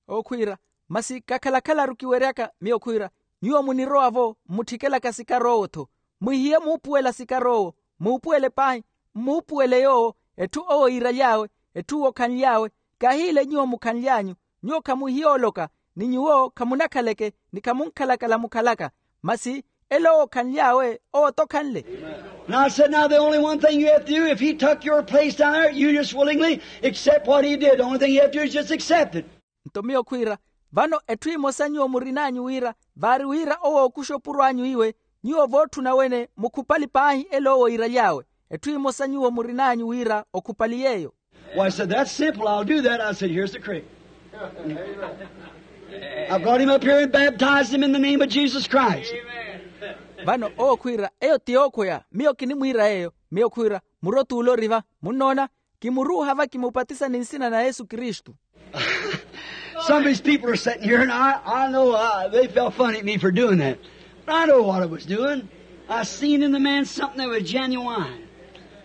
Okhwiira, masi kakhalakhalaru kiweryaka. Miyo khwiira, nyuwo munirowa-vo mmuttikelaka sikari owo-tho. Mwihiye muupuwela sikari owo. Muupuwele paahi. Mmuupuwele yoowo. Etthu owo iiraly'awe, etthu owo okhanly'awe. Kaahiile nyuwo mukhanly'anyu. Nyuwo khamuhiya oloka, ni nyuwo khamunakhaleke, ni khamunkhalakala mukhalaka. Masi elo owo okhanly'awe, owo t'okhanle. And I said, now the only one thing you have to do, if he took your place down there, you just willingly accept what he did. The only thing you have to do is just accept it. Nto miyo khwiira, vano etthu emosa nyuwo murin'anyu wira, vaari wira owo ookuxa opuro anyu iwe, nyuwo vootthuna wene mukhupali paahi elo owo iiraly'awe. Etthu emosa nyuwo murin'anyu wira okhupali yeeyo. Why, I said, that's simple. I'll do that. I said, here's the creek. I brought him up here and baptized him in the name of Jesus Christ. Vano owo khwiira, eyo ti yookhweya. Miyo kinimwiira yeeyo. Miyo khwiira, muro t'ule ori va. Munnoona? Kimuruuha va kimupatisa ni nsina na yesu kristu. Some of these people are sitting here, and I, I know, uh, they felt funny at me for doing that. But I know what I was doing. I seen in the man something that was genuine.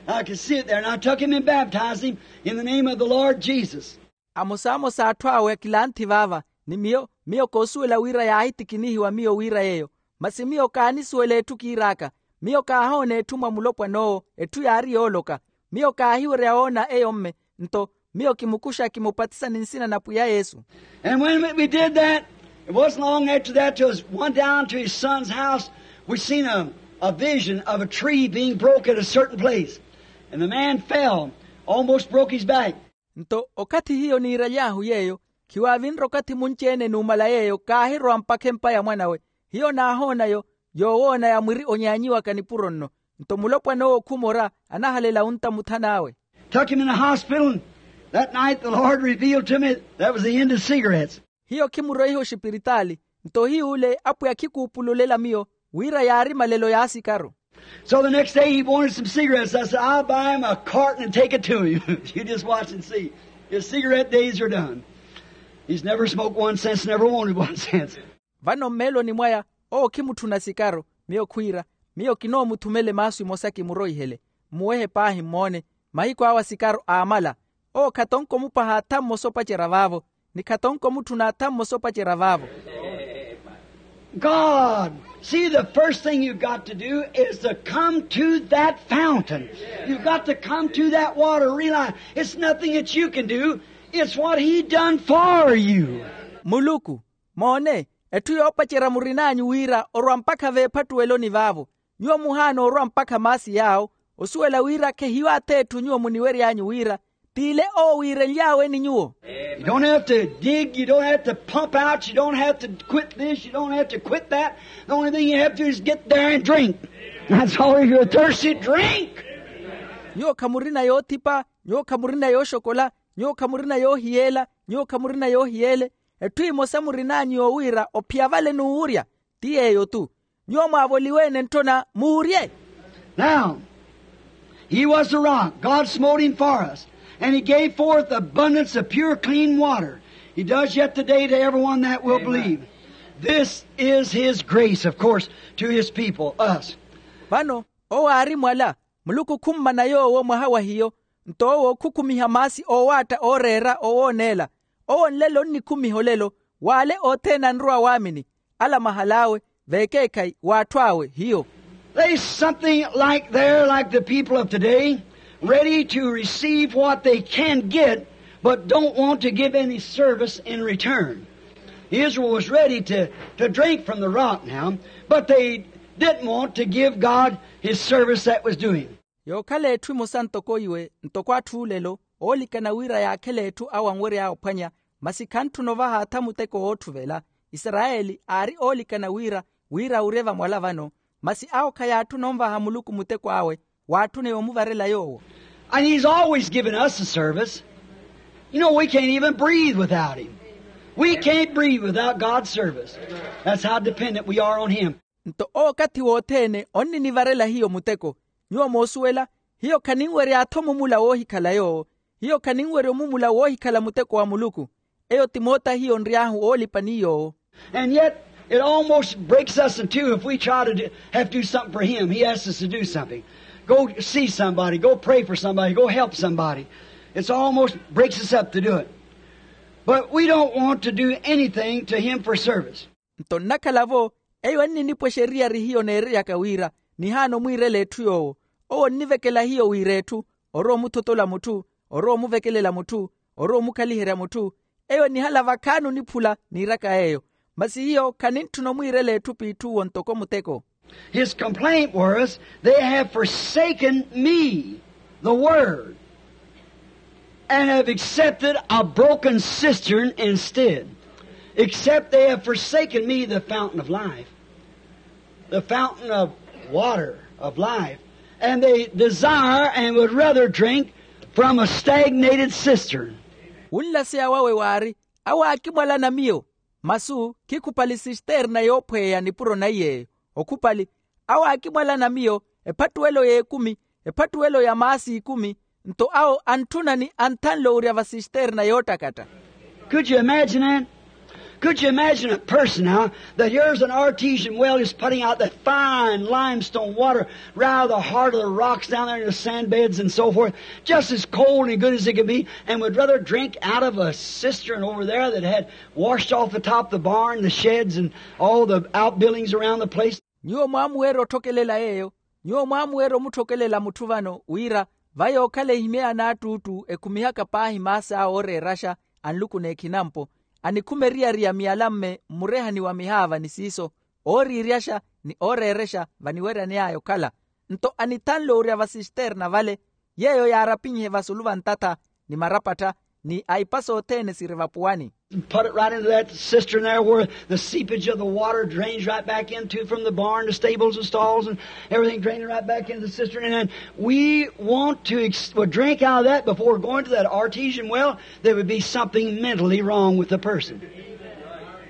I could see it there, and I took him and baptized him in the name of the Lord Jesus. Amosamosa atthu awe akilanthi vaava, ni miyo, miyo koosuwela wira yaahitikinihiwa miyo wira yeeyo. Masi miyo kaanisuwela etthu kiir'aka. Miyo kaahoona etthu mwa mulopwan'owo, etthu yaari yooloka. Miyo kaahiwerya woona eyo mme. Nto miyo kimukuxa kimupatisa ni nsina na pwiya yesu. And when we, we did that, it wasn't long after that till we went down to his son's house. We seen a, a vision of a tree being broke at a certain place. And the man fell, almost broke his back. Nto okathi hiyo niiraly'ahu yeeyo, khiwaavinre okathi munci-ene numala yeeyo kaahirowa mpakha empa ya mwan'awe. Hiyo naahoona yo, yoowoona ya mwiri onyaanyiwaka nipuro nno. Nto mulopwana owo khumora, anahalela wunta muthan'awe. Took him in the hospital, and that night the Lord revealed to me that was the end of cigarettes. Hiyo khimuroiha oxipiritaali. Nto hiy'ule apwiya khikuupululela miyo wira yaari malelo y'asikaru. So the next day he wanted some cigarettes. I said, I'll buy him a carton and take it to him. You just watch and see. His cigarette days are done. He's never smoked one since, never wanted one since. Vano mmeeloni mwaya, owo khimutthuna sikaru. Miyo khwiira, miyo kinoomuthumele maasu emosa kimuroihele. Mmuwehe paahi mmoone. Mahiku awe a sikaru aamala. Owo khatonka omupaha atha mmosa opacerya vaavo, ni khatonka omutthuna atha mmosa opacerya vaavo. God, See, the first thing you've got to do is to come to that fountain. You've got to come to that water, realize it's nothing that you can do. It's what he done for you. Muluku, moone, etthu yoopacerya murin'anyu wira orwa mpakha veephattuweloni vaavo. Nyuwo muhaana orwa mpakha maasi yaawo, osuwela wira khehiyo ath'etthu nyuwo muniwery'anyu wira t'ile owo wiirenly'awe ni nyuwo. You don't have to dig, you don't have to pump out, you don't have to quit this, you don't have to quit that. The only thing you have to do is get there and drink. That's all. If you're thirsty, drink. Nyuwo khamurina yoothipa, nyuwo khamurina yooxokola, nyuwo khamurina yoohiyeela, nyuwo khamurina yoohiyeele. Etthu emosa murin'anyu yoowiira ophiya vale n'uwurya, ti yeeyo-tu. Nyuwo mwaavoliwe-ene ntthona muurye. Now, he was the rock. God smote him for us, and he gave forth abundance of pure, clean water. He does yet today to everyone that will believe. This is his grace, of course, to his people, us. Vano, owo aari mwala, muluku khummana yoowo mwaha wa hiyo. Nto owo khukhumiha maasi oowaatta ooreera owooneela. Owo nlelo onnikhumiha olelo, w'ale othene anrowa waamini, ala mahal'awe, veekeekhayi w'atthu awe hiyo. There's something like there, like the people of today, ready to receive what they can get, but don't want to give any service in return. Israel was ready to, to drink from the rock now, but they didn't want to give God his service that was doing. Yookhala etthu emosa ntoko iwe, ntoko atthu olelo, oolikana wira yaakhele etthu awo anwery'awe ophwanya, masi khantthuna ovaha atha muteko wootthuvela. Isarayeli aari oolikana wira, wira awurye vamwala vano, masi awo khayaatthuna onvaha muluku muteko awe, waatthuna yoomuvarela yoowo. And he's always given us a service. You know, we can't even breathe without him. We can't breathe without God's service. That's how dependent we are on him. Nto owo okathi wothene onninivarela hiyo muteko. Nyuwo moosuwela, hiyo khaninwerya-tho mumula woohikhala yoowo. Hiyo khaninwerya omumula woohikhala muteko wa muluku. Eyo ti moota hiyo nry'ahu oolipa ni yoowo. And yet, it almost breaks us in two if we try to do, have to do something for him. He asks us to do something. Go see somebody, go pray for somebody, go help somebody. It's almost breaks us up to do it. But we don't want to do anything to him for service. Nto nnakhala-vo, eyo enninipwexa eriyari hiyo neereryaka wira, nihaana omwiirela etthu yoowo. Owo onnivekela hiyo wira etthu, orowa omuthotola mutthu, orowa omuvekelela mutthu, orowa omukhaliherya mutthu. Eyo enihala vakhaani oniphula niiraka yeeyo. Masi hiyo khanintthuna omwiirela etthu p'itthuwo ntoko muteko. His complaint was, they have forsaken me, the word, and have accepted a broken cistern instead. Except they have forsaken me, the fountain of life, the fountain of water of life, and they desire and would rather drink from a stagnated cistern. Wunlaseya wawe waari, awo aakimwalana miyo, masu khikhupali sisterna yoophweya nipuro naiy'eyo. Okhupali, awo aakimwalana miyo, ephattuwelo y'ekumi, ephattuwelo ya maasi ikumi. Nto awo antthuna ni anthanle orya va sisterna yoottakatta. Could you imagine that? Could you imagine a person now that here's an artesian well is putting out that fine limestone water right out of the heart of the rocks down there in the sand beds and so forth, just as cold and good as it can be, and would rather drink out of a cistern over there that had washed off the top of the barn, the sheds, and all the outbuildings around the place? Nyuwo mwaamuweera otthokelela yeeyo. Nyuwo mwaamuweera omutthokelela mutthu vano wira, va yookhala ehimye ya naattuuttu ekhumihaka paahi maasi awe ooreeraxa, anlukuna ekhinampo, anikhuma eriyari ya miyalamme mmurehani wa mihaava ni siiso, ooriiryaxa ni ooreerexa vaniweryaney'aya okhala. Nto anithanle orya va sisterna vale, yeeyo yaarapinhe vasulu va ntatha, ni marapattha, ni aipa sothene siri vapuwani. Put it right into that cistern there where the seepage of the water drains right back into from the barn, the stables and stalls and everything draining right back into the cistern. And then we want to ex- well, drink out of that before going to that artesian well. There would be something mentally wrong with the person.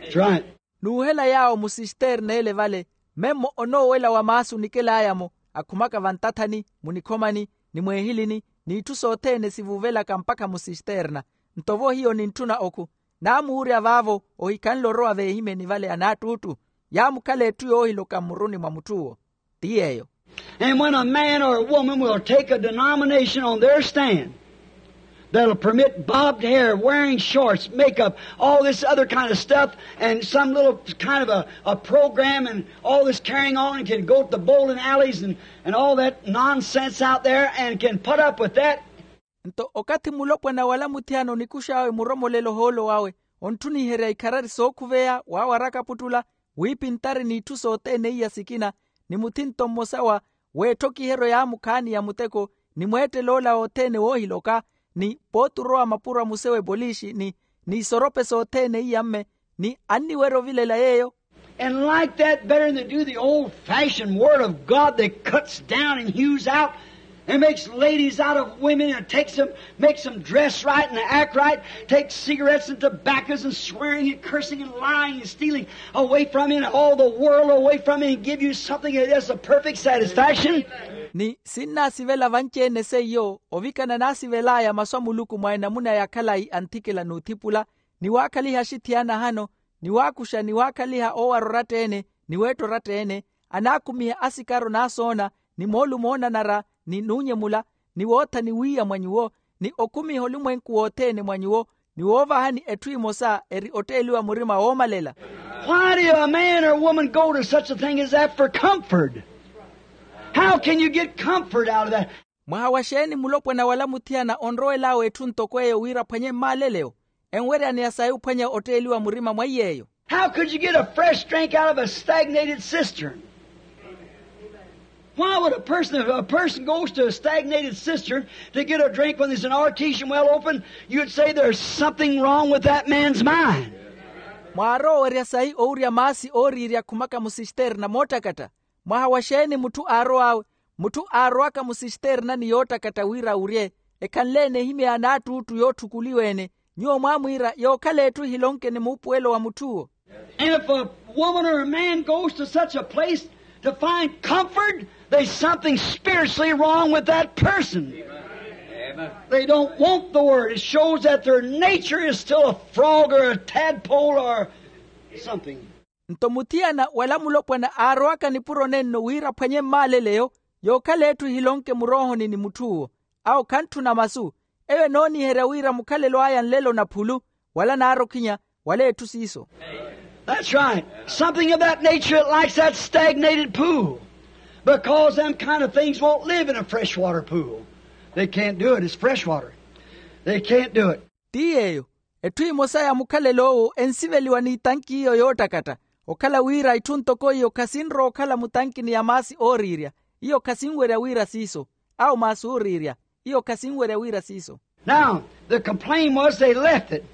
That's right. N'uhela yaawo mu sisterna ele vale, memmo onoowela wa maasi onikel'aya-mo, akhumaka vantathani, munikhomani, ni mweehilini, n'itthu sothene sivuuvelaka mpakha mu sisterna. Nto-vo hiyo nintthuna okhu, naamuurya vaavo ohikhanle orowa veehimyeni vale anaattuuttu. Yaamukhala etthu yoohiloka mmuruni mwa mutth'uwo. Ti yeeyo. And when a man or a woman will take a denomination on their stand, That'll permit bobbed hair, wearing shorts, makeup, all this other kind of stuff, and some little kind of a, a program, and all this carrying on, and can go to the bowling alleys and, and all that nonsense out there, and can put up with that. Nto okathi mulopwana wala muthiyana onikux'awe muromolelo ohoolo wawe, ontthuniherya ikharari sookhuveya wawaraka aputtula, wiipintari n'itthu sothene iya sikina, ni muthinto mmosa wa weetthokiheryo yaamukhaani ya muteko, ni mweettel'ola othene woohiloka, ni pooti orowa mapuro a muse w'epolixi, ni isorope sothene iya mme, ni anniwerya ovilela yeeyo. And like that, better than to do the old-fashioned word of God that cuts down and hews out and makes ladies out of women and takes them, makes them dress right and act right, takes cigarettes and tobaccos and swearing and cursing and lying and stealing away from you and all the world away from you and give you something that is a perfect satisfaction. Ni sinnaasivela vanci-ene seiyo ovikana naasivel'aya masu a muluku mwa enamuna ya khalayi anthikela n'uthipula, ni waakhaliha axithiyana ahano, ni waakuxa ni waakhaliha oowara oratta-ene, ni weetta oratta-ene, anaakumiha asikaro n'asoona, ni moolumo oonanara, ni nuunyemula, ni woothani wiiya mwa nyuwo, ni okumiha olumwenku wothene mwa nyuwo, ni woovahani etthu emosa eri otteeliwa murima woomalela. Why do a man or woman go to such a thing as that for comfort? How can you get comfort out of that? Mwaha wa xeeni mulopwana wala muthiyana onrowel'awe etthu ntoko eyo wira aphwanye mmaaleleyo? Enweryaneya sayi ophwanya otteeliwa murima mwa iy'eyo. How could you get a fresh drink out of a stagnated cistern? Why would a person, if a person goes to a stagnated cistern to get a drink when there's an artesian well open, you'd say there's something wrong with that man's mind. Mwaaroowerya sayi owurya maasi ooriirya akhumaka musisterna moottakatta? Mwaha wa xeeni mutthu aarow'awe? Mutthu aarowaka musisternani yoottakatta wira awurye, ekhanle-ene ehimeya n'attuuttu yootthukuliwa-ene, nyuwo mwaamwiira yookhala etthu ehilonke ni muupuwelo wa mutth'uwo. And if a woman or a man goes to such a place to find comfort, there's something spiritually wrong with that person. They don't want the word. It shows that their nature is still a frog or a tadpole or something. Nto muthiyana wala mulopwana aarowaka nipuro nenno wira aphwanye mmaaleleyo, yookhala etthu ehilonke muroohoni ni mutth'uwo. Awo khantthuna masu. Eyo enooniherya wira mukhalelo aya nlelo na phulu, wala naarokhinya, wala etthu siiso. That's right. Something of that nature, it likes that stagnated pool. Because them kind of things won't live in a freshwater pool. They can't do it. It's freshwater. They can't do it. Ti yeeyo, etthu emosa ya mukhalelo owo ensiveliwa n'itanki iyo yoottakatta. Okhala wira itthu ntoko iyo khasinrowa okhala mutankini ya maasi ooriirya, iyo khasinwerya wira siiso. Awo maasi ooriirya, iyo khasinwerya wira siiso. Now, the complaint was they left it.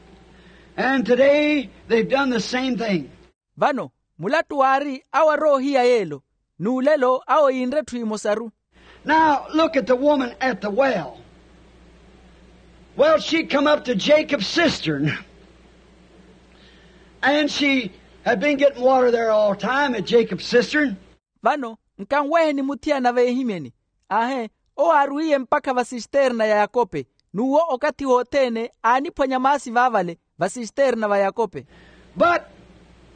And today they've done the same thing. Vano, mulattu waari awo arowa ohiya yeelo, n'ulelo awo yiinre etthu emosaru. Now, look at the woman at the well. Well, she come up to Jacob's cistern. And she had been getting water there all the time at Jacob's cistern. Vano, nkanweheni muthiyana veehimyeni. Aahe, owo aarwiiye mpakha vasisterna ya yakope, n'uwo okathi wothene aaniphwanya maasi vaavale vasisterna va yakope. But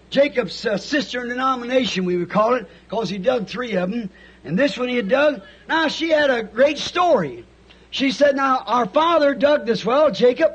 Jacob's uh, cistern denomination, we would call it, because he dug three of them, and this one he had dug. Now, she had a great story. She said, now, our father dug this well, Jacob.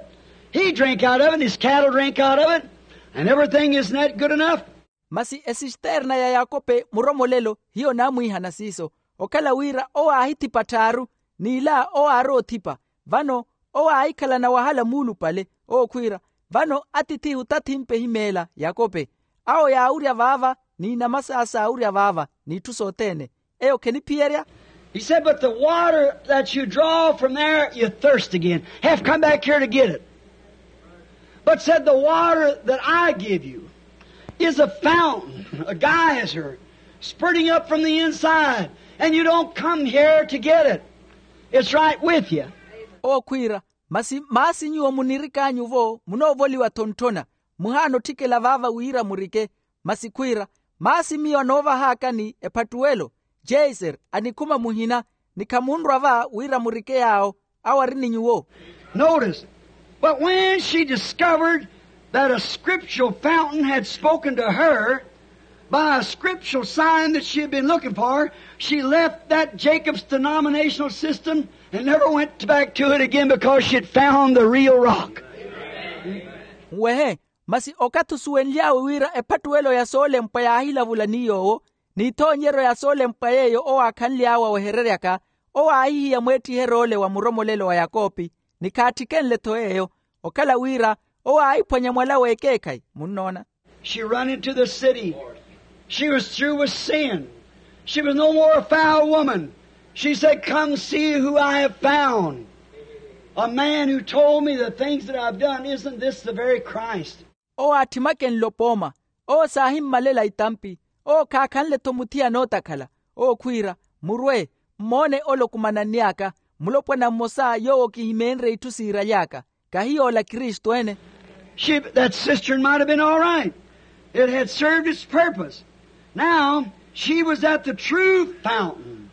He drank out of it, and his cattle drank out of it, and everything, isn't that good enough? Masi esisterna ya yakope muromolelo hiyo naamwiihana siiso, okhala wira owo aahithipa tthaaru, n'ila owo aarowa othipa. Vano owo aahikhalana wahala muulupale, owo khwiira, vano atithihu tathimpe ehimeela yakope. Awo yaawurya vaava, n'inama saawo saawurya vaava, n'itthu sothene. Eyo kheniphiyerya. He said, but the water that you draw from there, you thirst again. Have come back here to get it. But said, the water that I give you is a fountain, a geyser, spurting up from the inside, and you don't come here to get it. It's right with you. Owo khwiira, masi maasi nyuwo munirik'anyu-vo munoovoliwa thonthona, muhaana otthikela vaava wira murike. Masi khwiira, maasi miyo anoovahaakani ephattuwelo, jeiser, anikhuma muhina, ni khamunrwa va wira murike yaawo, awo ari ni nyuwo. Notice, but when she discovered that a scriptural fountain had spoken to her, By a scriptural sign that she had been looking for, she left that Jacob's denominational system and never went back to it again because she had found the real rock. Nwehe, masi okathi osuwenly'awe wira ephattuwelo ya soolempwa yaahilavula ni yoowo, n'ithoonyeryo ya soolempwa yeeyo owo aakhanly'awe awehereryaka, owo aahihiya mweettiheryo ole wa muromolelo wa yakopi, ni khaattikenle-tho yeeyo, okhala wira owo aahiphwanya mwala w'ekeekhayi. Munnoona? She run into the city. She was through with sin. She was no more a foul woman. She said, come see who I have found. A man who told me the things that I've done. Isn't this the very Christ? Owo aatthimakenle opooma. Owo saahimmalela itampi. Owo khaakhanle-tho muthiyana ootakhala. Owo khwiira, murwe, mmoone ole okumananny'aka, mulopwana mmosa yoowo kihimeenrye itthu siiraly'aka. Kahi yoola kristu ene? She, that cistern might have been all right. It had served its purpose. Now, she was at the true fountain.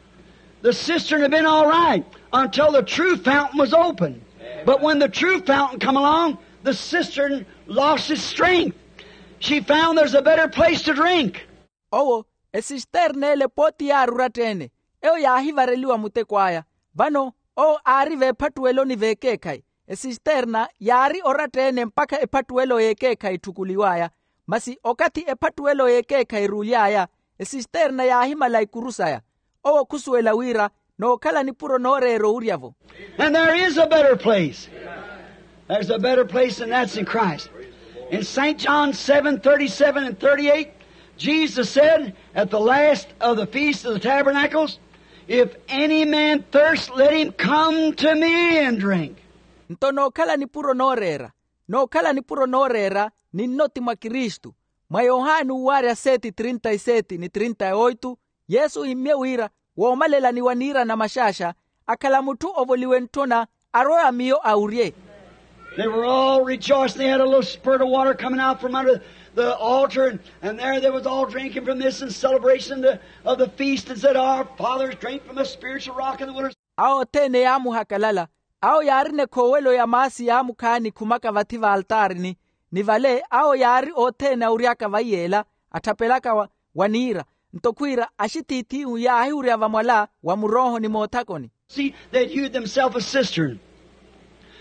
The cistern had been all right until the true fountain was opened. But when the true fountain come along, the cistern lost its strength. She found there's a better place to drink. Owo, esisterna ele pooti yaari oratta-ene. Eyo yaahivareliwa muteko aya. Vano owo aari veephattuweloni v'ekeekhayi. Esisterna yaari oratta-ene mpakha ephattuwelo y'ekeekhayi etthukuliw'aya. Masi okathi ephattuwelo y'ekeekhayi eruuly'aya, esisterna yaahimala ikuru saya. Owo khusuwela wira nookhala nipuro nooreera owurya-vo. And there is a better place. There's a better place, and that's in Christ. In St. John seven thirty-seven and thirty-eight, Jesus said at the last of the Feast of the Tabernacles, if any man thirst, let him come to me and drink. Nto nookhala nipuro nooreera, nookhala nipuro nooreera, ni nnoti mwa kristu. Mwa yohani uuwaarya seti trinta y seti ni trinta y oitu, yesu ohimmye wira, woomalelani wa niira na maxaaxa, akhala mutthu ovoliwe ntthona, arwe a miyo awurye. They were all rejoicing. They had a little spurt of water coming out from under the altar, and, and there they was all drinking from this in celebration of the, of the feast, and said, our fathers drank from the spiritual rock in the wilderness. Awo othene yaamuhakalala. Awo yaarina ekhoowelo ya maasi yaamukhaani khumaka vathi v'altaarini, ni vale awo yaari othene awury'aka vaiyeela, atthapelaka wa niira. Nto khwiira axithiithihu yaahiwurya vamwala wa muroohoni moothakoni. See, they'd hewed themselves a cistern,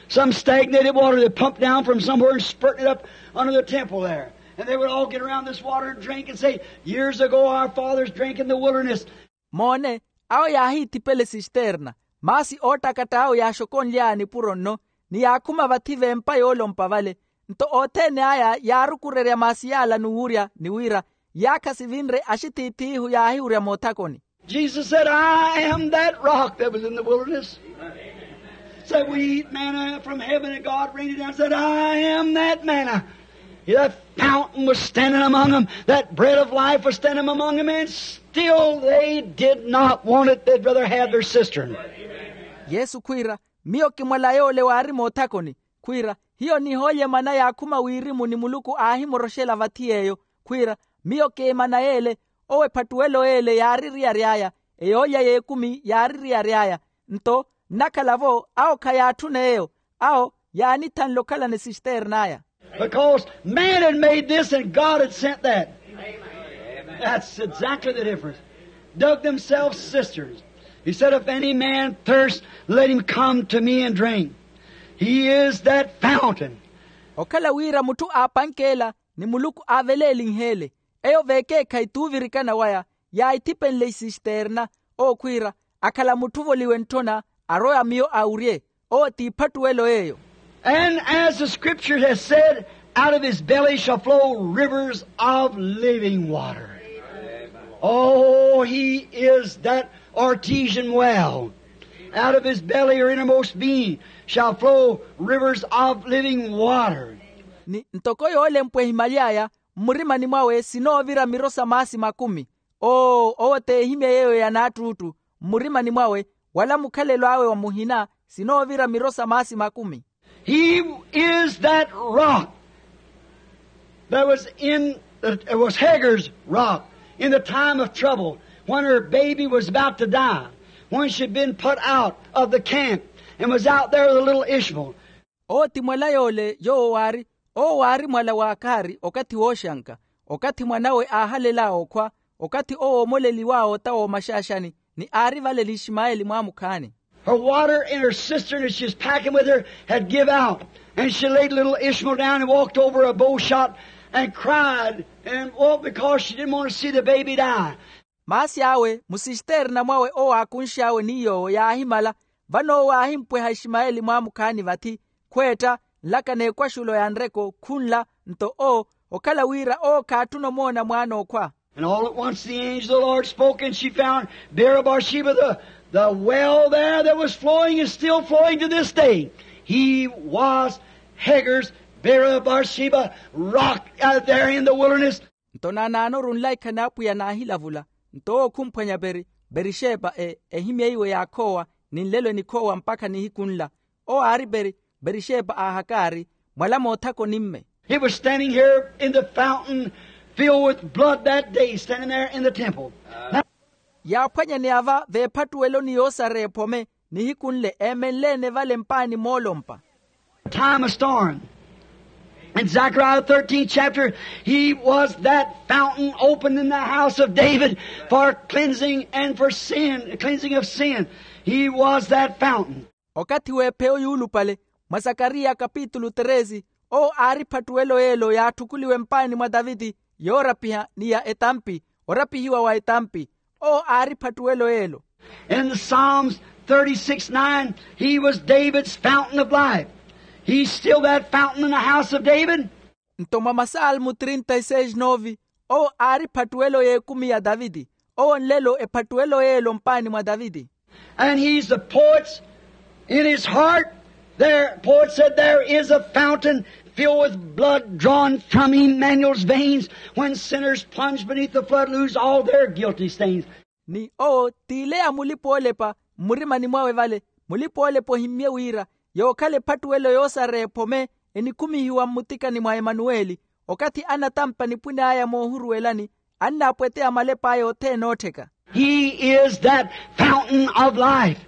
some stagnated water they pumped down from somewhere and spurting it up under the temple there. And they would all get around this water and drink and say, years ago our fathers drank in the wilderness. Moone, awo yaahiithipela esisterna, maasi oottakatta awo yaaxokonly'aya nipuro nno, ni yaakhuma vathi v'empa yoolompa vale. Nto othene aya yaarukurerya maasi y'ala n'uwurya ni wira, yaakha sivinre axithiithihu yaahiwurya moothakoni. Jesus said, I am that rock that was in the wilderness. Said we eat manna from heaven and God rained it down. Said, I am that manna. That fountain was standing among them. That bread of life was standing among them, and still they did not want it. They'd rather have their cistern. Yesu khwiira, miyo ki mwala yoole waari moothakoni. Khwiira, hiyo nihoolye mana yaakhuma wirimu ni muluku aahimoroxela vathi yeeyo. Khwiira, miyo ki emana yeele. Owo ephattuwelo yeele yaari eriyari aya, eyoolya y'ekumi yaari eriyari aya. Nto nnakhala-vo awo khayaatthuna eyo. Awo yaanithanle okhalana esisterna aya. Because man had made this and God had sent that. That's exactly the difference. Dug themselves cisterns. He said, if any man thirst, let him come to me and drink. He is that fountain. Okhala wira mutthu aapanke ela, ni muluku aavelelinhe ele. Eyo v'ekeekhayi t'uvirikana waya, yaahithipenle isisterna. Owo khwiira, akhala mutthu ovoliwe ntthona, arowe a miyo awurye. Owo t'iphattuwelo eyo. And as the scripture has said, out of his belly shall flow rivers of living water. Oh, he is that artesian well. Out of his belly or innermost being shall flow rivers of living water. Ni ntoko yoolempwa ehimaly'aya, mmurimani mwawe sinoovira miro sa maasi makumi. Oo owo t'ehimya yeeyo ya naattuuttu. Mmurimani mwawe, wala mukhalelo awe wa muhina, sinoovira miro sa maasi makumi. He is that rock that was in, that was Hagar's rock in the time of trouble, when her baby was about to die, when she'd been put out of the camp and was out there with a little Ishmael. Owo ti mwala yoole yoowo waari, owo waari mwala wa akhaari okathi wooxanka. Okathi mwanawe aahalela okhwa, okathi owo oomoleliw'awe ota w'omaxaaxani, ni aari vale n'ishimayeli mwaamukhaani. Her water in her cistern that she was packing with her had give out, and she laid little Ishmael down and walked over a bow shot and cried, and, oh, because she didn't want to see the baby die. Maasi awe musisiterna mwawe owo aakunx'awe ni yoowo yaahimala. Vano owo aahimpweha ishimayeli mwaamukhaani vathi, khweetta, nlaka n'ekwaxulo ya nreko khunla. Nto owo okhala wira owo khaatthuna omoona mwaana okhwa. And all at once the angel of the Lord spoke, and she found Beersheba, the, the well there that was flowing is still flowing to this day. He was Hagar's, Beersheba, rock out there in the wilderness. Nto naanaanoru nlaikha n'apwiya naahilavula. Nto owo khumphwanya beri, berixepa ehimyeiwe yaakhoowa, ni nlelo enikhoowa mpakha nihiku nla. Owo aari beri, berixepa a hakaari, mwala moothaka onimme. He was standing here in the fountain filled with blood that day, standing there in the temple. Yaaphwanyaneya va veephattuweloni yoosara ephome, nihiku nle eemenle-ene vale mpaani moolompa. Time of storm. In Zechariah thirteenth chapter, he was that fountain opened in the house of David for cleansing and for sin, cleansing of sin. He was that fountain. Okathi w'epheyo yuulupale, mwa sakariya kapitulu tresi, owo aari ephattuwelo y'elo yaatthukuliwe mpaani mwa taviti, yoorapiha ni ya etampi, orapihiwa wa etampi. Owo aari ephattuwelo y'elo. In the Psalms thirty-six nine, he was David's fountain of life. He's still that fountain in the house of David. Nto mwa masalmu trinta e seis nove, owo aari ephattuwelo y'ekumi ya taviti. Owo nlelo ephattuwelo y'elo mpaani mwa taviti. And he's the poet's, in his heart, there, poet said, there is a fountain filled with blood drawn from Emmanuel's veins, when sinners plunge beneath the flood lose all their guilty stains. Ni owo t'ile ya mulipa-oolepa mmurimani mwawe vale, mulipa-oolepa ohimmye wira, yookhala ephattuwelo yoosara ephome, enikhumihiwa mmutikani mwa emanuweli. Okathi anatampa nipwin'aya moohuruwelani, annaapweteya malep'aya othene oottheka. He is that fountain of life,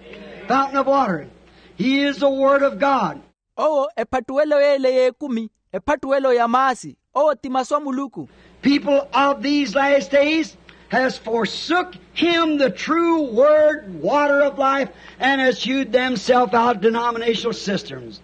fountain of water. He is the word of God. Owo ephattuwelo y'ele y'ekumi, ephattuwelo ya maasi. Owo ti masu a muluku. People of these last days has forsook him, the true word, water of life, and has hewed themselves out denominational cisterns.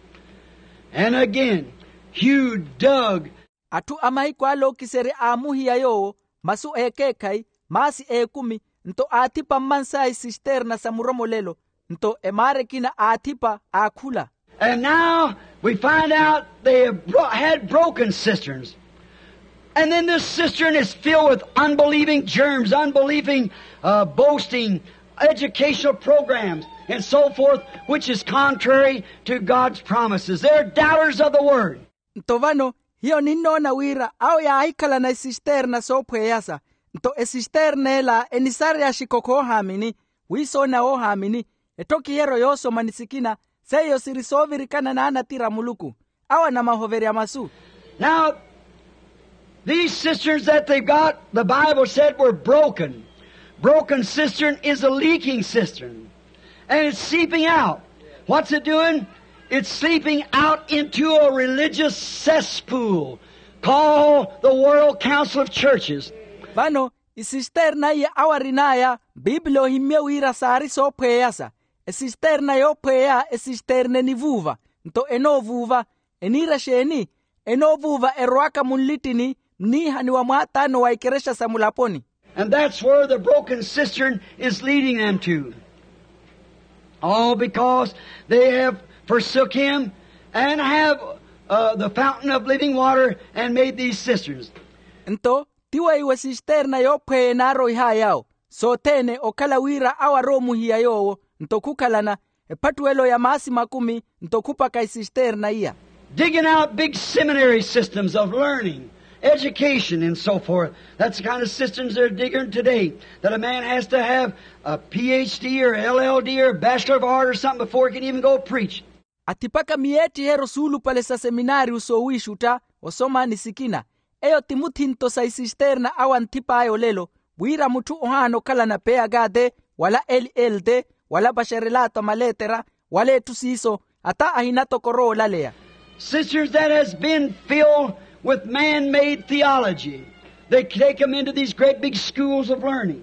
And again, hewed, dug. Atthu a mahiku ale ookiserya aamuhiya yoowo masu ekeekhayi, maasi ekumi, nto aathipa mmansaya isisterna sa muromolelo. Nto emaara ekina aathipa aakhula. And now we find out they have bro- had broken cisterns. And then this cistern is filled with unbelieving germs, unbelieving, uh, boasting, educational programs, and so forth, which is contrary to God's promises. They're doubters of the word. Nto vano hiyo ninnoona wira awo yaahikhalana esisterna soophweyasa. Nto esisterna ela enisareya axikokho oohaamini, wiisoona woohaamini, ettokiheryo yoosoma ni sikina, seiyo siri soovirikana n'anatira a muluku, awo anamahoverya masu. Now, these cisterns that they've got, the Bible said, were broken. Broken cistern is a leaking cistern. And it's seeping out. What's it doing? It's seeping out into a religious cesspool called the World Council of Churches. Vano isisterna iya awo arin'aya, biipili ohimmye wira saari soophweyasa. Esisterna yoophweya esisterna enivuuva. Nto enoovuuva, eniira exeeni? Enoovuuva erowaka munlittini mniihani wa mwaataano wa ikerexa sa mulaponi. And that's where the broken cistern is leading them to. All because they have forsook him and have, uh, the fountain of living water and made these cisterns. Nto ti weiwo esisterna yoophweya enaaroihayawo sothene okhala wira awo aroomuhiya yoowo. Nto khukhalana ephattuwelo ya maasi makumi, nto khupaka isisterna iya. Digging out big seminary systems of learning, education, and so forth. That's the kind of systems they're digging today, that a man has to have a P H D or L L D or Bachelor of Art or something before he can even go preach. Athipaka miyeettiheryo suulupale sa seminaariyu soowiixutta, osoma ni sikina. Eyo ti muthinto sa isisterna awo anthip'aya olelo, wira mutthu ohaana okhalana P H D, wala L L D, wala paxerelaato a maleetera, wala etthu siiso, ata ahina tokoro oolaleya. Sisters, that has been filled with man-made theology. They take them into these great big schools of learning.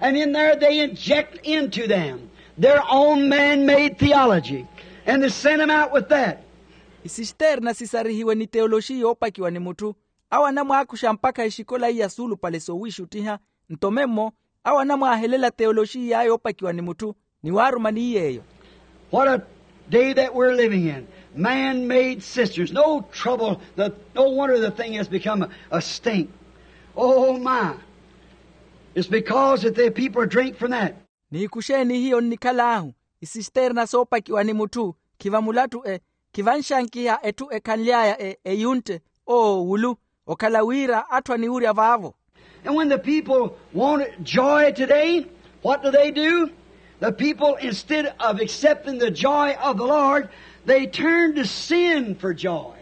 And in there they inject into them their own man-made theology. And they send them out with that. Isisterna sisarihiwe ni teoloxiya yoopakiwa ni mutthu. Awo anamwaakuxa mpakha exikola iya suulupale soowiixuttiha. Nto memmo awo anamwaahelela teoloxiy'aya yoopakiwa ni mutthu, ni waaruma ni yeeyo. What a day that we're living in. Man-made cisterns. No trouble. The, no wonder the thing has become a, a stink. Oh, my. It's because that the people drink from that. Nihiku xeeni hiyo nnikhal'ahu? Isisterna soopakiwa ni mutthu, khiva mulattu e, khiva nxankiha etthu ekhanly'aya e eyuntte. Oo wulu, okhala wira atthu aniwurya vaavo. And when the people want joy today, what do they do? The people, instead of accepting the joy of the Lord, they turn to sin for joy.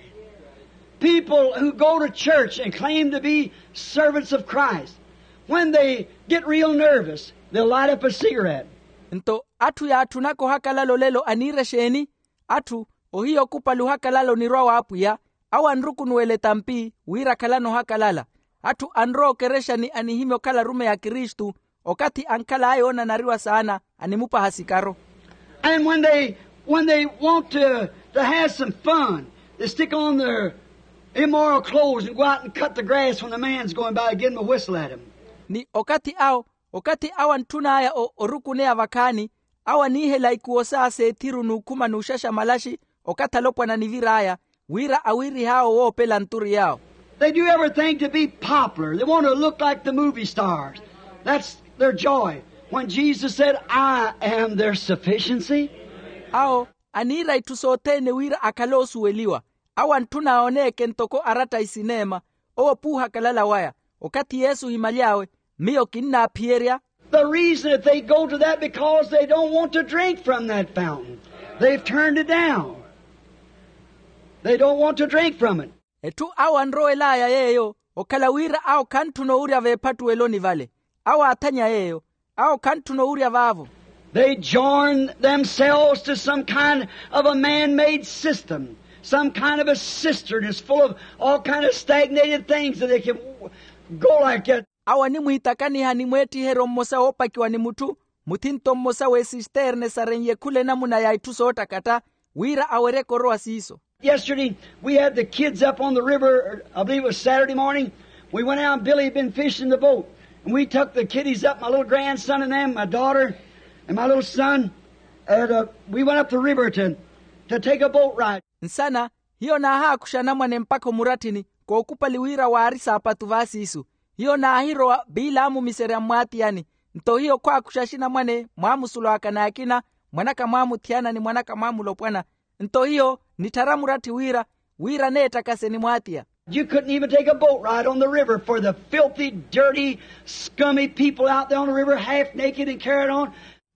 People who go to church and claim to be servants of Christ, when they get real nervous, they'll light up a cigarette. Nto atthu yaatthunaka ohakalala olelo aniira exeeni? Atthu ohiya okupali ohakalala onirwa w'apwiya, awo anrukunuwela etampi wira akhalana ohakalala. Atthu anrowa okerexani anihimya okhala arumeyi a kristu, okathi ankhal'aya oonanariwa saana animupaha sikaro. And when they, when they want to, to have some fun, they stick on their immoral clothes and go out and cut the grass when the man's going by and give them a whistle at him. Ni okathi awo, okathi awo antthun'aya o- orukuneya vakhaani, awo aniihela ikuwo saaseethiru n'ukhuma n'uxaxa malaxi, okathi alopwana anivir'aya, wira awiirih'awo woopela nturi yawo. They do everything to be popular. They want to look like the movie stars. That's their joy. When Jesus said, "I am their sufficiency." Awo aniira itthu sothene wira akhale oosuweliwa. Awo antthuna awoneeke ntoko aratta isineema. Owo p'uhakalala waya. Okathi yesu ohimaly'awe, miyo kinnaaphiyerya. The reason that they go to that because they don't want to drink from that fountain. They've turned it down. They don't want to drink from it. Etthu awo anrowel'aya yeeyo, okhala wira awo khantthuna owurya veephattuweloni vale. Awo aathanya yeeyo. Awo khantthuna owurya vaavo. They join themselves to some kind of a man-made system, some kind of a cistern that's full of all kind of stagnated things that they can go like that. Awo animwiitakaniha ni mweettiheryo mmosa woopakiwa ni mutthu, muthinto mmosa w'esisterne saren'ye khula enamuna ya itthu soottakatta, wira aweryeke orowa siiso. Yesterday, we had the kids up on the river, I believe it was Saturday morning. We went out, and Billy had been fishing the boat. And we took the kiddies up, my little grandson and them, my daughter, and my little son. And uh, we went up the river to, to take a boat ride. Nsana, hiyo naahaakuxa anamwane mpakha omuratthini, kookupali wira waari saapatu vaasiisu. Hiyo naahirowa, biilaamumiserya mmwaatiyani. Nto hiyo khwaakuxa axinamwane mwaamusulwaka n'akina, mwanaka mwaamuthiyana ni mwanaka mwaamulopwana. Nto hiyo nitthara muratthi wira, wira neettakase ni mwaatiya. You couldn't even take a boat ride on the river for the filthy, dirty, scummy people out there on the river, half naked and carried on.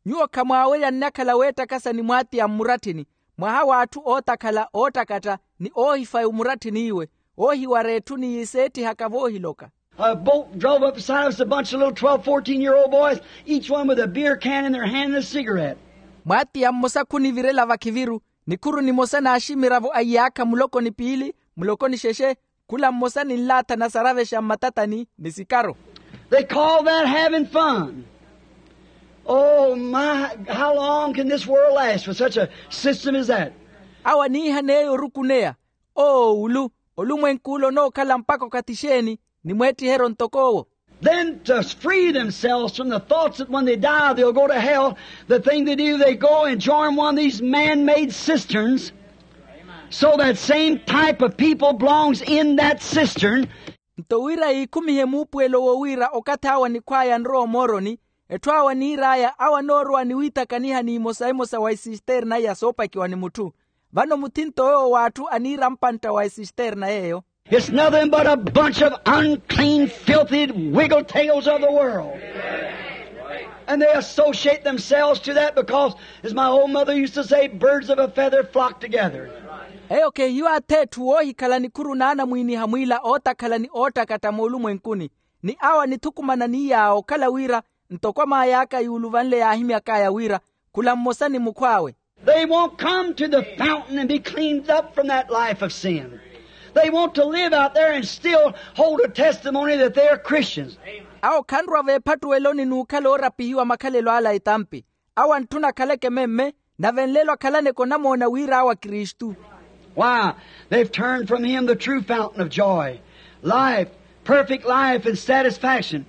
Nyuwo khamwaawerya nnakhala weettakasa ni mwaatiya mmuratthini, mwaha w'atthu ootakhala oottakatta, ni oohifaya omuratthini iwe, oohiwara etthu ni yiseettihaka voohiloka. A boat drove up beside us, a bunch of little twelve, fourteen year old boys, each one with a beer can in their hand and a cigarette. Mwaatiya mmosa khunivirela vakhiviru, nikhuru nimosa n'aximiravo a iyaakha muloko ni piili, muloko ni xexe, khula mmosa ni nlaatha nasaravexa mmatatani ni sikaro. They call that having fun. Oh my, how long can this world last with such a system as that? Awo aniihan'eyo orukuneya. Oo ulu, olumwenk'ule onookhala mpakha okathi xeeni? Ni mweettiheryo ntok'owo. Then to free themselves from the thoughts that when they die they'll go to hell, the thing they do, they go and join one of these man-made cisterns, so that same type of people belongs in that cistern. Nto wira yiikhumihe muupuwelo owo wira okathi awo anikhw'aya anrowa omooroni, etthu awo aniir'aya awo anoorowa ni wiitakaniha n'imosa emosa wa isisterna iya soopakiwa ni mutthu. Vano muthinto yoowo w'atthu aniira mpantta wa isisterna yeeyo. It's nothing but a bunch of unclean, filthy wiggle tails of the world. And they associate themselves to that because, as my old mother used to say, birds of a feather flock together. Eyo khehiyo ath'etthu woohikhala nikhuru naanamwiiniha mwiila ootakhala ni oottakatta moolumwenkuni. Ni awo anithukumana ni yaawo okhala wira ntoko amaay'aka yuuluvanle yaahimyak'aya wira khula mmosa ni mukhw'awe. They won't come to the fountain and be cleaned up from that life of sin. They want to live out there and still hold a testimony that they are Christians. Awo khanrwa veephattuweloni n'ukhala oorapihiwa makhalelo ala etampi. Awo antthuna akhaleke memme, nave nlelo akhalaneke onamoona wira awo akristu. Why? They've turned from him the true fountain of joy, life, perfect life and satisfaction.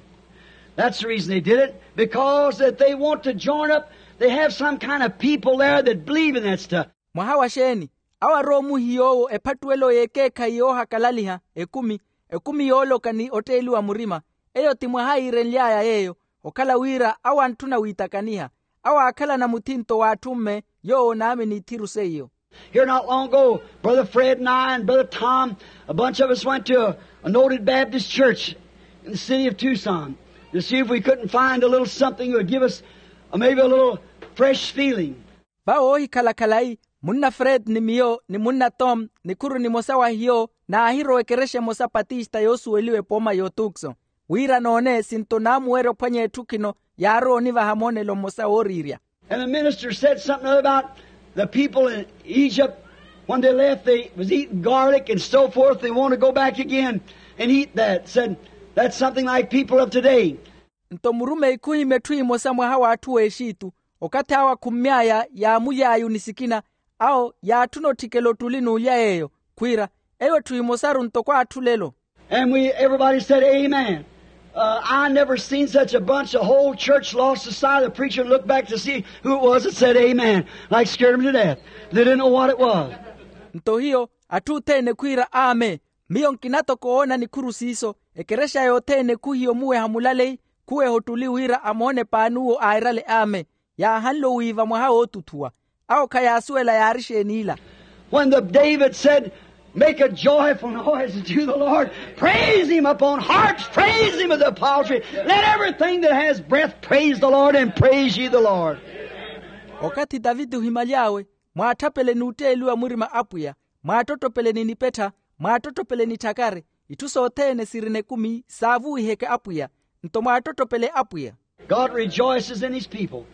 That's the reason they did it, because that they want to join up. They have some kind of people there that believe in that stuff. Mwaha wa xeeni? Awo arowa omuhiya owo ephattuwelo y'ekeekhayi yoohakalaliha, ekumi, ekumi yooloka ni otteeliwa murima. Eyo ti mwaha yiirenly'aya yeeyo, okhala wira awo antthuna wiitakaniha. Awo aakhalana muthinto w'atthu-mme, yoowo onaamini ithiru seiyo. Here not long ago, Brother Fred and I and Brother Tom, a bunch of us went to a, a noted Baptist church in the city of Tucson to see if we couldn't find a little something that would give us, uh, maybe a little fresh feeling. Vawo oohikhala khalayi, munna fred ni miyo ni munna tom nikhuru nimosa wa hiyo, naahirowa ekerexa emosa patista yoosuweliwa epooma y'otukso, wira noone sinto naamuwerya ophwanya etthu khino yaarowa onivaha moonelo mmosa wooriirya. And the minister said something about the people in Egypt, when they left, they was eating garlic and so forth. They want to go back again and eat that. Said, that's something like people of today. Nto murumeyi khuhimya etthu emosa mwaha w'atthu w'exitu, okathi awo akhummy'aya yaamuly'aya onisikina, awo yaatthuna otthikela ottuli n'ulya yeeyo, khwiira, eyo etthu emosaru ntoko atthu lelo. And we, everybody said, amen. Uh, I never seen such a bunch of whole church lost aside. The preacher looked back to see who it was that said amen, like scared him to death. They didn't know what it was. Nto hiyo, atthu othene khwiira amen. Miyo nkina toko oona nikhuru siiso, ekerexa yothene khuhiya omuweha mulaleyi, khuweha ottuli wira amoone paani uwo airale amen. Yaahanle owiiva mwaha wootuthuwa. Awo khayaasuwela yaari xeeni ila. When the David said, make a joyful noise unto the Lord, praise him upon harps, praise him with the psaltery, let everything that has breath praise the Lord, and praise ye the Lord. Okathi taviti ohimaly'awe, mwaatthapele n'utteeliwa murima apwiya, mwaattottopele ni nipettha, mwaattottopele ni tthakari, itthu sothene sirina ekumi saavuwiheke apwiya, nto mwaattottopele apwiya. God rejoices in his people.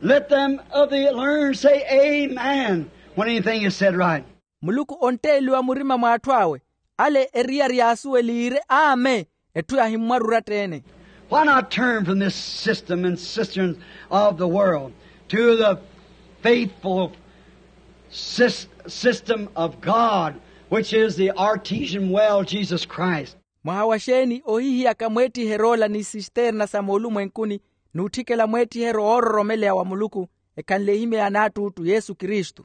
Let them of the learned say amen when anything is said right. Muluku ontteeliwa murima mw'atthu awe, ale eriyari yaasuweliire amen, etthu yahimmwarurya-tteene. Why not turn from this system and cisterns of the world to the faithful sys- system of God, which is the artesian well, Jesus Christ? Mwaha wa xeeni ohihiyaka mweettiher'ola ni sisterna sa moolumwenkuni, n'utthikela mweettiheryo woororomeleya wa muluku, ekhanle ehimya ya naattuuttu yesu kristu.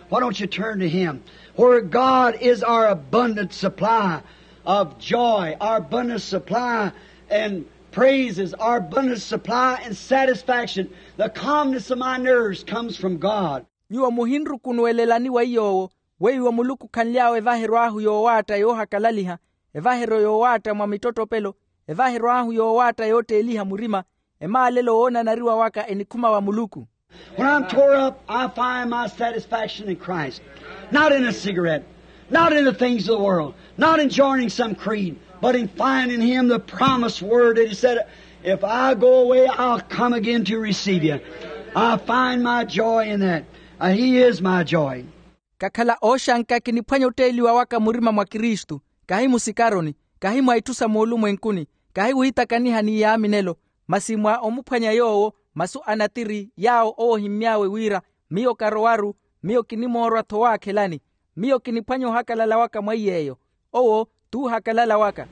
Why don't you turn to him, where God is our abundant supply of joy, our abundant supply and praises, our abundant supply and satisfaction? The calmness of my nerves comes from God. Nyuwo muhinrukunuwelelani wa iy'owo, weiwo muluku khanly'awe evaheryo ahu yoowaatta yoohakalaliha, evaheryo yoowaatta mwa mittottopelo, evaheryo ahu yoowaatta yootteeliha murima, emaalelo woonanariwa waka enikhuma wa muluku. When I'm tore up, I find my satisfaction in Christ. Not in a cigarette, not in the things of the world, not in joining some creed, but in finding him the promised word that he said, if I go away, I'll come again to receive you. I find my joy in that. Uh, he is my joy. Kakhala ooxanka kiniphwanya otteeliwa waka murima mwa kristu, kahi musikaroni, kahi mwa itthu sa moolumwenkuni, kahi wiitakaniha ni yaaminelo, masi mwa omuphwanya yoowo masu a natiri yaawo owo ohimmy'awe wira, miyo karowaru, miyo kinimoorwa-tho waakhelani. Miyo kiniphwanya ohakalala waka mweiy'eyo. Owo t'uhakalala waka.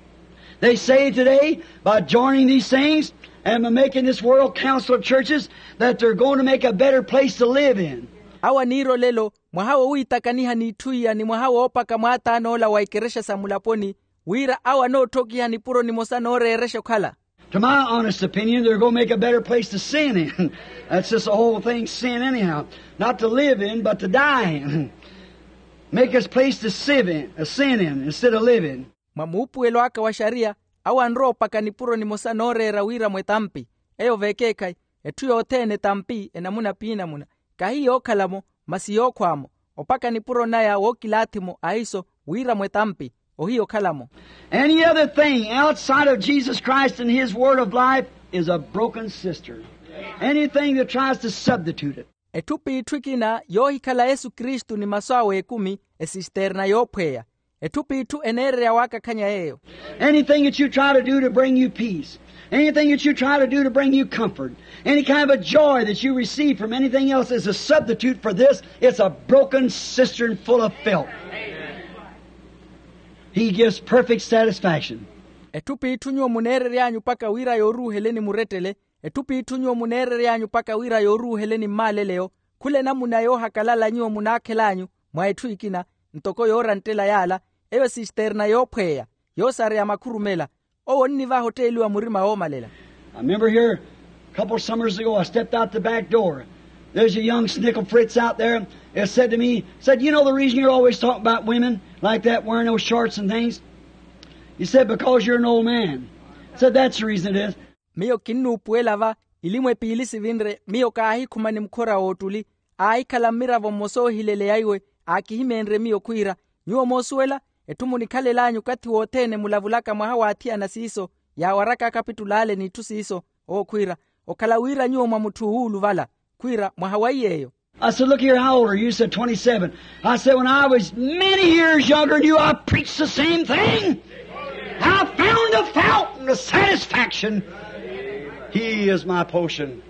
They say today, by joining these things and by making this world council of churches, that they're going to make a better place to live in. Awo aniira olelo, mwaha wowiitakaniha n'itthu iya ni mwaha woopaka mwaatan'ola wa ikerexa sa mulaponi, wira awo anootthokiha nipuro nimosa nooreerexa okhala. To my honest opinion, they're going to make a better place to sin in. That's just the whole thing, sin anyhow. Not to live in, but to die in. Make us place to sive in, uh, sin in instead of living. Mwa muupuwelo aka wa xariya, awo anrowa opaka nipuro nimosa nooreera wira mwetampi. Eyo vekeekhayi, etthu yothene etampi enamuna piinamuna, kahi yookhala-mo, masi yookhwa-mo. Opaka nipuro naya wookilaathi-mo ahiso wira mwetampi, ohiya okhala-mo. Any other thing outside of Jesus Christ and his word of life is a broken cistern. Anything that tries to substitute it. Etthu p'itthu ekina yoohikhala yesu kristu ni masu awe ekumi, esisterna yoophweya. Etthu p'itthu eneererya waakakhanya yeeyo. Anything that you try to do to bring you peace, anything that you try to do to bring you comfort, any kind of a joy that you receive from anything else is a substitute for this. It's a broken cistern full of filth. He gives perfect satisfaction. Etthu p'itthu nyuwo muneerery'anyu mpakha wira yooruuheleni murettele. Etthu p'itthu nyuwo muneerery'anyu mpakha wira yooruuheleni mmaaleleyo. Khula enamuna yoohakalala nyuwo munaakhel'anyu mwa etthu ekina, ntoko yooranttela yaala, eyo sisterna yoophweya, yoosareya makhurumela. Owo onnivaha otteeliwa murima woomalela. I remember here a couple summers ago, I stepped out the back door. There's a young snickle fritz out there that said to me, said, "You know the reason you're always talking about women like that, wearing those shorts and things?" He said, "Because you're an old man." I said, "That's the reason it is." Miyo kinnuupuwela va, ilimwe piili sivinre, miyo kaahikhuma ni mukhora w'ottuli, aahikhala mmiravo mmosa oohileleya iwe, aakihimeenrye miyo khwiira, nyuwo moosuwela, etthu munikhalel'anyu okathi wothene mulavulaka mwaha w'athiyana siiso, yaawaraka akapitul'ale n'itthu siiso. Owo khwiira, okhala wira nyuwo mwa mutthu owuuluvala. Khwiira, mwaha wa iy'eyo. I said, "Look here, how old are you?" He said, "Twenty-seven." I said, "When I was many years younger than you, I preached the same thing. I found the fountain of satisfaction. He is my potion."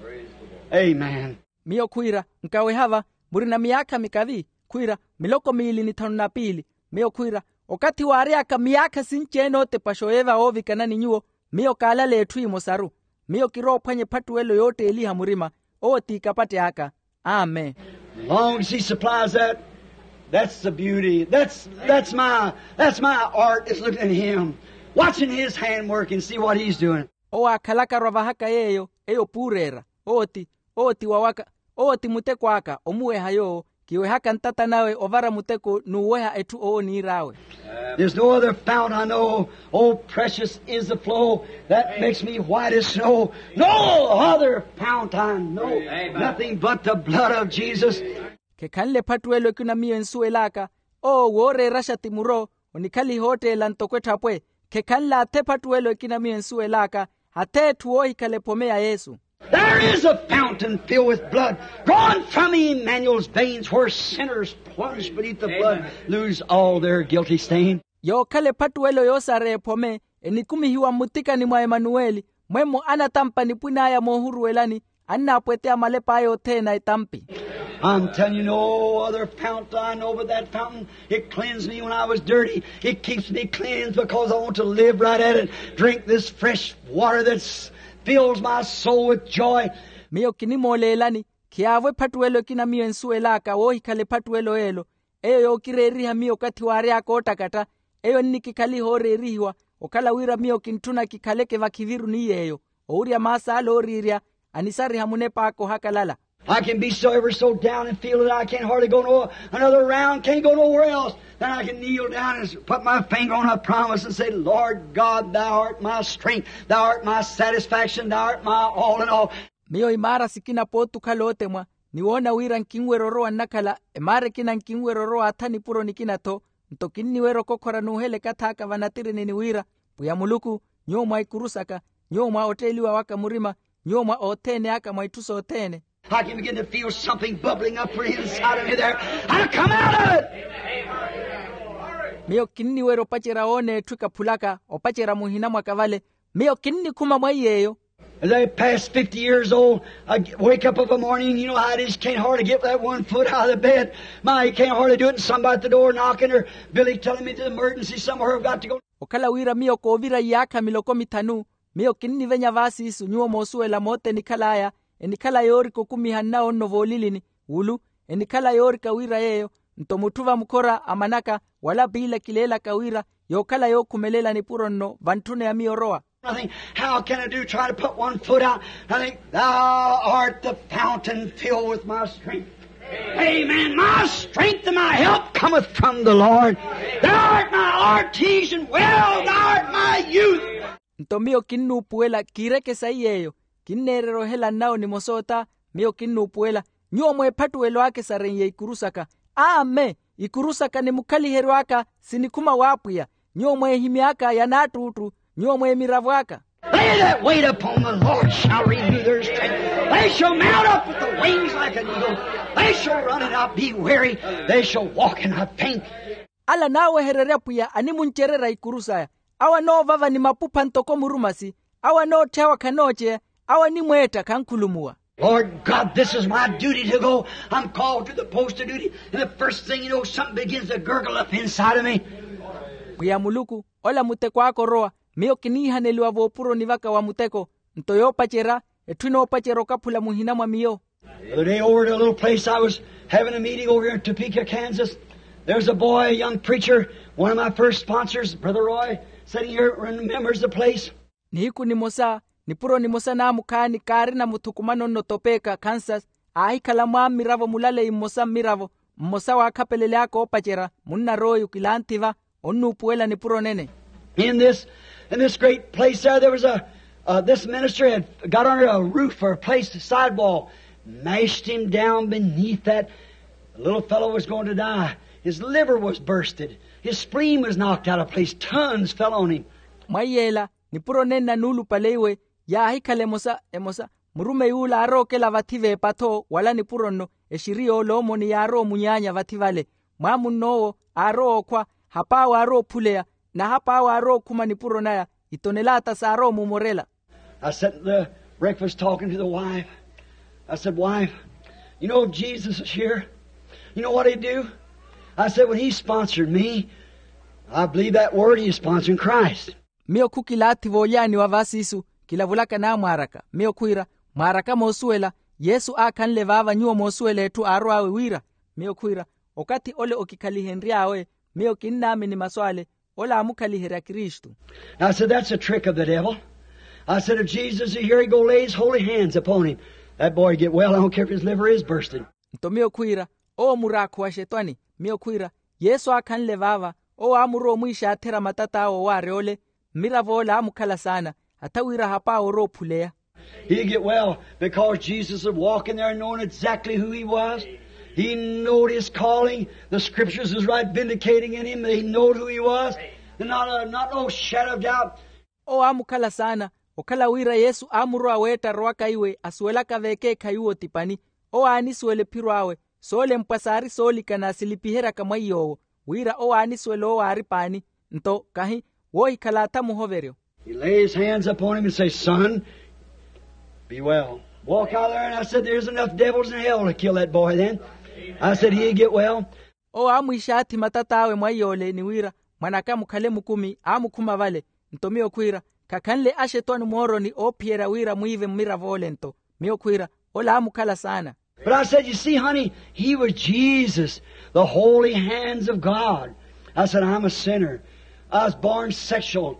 Amen. Miyo khwiira, nkaweha va, murina miyaakha mikavi? Khwiira, miloko miili ni thanu na piili. Miyo khwiira, okathi waary'aka miyaakha sinci-ene ootepaxa oyeeva woovikana ni nyuwo, miyo kaalale etthu emosaru. Miyo kiroophwanya ephattuwelo yootteeliha murima. Owo ti ikapatte aka. Amen. Long as he supplies that, that's the beauty. That's, that's my, that's my art, is looking at him, watching his handwork and see what he's doing. Owo aakhalaka arwa vahaka yeeyo, eyo puureera. Owo ti, owo ti wawaka, owo ti muteko aka omuweha yoowo. Kiwehaka ntata nawe ovara muteko n'uweha etthu owo oniir'awe. There's no other fount I know. Oh, precious is the flow that makes me white as snow. No other fount I know. Amen. Nothing but the blood of Jesus. Khekhanle ephattuwelo ekina miyo ensuwel'aka. Owo wooreeraxa ti muro, onikhaliha ootteela ntoko etthapwe. Khekhanle athe ephattuwelo ekina miyo ensuwel'aka, athe etthu woohikhala ephome ya yesu. There is a fountain filled with blood drawn from Emmanuel's veins, where sinners plunged beneath the flood lose all their guilty stain. Yookhala ephattuwelo yoosareya ephome, enikumihiwa mmutikani mwa emanuweli, mwemmo anatampa nipwin'aya moohuruwelani, annaapweteya malep'aya othene a etampi. I'm telling you, no other fount I know but that fountain. It cleansed me when I was dirty. It keeps me cleansed because I want to live right at it. Drink this fresh water that fills my soul with joy. Miyo kinimooleelani, khiyaavo ephattuwelo ekina miyo ensuwel'aka woohikhala ephattuwelo y'elo. Eyo yookireeriha miyo okathi waary'aka oottakatta. Eyo ennikikhaliha ooreerihiwa, okhala wira miyo kintthuna kikhaleke vakhiviru ni yeeyo. Owurya maas'ale ooriirya, anisariha munep'aka ohakalala. I can be so ever so down and feel that I can't hardly go no another round, can't go nowhere else. Then I can kneel down and put my finger on a promise and say, "Lord God, thou art my strength, thou art my satisfaction, thou art my all in all." Miyo imaara sikina pooti okhala ootemwa, ni woona wira nkinwerya orowa nnakhala, emaara ekina nkinwerya orowa atha nipuro nikina-tho. Nto kinniwerya okokhora n'uhela ekathi aka vanatirini ni wira, pwiya muluku, nyuwo mwa ikuru saka, nyuwo mwa otteeliwa waka murima, nyuwo mwa othene aka mwa itthu sothene. I can begin to feel something bubbling up for inside of me there. I come out of it. Miyo kinniwerya opacerya woona etthu ekaphulaka, opacerya muhina mwaka vale. Miyo kinnikhuma mwa iy'eyo. As I pass fifty years old, I wake up of a morning, you know how it is, you can't hardly get that one foot out of the bed. My, you can't hardly do it, and somebody at the door knocking, or Billy telling me there's an emergency somewhere, I've got to go. Okhala wira miyo koovira iyaakha miloko mithanu, miyo kinnivenya vaasiisu nyuwo moosuwela moota enikhal'aya, enikhala yoorikokumiha nnawo nno voolilini, wulu, enikhala yoorika wira yeeyo. Nto mutthu vamukhora amanaka, wala piila kileelaka wira, yookhala yookhumelela nipuro nno vantthuna ya miyo orowa. Nothing. How can I do? Try to put one foot out. I think, "Thou art the fountain filled with my strength." Amen. My strength and my help cometh from the Lord. Thou art my artesian well, thou art my youth. Nto miyo kinnuupuwela kiireke sayi yeeyo, kinneererya ohela nnawo nimosa ota. Miyo kinnuupuwela, nyuwo mweephattuwelo aka esareiye ikuru saka. Amen. Ikuru saka ni mukhaliheryo aka sinikhuma w'apwiya. Nyuwo mweehimy'aka ya naattuuttu, nyuwo mweemiravo aka. They that wait upon the Lord shall renew their strength. They shall mount up with the wings like an eagle. They shall run and not be weary. They shall walk and not faint. Ala naawehererya pwiya animuncererya ikuru saya. Awo anoovava ni mapupha ntoko murumasi. Awo anootthyawa khanooceya. Awo animweetta khankhulumuwa. Lord God, this is my duty to go. I'm called to the post of duty, and the first thing you know, something begins to gurgle up inside of me. Pwiya muluku, ola muteko aka orowa. Miyo kiniihaneliwa voopuroni vaka wa muteko. Nto yoopacerya, etthu enoopacerya okaphula muhina mwa miyo. The other day over at a little place I was having a meeting over here in Topeka, Kansas. There's a boy, a young preacher, one of my first sponsors, Brother Roy, sitting here and remembers the place. Nihiku nimosa, nipuro nimosa naamukhaani kaarina muthukumano nno Topeka, Kansas. Aahikhala mwammiravo mulaleyi mmosa mmiravo, mmosa waakhapelelyaaka oopacerya munna royo kilanthi va. Onnuupuwela nipuro nene. In this, in this great place there, there was a, uh, this minister had got under a roof or a place, a sidewall, mashed him down beneath that. The little fellow was going to die. His liver was bursted. His spleen was knocked out of place. Tons fell on him. Mwa iyeela, nipuro nenna nuulupale iwe, yaahikhala emosa emosa, murumeyi ula aarookela vathi v'epattho wala nipuro nno. Exiri y'oloomoni yaarowa omunyaanya vathi vale. Mwaamunn'owo aarowa okhwa, hap'awe aarowa ophuleya, na hap'awe aarowa okhuma nipuro naya. Itonelaata saarowa omumorela. I sat at the breakfast talking to the wife. I said, wife, you know if Jesus is here, you know what he'd do? I said, when he sponsored me, I believe that word he is sponsoring Christ. Miyo khukilaathi voolyaaniwa va siisu, kilavulaka naamwaaraka. Miyo khwiira, mwaaraka moosuwela, yesu aakhanle vaava nyuwo moosuwela etthu aarw'awe wira. Miyo khwiira, okathi ole okikhalihenry'awe, miyo kinnaamini masu ale. Ole aamukhaliherya kristu. I said that's a trick of the devil. I said if jesus is here he go lay his holy hands upon him. That boy get well, I don't care if his liver is bursting. Nto miyo khwiira, owo muraakhu wa xetwani. Miyo khwiira, yesu aakhanle vaava, owo aamurowa omwiixaatherya matat'awe owaarya ole. Mmirav'ole aamukhala saana, hatha wira hap'awe orowa ophuleya. He get well because jesus is walking there knowing exactly who he was. He knowed his calling. The scriptures is right vindicating in him that he knowed who he was. And not a, not no shadow of doubt. Owo aamukhala saana, okhala wira yesu aamurowa weetta arowaka iwe asuwelaka veekeekhayi uwo ti pani. Owo aanisuwela ephiro awe, soolempwa saari soolikana silipiheryaka mwa iy'owo, wira owo aanisuwela owo aari paani. Nto kahi, woohikhala atha muhoveryo. He lay his hands upon him and say son, be well. Walk out there and i said there's enough devils in hell to kill that boy then. I said he'd get well. Owo aamwiixaathi matat'awe mwa iy'ole ni wira, mwan'aka mukhale mukumi aamukhuma vale. Nto miyo khwiira, khakhanle axetwani mooroni oophiyerya wira mwiive mmirav'ole nto. Miyo khwiira, ole aamukhala saana. But i said you see honey, he was jesus, the holy hands of god. I said i'm a sinner. I was born sexual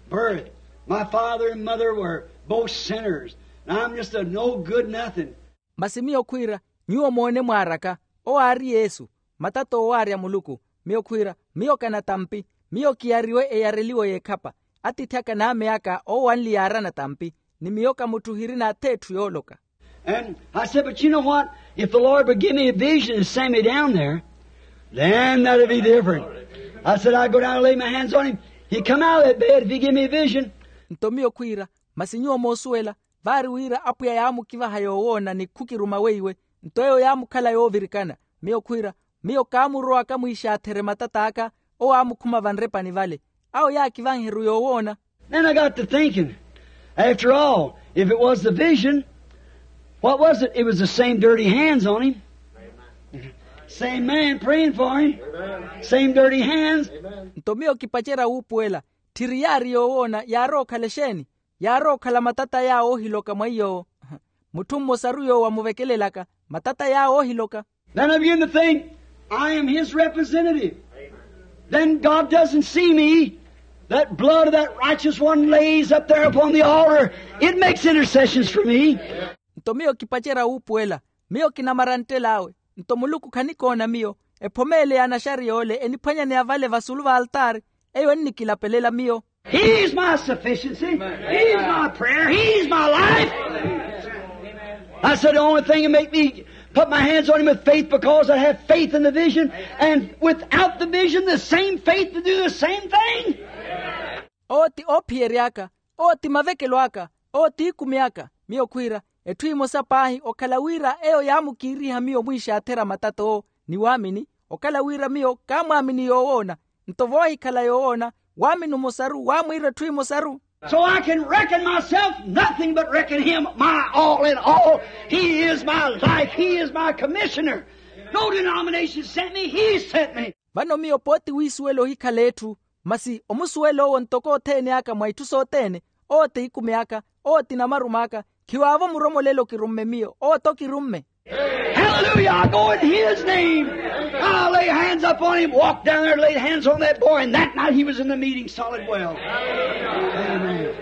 birth. My father and mother were both sinners. And i'm just a no good nothing. Masi miyo khwiira, nyuwo moone mwaaraka, owo aari yesu, matat'owo owaarya muluku. Miyo khwiira, miyo kanatampi. Miyo kiyariwe eyareliwo y'ekhapa. Atiithi aka n'ame aka owo anli yaarana tampi. Ni miyo kamutthu hirina atha etthu yooloka. And i said but you know what, if the lord would give me a vision and send me down there, then that'd be different. I said i'd go down and lay my hands on him. He'd come out of that bed if he give me a vision. Nto miyo khwiira, masi nyuwo moosuwela, vaari wira apwiya yaamukivaha yoowoona ni khukiruma weiwe. Nto eyo yaamukhala yoovirikana. Miyo khwiira, miyo kaamurowaka mwiixaatherye matat'aka. Owo aamukhuma vanrepani vale. Awo yaakivanheru yoowoona. Then i got to thinking, after all, if it was the vision, what was it? It was the same dirty hands on him, same man praying for him, same dirty hands. Nto miyo kipacerya wuupuwela, tthiri yaari yoowoona yaarowa okhala exeeni? Yaarowa okhala matata yaawo oohiloka mwa iy'owo. Mutthu mmosaru yoowo amuvekelelaka, matata yaawo oohiloka. Then i begin to think, i am his representative. Then god doesn't see me. That blood of that righteous one lays up there upon the altar, it makes intercessions for me. Nto miyo kipacerya wuupuwela, miyo kinamara nttel'awe. Nto muluku khanikoona miyo, ephomeyele ya anaxariya ole eniphwanyaneya vale vasulu va altaari, eyo ennikilapelela miyo. He's my sufficiency. He's my prayer. He's my life. I said the only thing to make me put my hands on him with faith, because i have faith in the vision, and without the vision the same faith to do the same thing. Owo ti oophiyery'aka, owo ti mavekelo aka, owo ti ikumi aka. Miyo khwiira, etthu emosa paahi okhala wira eyo yaamukiiriha miyo mwiixaatherya matata owo, ni waamini. Okhala wira miyo kaamwaamini yoowoona. Nto voohikhala yoowoona, waamini omosaru waamwiira etthu emosaru. So I can reckon myself nothing but reckon him my all in all. He is my life. He is my commissioner. No denomination sent me. He sent me. Vano miyo pooti wiisuwela ohikhala etthu, masi omusuwela owo ntoko othene aka mwa itthu sothene. Owo ti ikumi aka, owo ti namarumo aka. Khiwaavo muromolela okirumme miyo, owo tokirumme. Hallelujah. I go in his name. I lay hands upon him, walked down there, laid hands on that boy, and that night he was in the meeting solid well. Amen.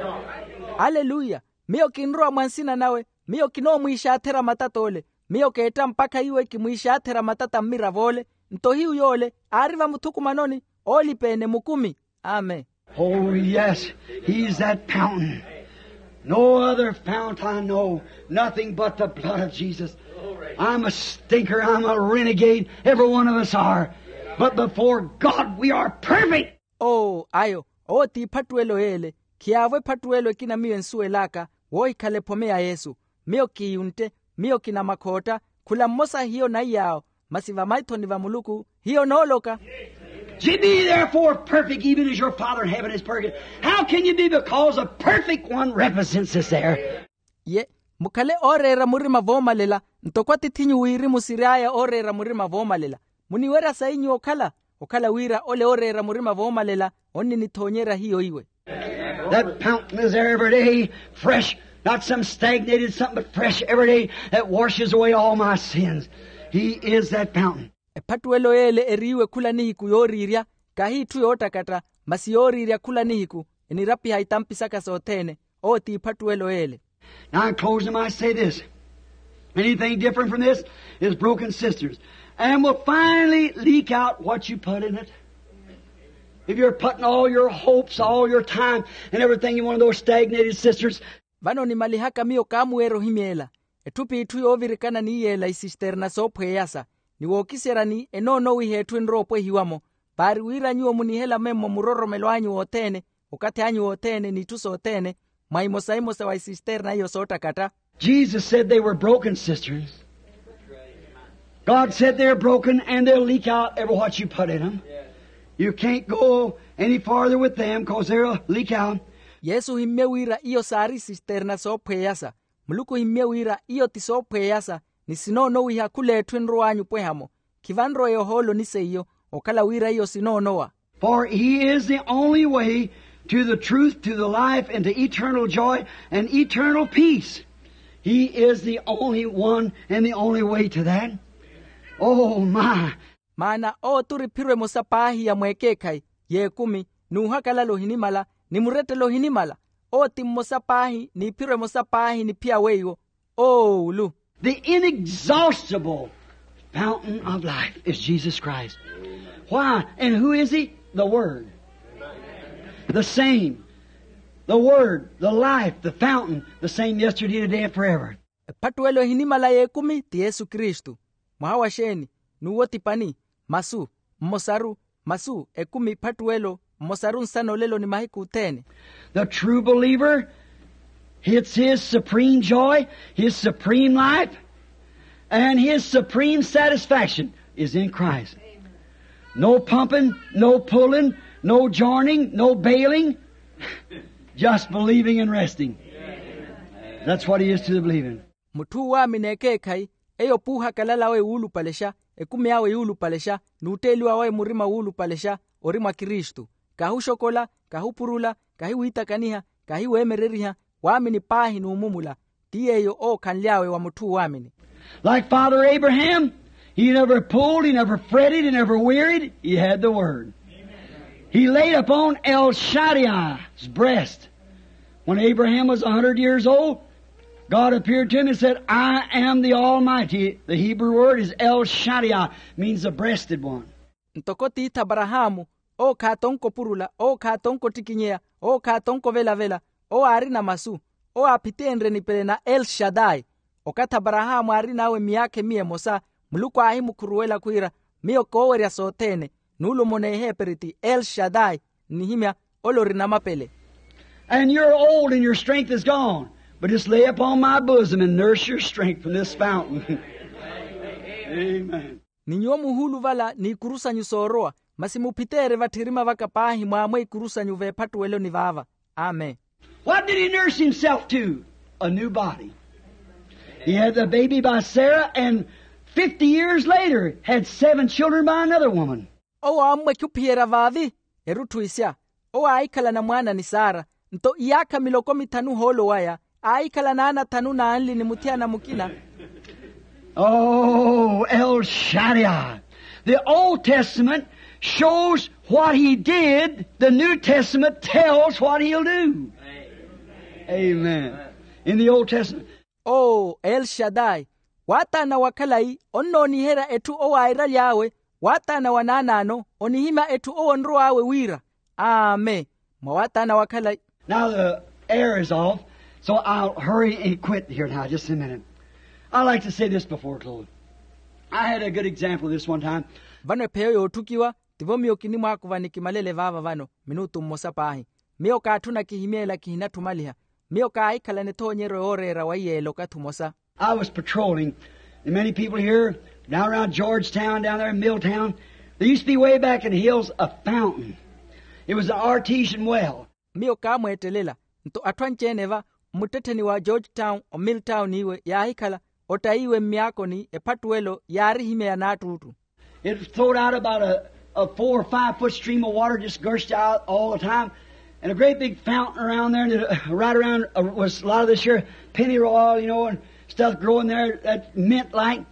Aleluya. Miyo kinrowa mwa nsina nawe. Miyo kinoomwiixaathera matata ole. Miyo keetta mpakha iwe kimwiixaathera matata mmirav'ole. Nto hiyu yoole aari vamuthukumanoni, oolipa-ene mukumi. Amen. Oh yes, he's that fountain. No other fount I know. Nothing but the blood of Jesus. I'm a stinker, I'm a renegade, every one of us are. But before God we are perfect. Oo ayo, owo ti ephattuwelo y'ele. Khiyaavo ephattuwelo ekina miyo ensuwel'aka, woohikhala ephome ya yesu. Miyo kiyuntte, miyo kinamakhootta. Khula mmosa hiyo naiy'awo, masi vamaithoni va muluku hiyo nooloka. Ye be therefore perfect, even as your Father in heaven is perfect. How can you be? Because a perfect one represents us there. Ye, mukhale ooreera murima voomalela, ntoko atiith'inyu wirimu siry'aya ooreera murima voomalela. Muniwerya sayi nyuwo okhala, okhala wira ole ooreera murima voomalela onninithoonyerya hiyo iwe. That fountain is there every day, fresh, not some stagnated something, but fresh every day, that washes away all my sins. He is that fountain. Ephattuwelo y'ele eriiwe khula nihiku yooriirya, kahi itthu yoottakatta, masi yooriirya khula nihiku, enirapiha itampi saka sothene. Owo ti ephattuwelo y'ele. Now, in closing, I say this. Anything different from this is broken sisters, and will finally leak out what you put in it. If you're putting all your hopes, all your time, and everything in one of those stagnated sisters. Vano nimalihaka miyo kaamuweerya ohimyeela. Etthu p'itthu yoovirikana ni yeela isisterna soophweyasa, ni wookiseryani enoonowiha etthu enrowa opwehiwa-mo. Paari wira nyuwo munihela memmo muroromelo anyu wothene, okathi anyu wothene n'itthu sothene, mwa imosa-imosa wa isisterna iyo soottakatta. Jesus said they were broken cisterns. God said they're broken and they'll leak out every what you put in them. You can't go any farther with them 'cause they'll leak out. Yesu ohimmye wira iyo saari isisterna soophweyasa. Muluku ohimmye wira iyo ti soophweyasa, ni sinoonowiha khul'etthu enrow'anyu opweha-mo. Khivanrowa yohooloni seiyo, okhala wira iyo sinoonowa. For he is the only way to the truth, to the life, and to eternal joy and eternal peace. He is the only one and the only way to that. Oh my. Maana owo t'uri ephiro emosa paahi ya mweekeekhayi, y'ekumi, n'uhakalala ohinimala, ni murettelo ohinimala. Owo ti mmosa paahi n'iphiro emosa paahi niphiya weiwo. Oowulu. The inexhaustible fountain of life is Jesus Christ. Why? And who is he? The Word. The same. The Word, the life, the fountain, the same yesterday, today, and forever. Ephattuwelo ehinimala y'ekumi ti yesu kristu. Mwaha wa xeeni? N'uwo ti pani? Masu. Mmosaru. Masu ekumi ephattuwelo. Mmosaru nsana olelo ni mahiku othene. The true believer, it's his supreme joy, his supreme life, and his supreme satisfaction is in Christ. No pumping, no pulling, no joining, no bailing, just believing and resting. That's what he is to the believing. Mutthu uwaamini ekeekhayi, eyo p'uhakalala awe wuulupalexa, ekumi awe yuulupalexa, n'utteeliwa wawe murima wuulupalexa, ori mwa kristu. Kahuxokola, kahupurula, kahiwiitakaniha, kahiweemereriha, waamini paahi n'umumula. Ti yeeyo ookhanly'awe wa mutthu uwaamini. Like father abraham, he never pulled, he never fretted, he never wearied. He had the word. He laid upon el shaddai's breast. When abraham was a hundred years old, god appeared to him and said, I am the almighty. The hebrew word is el shaddai, means the breasted one. Ntoko tiithi aparahaamu, owo khaatonko opurula, owo khaatonko ottikinyeya, owo khaatonko ovelavela, owo aarina masu, owo aaphiteenrye nipele na el shaddai. Okathi aparahaamu aarin'awe miyaakha emiya emosa, muluku aahimukhuruwela khwiira, miyo koowerya sothene. N'ule omona eheeperi ti el shaddai. Nnihimya, ole ori namapele. And you're old and your strength is gone, but just lay upon my bosom and nurse your strength from this fountain. Amen. Ni nyuwo muhuuluvala n'ikuru sanyu soorowa, masi muphiteerye vatthirima vaka paahi mwaamwe ikuru sanyu veephattuweloni vaava. Amen. What did he nurse himself to? A new body. He had the baby by Sarah, and fifty years later had seven children by another woman. Owo aammwekha ophiyerya vaavi erutthu isya. Owo aahikhala na mwaana ni sara, nto iyaakha miloko mithanu ohoolo waya aahikhala naana thanu n'anli ni muthiyana mukina. Oh, El Shaddai. The Old Testament shows what he did. The New Testament tells what he'll do. Amen. In the Old Testament. Oo, el shaddai. Waataana wa khalayi onnooniherya etthu owo airaly'awe. Waataana wa naanaano onihimya etthu owo onrow'awe wira. Amen. Mwa waataana wa khalayi. Now the air is off, so I'll hurry and quit here now, just a minute. I like to say this before close. I had a good example of this one time. Vano epheyo yootthukiwa, tivo miyo kinimwaakuva ni kimalele vaava vano minutu mmosa paahi. Miyo kaatthuna kihimyeela kihinatthumaliha. Miyo kaahikhala ni ethoonyeryo yooreera wa iyeela okathi omosa. I was patrolling, and many people here, down around Georgetown, down there in Milltown, there used to be way back in the hills a fountain. It was an artesian well. Miyo kaamweettelela, nto atthu anci-ene va mmuttettheni wa Georgetown, omilltown iwe yaahikhala ottayiwe mmyaakoni ephattuwelo yaarihimeya n'attuttu. It flowed out about a, a four or five foot stream of water, just gushed out all the time. And a great big fountain around there, and it, uh, right around, uh, was a lot of this here pennyroyal, you know, and stuff growing there that mint like.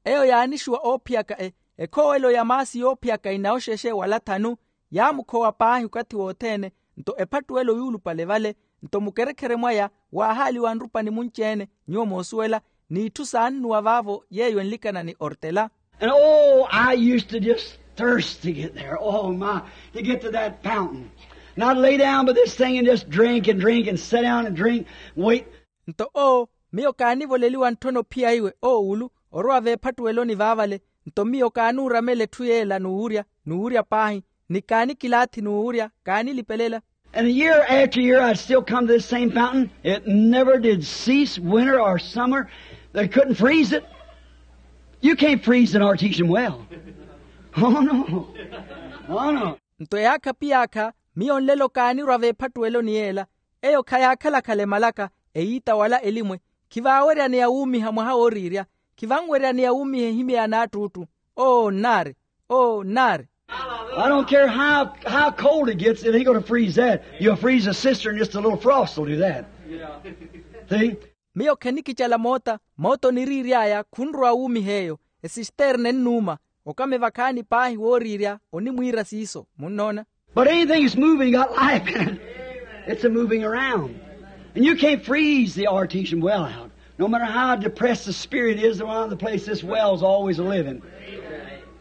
Eyo yaanixuwa oophiyaka e, ekhowelo ya maasi yoophiyaka inawoxexe wala thanu. Yaamukhowa paahi okathi wothene, nto ephattuwelo yuulupale vale, nto mukerekhere mwaya waahaaliwa nrupa ni munci-ene, nyuwo moosuwela, n'itthu saannuwa vaavo yeeyo enlikana ni ortela. And oh, I used to just thirst to get there. Oh my, to get to that fountain. And I'd lay down by this thing and just drink and drink and sit down and drink, wait. Nto oo, miyo kaanivoleliwa ntthona ophiya iwe oowulu, orowa veephattuweloni vaavale. Nto miyo kaanuuramela etthu yeela n'uwurya, n'uwurya paahi, ni kaanikilaathi n'uwurya kaanilipelela. And year after year I'd still come to this same fountain. It never did cease, winter or summer. They couldn't freeze it. You can't freeze an artesian well. Oh no. Oh no. Nto eyaakha piyaakha miyo nlelo kaanirwa veephattuweloni yeela. Eyo khayaakhala-khala emalaka, eyiita wala elimwe. Khivaaweryaneya wuumiha mwaha wooriirya. Khivanweryaneya wuumiha ehimyeya n'attuttu. Oo nnaari. Oo nnaari. I don't care how, how cold it gets, it ain't gonna freeze that. You'll freeze a cistern, just a little frost will do that. See? Miyo khenikicala moota, moota oniriiry'aya khunrowa wuumiha eyo. Esisterne ennuuma. Okame vakhaani paahi wooriirya onimwiira siiso munnoona. But anything that's moving got life in it. It's a moving around. And you can't freeze the artesian well out. No matter how depressed the spirit is, the one on the place, this well's always living.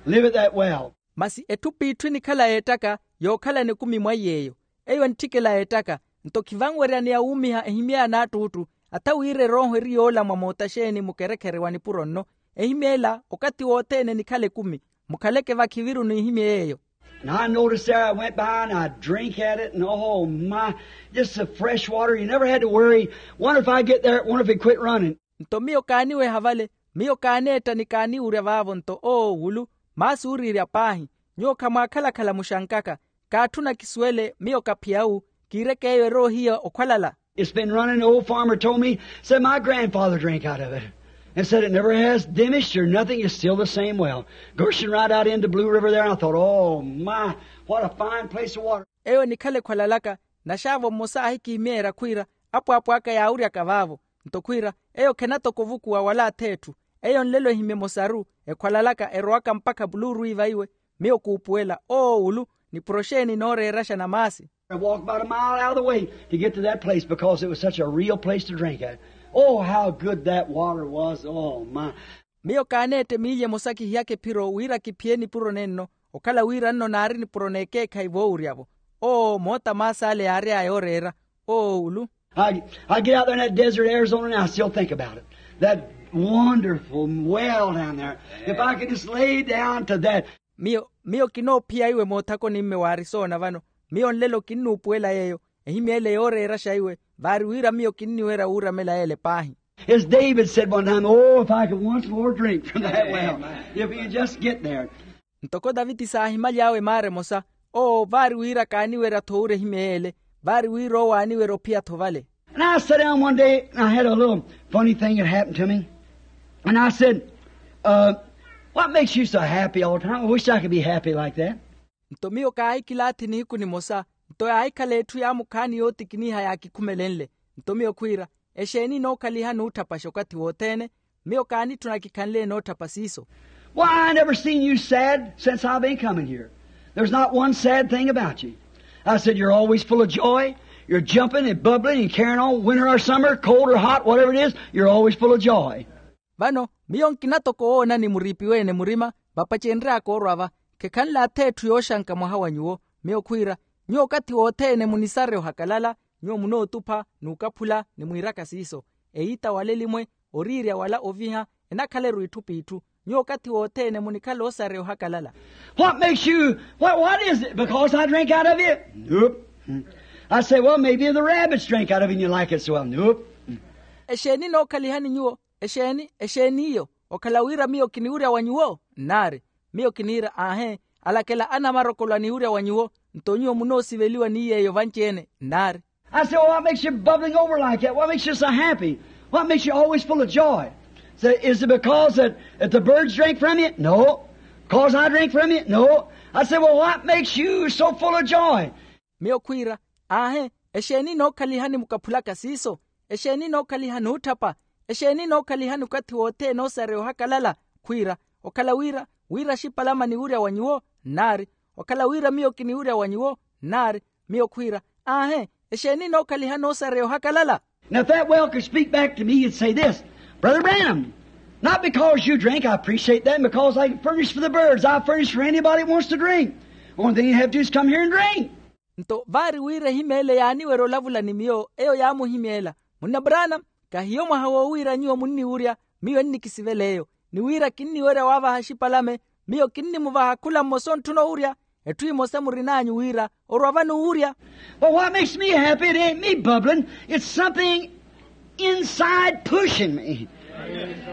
Live it that well. Masi etthu p'itthu enikhala yeettaka yookhalana ekumi mwa iy'eyo. Eyo entthikela yeettaka. Nto khivanweryaneya wuumiha ehimyeya n'attuttu. Atha wira erooho eri yoola mwa moota xeeni mukerekhere wa nipuro nno. Ehimyeela okathi wothene enikhala ekumi. Mukhaleke vakhiviru n'ihimyeya eyo. And I noticed there, I went by and I drink at it, and oh my, just the fresh water. You never had to worry. Wonder if I get there, wonder if it quit running. Nto miyo kaaniweha vale, miyo kaaneetta ni kaaniwurya vaavo nto oowulu. Maasi ooriirya paahi. Nyuwo khamwaakhala-khala muxankaka. Kaatthuna kisuwele miyo kaphiya wu. Kiireke eyo eroohiya okhwalala. It's been running. The old farmer told me, said my grandfather drank out of it and said it never has diminished or nothing. It's still the same well, gushing right out into Blue River there. And I thought, oh my, what a fine place of water. Eyo enikhala ekhwalalaka. Naxaavo mmosa aahikihimyeerya khwiira apwaapwaaka yaawuryaka vaavo. Nto khwiira eyo khenatoko ovukuwa wala ath'etthu. Eyo nlelo ehimye emosaru ekhwalalaka erowaka mpakha puluuru iva iwe. Miyo kuupuwela oowulu. Nipuro xeeni nooreeraxa na maasi. I walked about a mile out of the way to get to that place because it was such a real place to drink at. Oh how good that water was. Oh my. Miyo kaaneetta emiilya emosa kihiyaka ephiro wira kiphiye nipuro nenno. Okhala wira nno naari nipuro n'ekeekhayi voowurya-vo. Oo moota maasi ale yaary'aya ooreera. Oowulu. I, I get out there in that desert Arizona and I still think about it. That wonderful well down there. If I could just lay down to that. Miyo miyo kinoophiya iwe moothakoni mme wa arisoona vano. Miyo nlelo kinnuupuwela yeeyo. Ehimyeele yooreeraxa iwe. Vaari wira miyo kinniwerya wuuramela yeele paahi. As David said one time, oh, if I could once more drink from that well, if we could just get there. Ntoko daviti saahimaly'awe maara emosa, oo vaari wira kaaniwerya-tho owurya ehimya yeele, vaari wira owo aaniwerya ophiya-tho vale. And I sat down one day and I had a little funny thing that happened to me. And I said, uh, what makes you so happy all the time? I wish I could be happy like that. Nto miyo kaahikilaathi nihiku nimosa, nto yaahikhala etthu yaamukhaani yootikiniha yaakikhumelenle. Nto miyo khwiira, exeeni enookhaliha nuutthapaxa okathi wothene? Miyo kaanitthuna kikhanle enootthapaxa iso. Why, I never seen you sad since I've been coming here. There's not one sad thing about you. I said, you're always full of joy. You're jumping and bubbling and carrying on, winter or summer, cold or hot, whatever it is, you're always full of joy. Vano miyo nkina toko woonani muriipiwe-ene murima, vapacenry'aka orwa va. Khekhanle ath'etthu yooxanka mwaha wa nyuwo. Miyo khwiira, nyuwo okathi wothene munisarya ohakalala, nyuwo munootupha, n'ukaphula ni mwiiraka siiso. Eyiita wala elimwe, oriirya wala oviha, enakhaleru itthu p'itthu. Nyuwo okathi wothene munikhala osareya ohakalala. What makes you, what, what is it? Because I drink out of you? Nope. I say, well, maybe the rabbits drink out of you and you like it so well. Nope. Exeeni enookhalihani nyuwo? Exeeni exeeni iyo? Okhala wira miyo kiniwurya wa nyuwo? Nnaari. Miyo kiniira, aahe, alakela anamarokolo aniwurya wa nyuwo. Nto nyuwo munoosiveliwa ni yeeyo vanci-ene? Nnaari. I said, well, what makes you bubbling over like that? What makes you so happy? What makes you always full of joy? Say, is it because that, that the birds drink from you? No. Because I drink from you? No. I said, well, what makes you so full of joy? Miyo khwiira, aahe, exeeni enookhalihani mukaphulaka siiso? Exeeni enookhaliha nuutthapa? Exeeni enookhaliha nukathi wothene osareya ohakalala? Khwiira, okhala wira wira axipalama niwurya wa nyuwo? Nnaari. Okhala wira miyo kiniwurya wa nyuwo? Nnaari. Miyo khwiira, aahe, exeeni enookhaliha noosareya ohakalala? Now, if that well could speak back to me, you'd say this, brother Branham, not because you drink, I appreciate that, and because I can furnish for the birds, I furnish for anybody that wants to drink. Only thing you have to do is come here and drink. Nto vaari wira ehimeele yaaniwerya olavula ni miyo, eyo yaamuhimeela, munna brana, kahiyo mwaha woowiira nyuwo munniwurya, miyo ennikisivela eyo. Ni wira kinniwerya waavaha axipalame, miyo kinnimuvaha khula mmosa ontthuna owurya. Etthu emosa murin'anyu wira orwa vano owurya. But what makes me happy, it ain't me bubbling. It's something inside pushing me.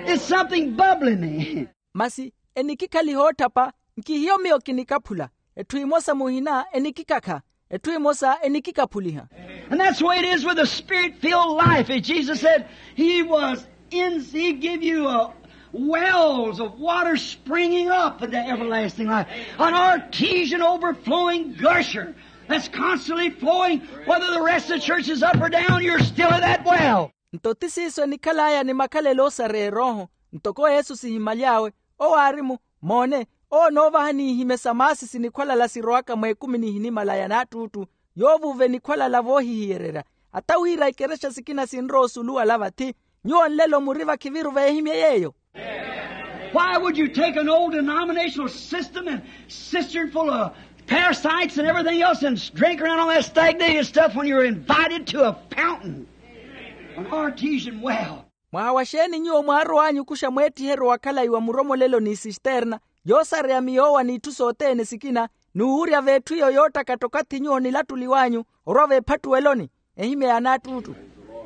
It's something bubbling me. Masi enikikhaliha otthapa, nkihiyo miyo kinikaphula. Etthu emosa muhina enikikakha. Etthu emosa enikikaphuliha. And that's the way it is with the spirit-filled life. As Jesus said, he was in, he give you a wells of water springing up into everlasting life, an artesian overflowing gusher that's constantly flowing. Whether the rest of the church is up or down, you're still at that well. Nto ti siiso enikhal'aya ni makhalelo osareya erooho. Ntoko yesu sihimaly'awe, owo aari-mu, moone, owo onoovaha n'ihimya sa maasi sinikhwalala sirowaka mweekumi nihinimala ya naattuuttu, yoovuuva enikhwalala voohihiyererya. Ata wira ikerexa sikina sinrowa osuluwala vathi, nyuwo nlelo muri vakhiviru veehimye yeeyo. Why would you take an old denominational system and cistern full of parasites and everything else and drink around all that stagnated stuff when you're invited to a fountain, an artesian well? Mwaha wa xeeni nyuwo mwaarow'anyu okuxa mweettiheryo wa khalayi wa muromolelo ni sisterna yoosareya miyoowa n'itthu sothene sikina, n'uwurya v'etthu iyo yoottakatta okathi nyuwo onilattuliw'anyu orwa v'ephattuweloni, ehimya ya naattuuttu.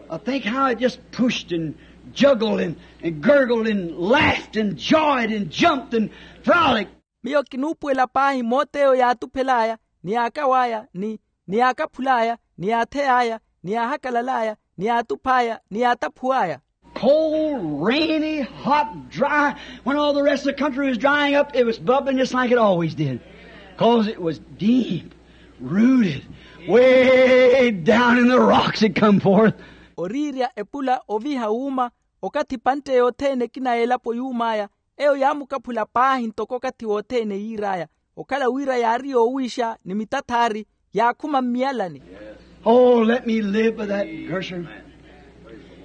I think how it just pushed and juggled and, and gurgled and laughed and joyed and jumped and frolicked. Miyo kinuupuwela paahi moot'eyo yaatuphel'aya, ni yaakaw'aya, ni ni yaakaphul'aya, ni yaathey'aya, ni yaahakalal'aya, ni yaatuph'aya, ni yaataphuw'aya. Cold, rainy, hot, dry. When all the rest of the country was drying up, it was bubbling just like it always did. Because it was deep rooted, way down in the rocks it come forth. Oriirya, epula, oviha, wuuma. Okathi epantte yothene ekina y'elapo yuum'aya, eyo yaamukaphula paahi ntoko okathi wothene yiir'aya, okhala wira yaari yoowiixa ni mitathaari, yaakhuma mmiyalani. Oh, let me live by that gusher.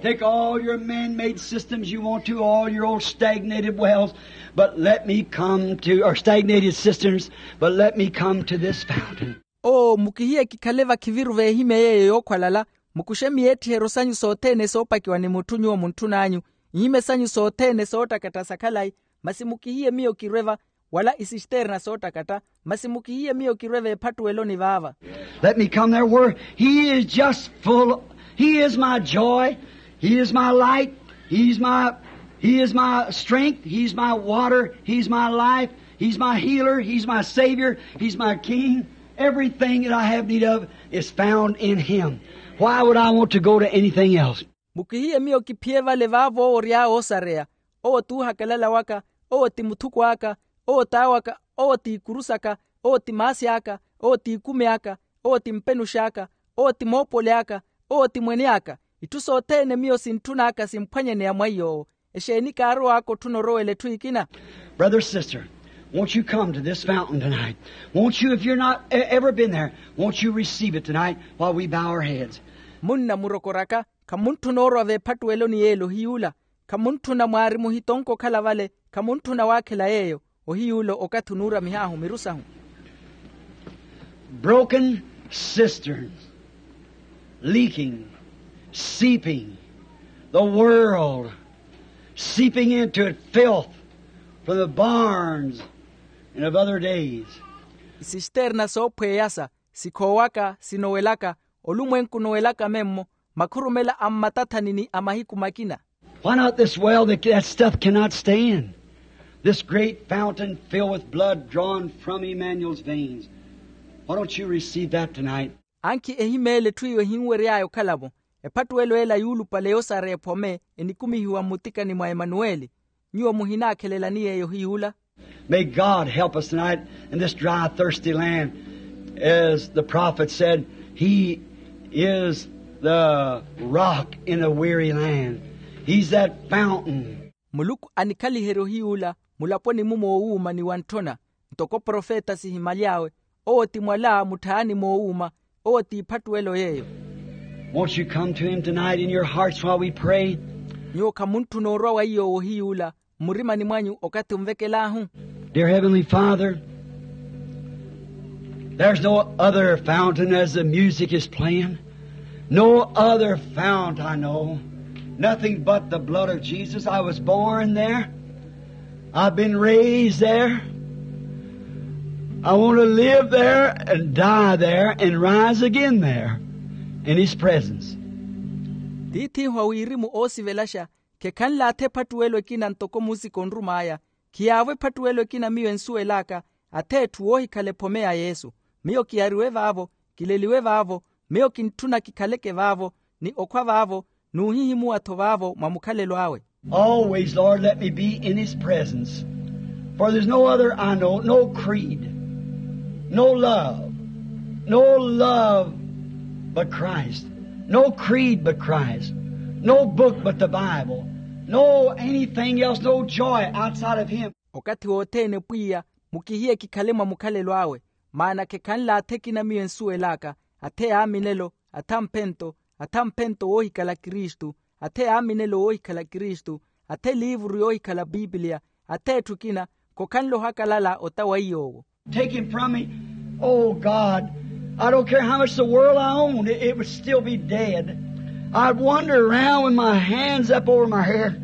Take all your man-made systems you want to, all your old stagnated wells, but let me come to, or stagnated cisterns, but let me come to this fountain. Oo, mukihiye kikhale vakhiviru v'ehimya yeeyo yookhwalala, mukuxe miyeettiheryo sanyu sothene soopakiwa ni mutthu nyuwo muntthun'anyu, ihimya sanyu sothene soottakatta sa khalayi, masi mukihiye miyo kirwe va, wala isisterna soottakatta, masi mukihiye miyo kirwe v'ephattuweloni vaava. Let me come there where he is just full. He is my joy. He is my light. He's my, he is my strength. He's my water. He's my life. He's my healer. He's my savior. He's my king. Everything that I have need of is found in him. Why would I want to go to anything else? Mukihiye miyo kiphiye vale vaavo owo ory'awe oosareya. Owo t'uhakalala waka. Owo ti muthuko aka. Owo t'awo aka. Owo ti ikuru saka. Owo ti maasi aka. Owo ti ikumi aka. Owo ti mpenux'aka. Owo ti moopoli aka. Owo ti mwene aka. Itthu sothene miyo sintthun'aka simphwanyeneya mwa iy'owo. Exeeni kaarow'aka otthuna orowela etthu ekina? Brother, sister, won't you come to this fountain tonight? Won't you, if you're not e- ever been there, won't you receive it tonight while we bow our heads? Munna murokor'aka, khamuntthuna orwa veephattuweloni y'ele ohiy'ula. Khamuntthuna mwaari muhitonko okhala vale. Khamuntthuna waakhela yeeyo. Ohiy'ula okathi onuuramih'ahu miru sahu. Broken cisterns, leaking, seeping, the world seeping into it, filth from the barns and of other days. Isisterna soophweyasa, sikhoowaka, sinowelaka, olumwenku onowelaka memmo, makhurumela a mmatathani ni a mahiku makina. Why not this well that that stuff cannot stay in? This great fountain filled with blood drawn from Emmanuel's veins. Why don't you receive that tonight? Ankhi ehimeela etthu eyo ehinwery'aya okhala-vo, ephattuwelo ela yuulupale yoosareya ephome enikumihiwa mmutikani mwa emanuweli. Nyuwo muhinaakhelelani yeeyo hiy'ula? May God help us tonight in this dry, thirsty land. As the prophet said, he is the rock in the weary land. He's that fountain. Muluku anikhaliherye ohiy'ula mulaponi-mu moowuuma ni wantthona. Ntoko profeta sihimaly'awe, owo ti mwala mutthayani moowuuma. Owo ti ephattuwelo yeeyo. Won't you come to him tonight in your hearts while we pray? Nyuwo khamuntthuna orwa wa iy'owo ohiy'ula mmurimani mwanyu okathi onvekel'ahu? Dear Heavenly Father, there's no other fountain as the music is playing. No other fount I know. Nothing but the blood of Jesus. I was born there. I've been raised there. I want to live there and die there and rise again there in his presence. Tiith'ihu a wirimu oosivelaxa, khekhanlaathe ephattuwelo ekina ntoko muusiko onrum'aya. Khiyaavo ephattuwelo ekina miyo ensuwel'aka, athe etthu woohikhala ephome ya yesu. Miyo kiyariwe vaavo, kileliwe vaavo. Miyo kintthuna kikhaleke vaavo, ni okhwa vaavo, n'uhihimuwa-tho vaavo mwa mukhalelo awe. Always, Lord, let me be in his presence. For there's no other I know, no creed, no love, no love but Christ, no creed but Christ, no book but the Bible, no anything else, no joy outside of him. Okathi wothene pwiya, mukihiye kikhale mwa mukhalelo awe. Maana khekhanlaathe ekina miyo ensuwel'aka, athe yaaminelo, athe amphento, athe amphento woohikhala kristu, athe yaaminelo woohikhala kristu, athe eliivuru yoohikhala pipiliya, athe etthu ekina. Khokhanle ohakalala ota wa iy'owo. Take him from me. Oh God, I don't care how much the world I own, it, it would still be dead. I'd wander around with my hands up over my head.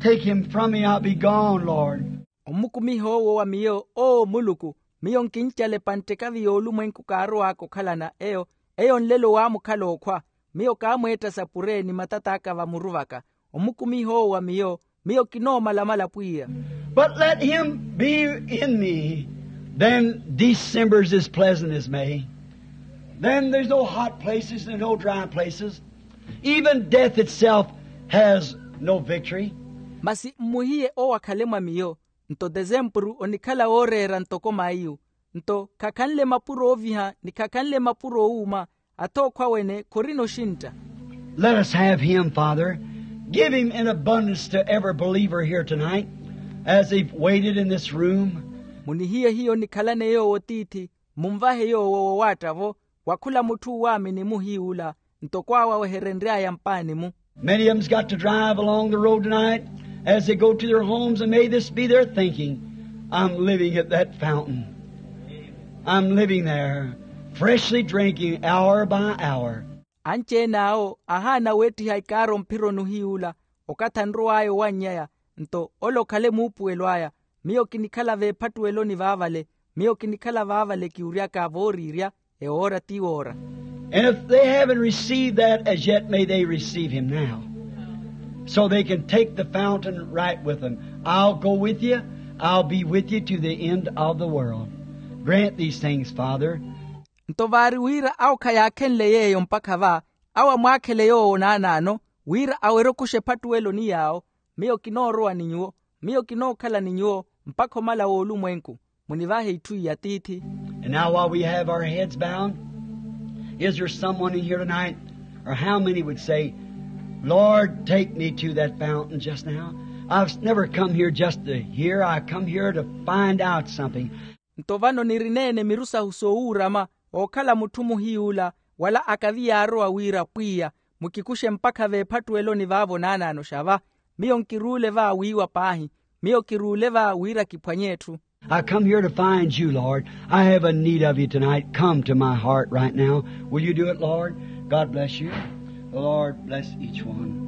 Take him from me, I'll be gone, Lord. Ommukumiha owo wa miyo, oo muluku, miyo nkincala epantthekavi y'olumwenku kaarow'aka okhalana eyo. Eyo nlelo waamukhala okhwa. Miyo kaamweetta sapure ni matat'aka vamuru vaka. Omukumiha owo wa miyo, miyo kinoomalamala pwiya. But let him be in me, then December's as pleasant as May. Then there's no hot places and no dry places. Even death itself has no victory. Masi mmuhiye owo akhale mwa miyo, nto tesempuru onikhala wooreera ntoko maiyu. Nto khakhanle mapuro ooviha ni khakhanle mapuro oowuuma. Athe okhwa wene khorina oxintta. Let us have him, Father. Give him in abundance to every believer here tonight as they've waited in this room. Munihiye hiyo nikhalane yoowo tiithi. Munvahe yoowo wowaatta-vo, wa khula mutthu uwaamini muhiiwula, ntoko awo aweherenry'aya mpaani-mu. Many of them's got to drive along the road tonight as they go to their homes, and may this be their thinking. I'm living at that fountain. I'm living there, freshly drinking hour by hour. Anci-ene awo ahaana weettiha ikaaro mphironi ohiyuula, okathi anrow'aya owanny'aya. Nto ole okhale muupuwelo aya. Miyo kinikhala veephattuweloni vaavale. Miyo kinikhala vaavale kiwuryaka vooriirya, ewoora ti woora. And if they haven't received that as yet, may they receive him now. So they can take the fountain right with them. I'll go with you. I'll be with you to the end of the world. Grant these things, Father. Nto vaari wira awo khayaakhenle yeeyo mpakha va, awo amwaakhele yoowo naanaano, wira awerye okuxa ephattuwelo ni yaawo. Miyo kinoorowa ni nyuwo. Miyo kinookhala ni nyuwo mpakha omala w'olumwenku. Munivahe itthu iya tiithi. And now, while we have our heads bowed, is there someone in here tonight, or how many would say, Lord, take me to that fountain just now? I've never come here just to hear. I come here to find out something. Nto vano nirineene miru sahu soowuurama, ookhala mutthu muhiy'ula, wala akavi yaarowa wira, pwiya, mukikuxe mpakha veephattuweloni vaavo naanaano xa va. Miyo nkiruule va wiiwa paahi. Miyo kiruule va wira kiphwanye etthu. I come here to find you, Lord. I have a need of you tonight. Come to my heart right now. Will you do it, Lord? God bless you. The Lord bless each one.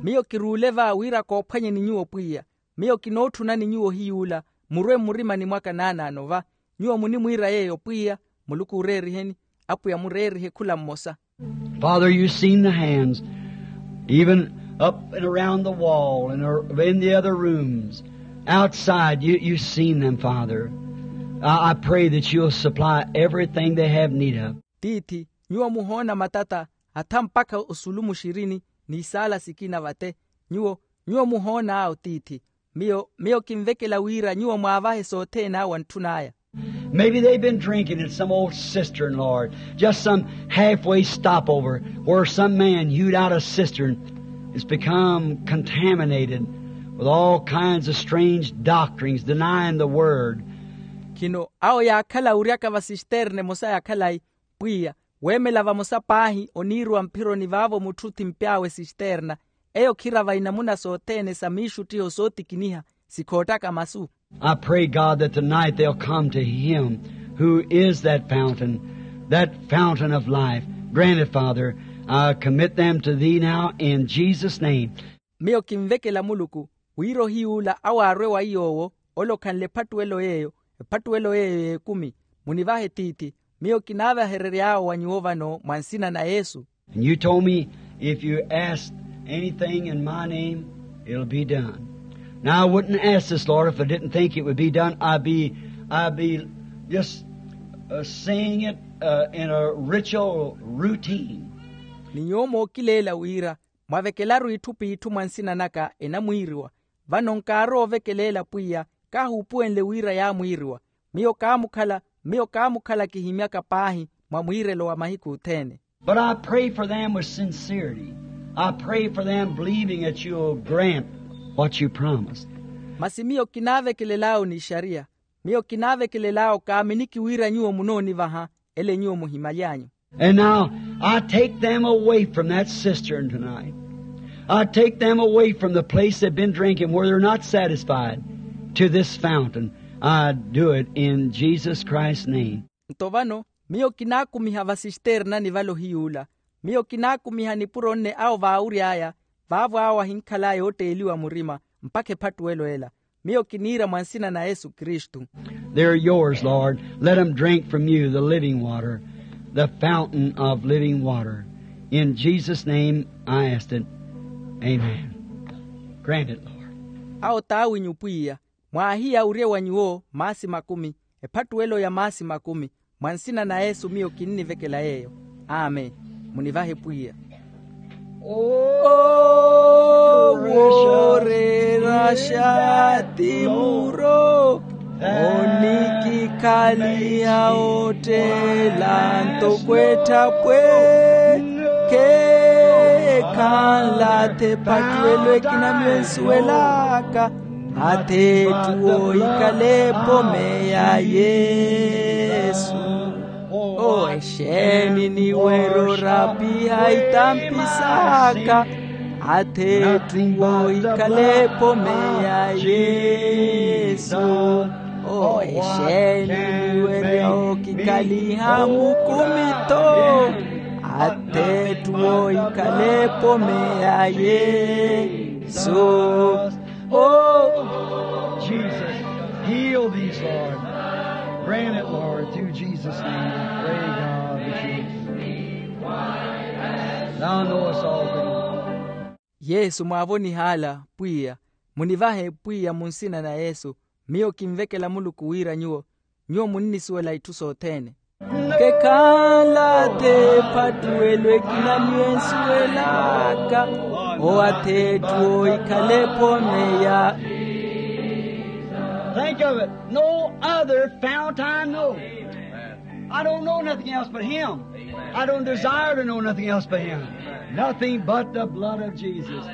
Miyo kiruule va wira koophwanyeni nyuwo pwiya. Miyo kinootthunani nyuwo hiy'ula, murwe mmurimani mwaka naanaano va. Nyuwo munimwiira yeeyo pwiya. Muluku ooreeriheni. Apwiya mureerihe khula mmosa. Father, you've seen the hands, even up and around the wall and ar- in the other rooms. Outside, you, you've seen them, Father. I, I pray that you'll supply everything they have need of. Tiithi, nyuwo muhoona matata, hatha mpakha osulu muxirini, n'isaala sikina vate. Nyuwo, nyuwo muhoon'awo tiithi. Miyo, miyo kinvekela wira nyuwo mwaavahe sothene awo antthun'aya. Maybe they've been drinking in some old cistern, Lord, just some halfway stopover where some man hewed out a cistern. It's become contaminated with all kinds of strange doctrines, denying the word. Khino awo yaakhala wuryaka va sisterne emosa ya khalayi, pwiya, weemela vamosa paahi oniiriwa mphironi vaavo mutthu othimpy'awe sisterna. Eyo khirava inamuna sothene sa miixuttiho sootikiniha, sikhoottaka masu. I pray, God, that tonight they'll come to him who is that fountain, that fountain of life. Grant it, Father. I commit them to thee now in Jesus' name. Miyo kinvekela muluku, wira ohiy'ula awo aarwe wa iy'owo, ole okhanle ephattuwelo yeeyo, ephattuwelo yeeyo y'ekumi. Munivahe tiithi. Miyo kinaavaherery'awo wa nyuwo vano mwa nsina na yesu. And you told me, if you ask anything in my name, it'll be done. Now, I wouldn't ask this, Lord, if I didn't think it would be done. I'd be, I'd be just uh, saying it uh, in a ritual routine. Ni nyuwo mookileela wira, mwavekelaru itthu p'itthu mwa nsina naka enamwiiriwa. Vano nkaarowa ovekeleela pwiya, kaahuupuwenle wira yaamwiiriwa. Miyo kaamukhala, miyo kaamukhala kihimyaka paahi mwa mwiirelo wa mahiku othene. But I pray for them with sincerity. I pray for them believing that you'll grant what you promised. Masi miyo kinaavekelel'awo n'ixariya. Miyo kinaavekelel'awo kaaminiki wira nyuwo munoonivaha ele nyuwo muhimaly'anyu. And now I take them away from that cistern tonight. I take them away from the place they've been drinking where they're not satisfied to this fountain. I do it in Jesus Christ's name. Nto vano miyo kinaakumiha va sisternani vale ohiy'ula. Miyo kinaakumiha nipuro nne awo vaawury'aya, vaavo awo ahinkhal'aya ootteeliwa murima mpakha ephattuwelo ela. Miyo kiniira mwa nsina na yesu kristu. They're yours, Lord. Let them drink from you the living water, the fountain of living water. In Jesus' name I asked it. Amen. Grant it, Lord. Awo t'awinyu pwiya, mwaahiyawurye wa nyuwo maasi makumi, ephattuwelo ya maasi makumi. Mwa nsina na yesu miyo kinnivekela yeeyo. Amen. Munivahe pwiya. Owo reeraxa ti muro onikikhaliha otteela ntoko etthapwe. Kheekhanlathe ephattuwelo ekina miyo ensuwelaka. Atha etthu woohikhala epome ya yesu. Owo exeeni niwerya orapiha itampi saka. Atha etthu woohikhala epome ya yesu. Owo exeeni niwerya okikhaliha mukumi-tho. Atha etthu woohikhala epome ya yesu. Oh, Jesus, heal these, Lord. Grant it, Lord, through Jesus' name. I pray, God, that you, thou knowest all things. Yesu mwaavonihaala pwiya, munivahe pwiya mu nsina na yesu. Miyo kinvekela muluku wira nyuwo, nyuwo munnisuwela itthu sothene. Kekhanla athe ephattuwelo ekina miyo ensuwelaka, owathetthu ohikhale ephome ya. Think of it. No other fount I know. I don't know nothing else but him. I don't desire to know nothing else but him. Nothing but the blood of Jesus.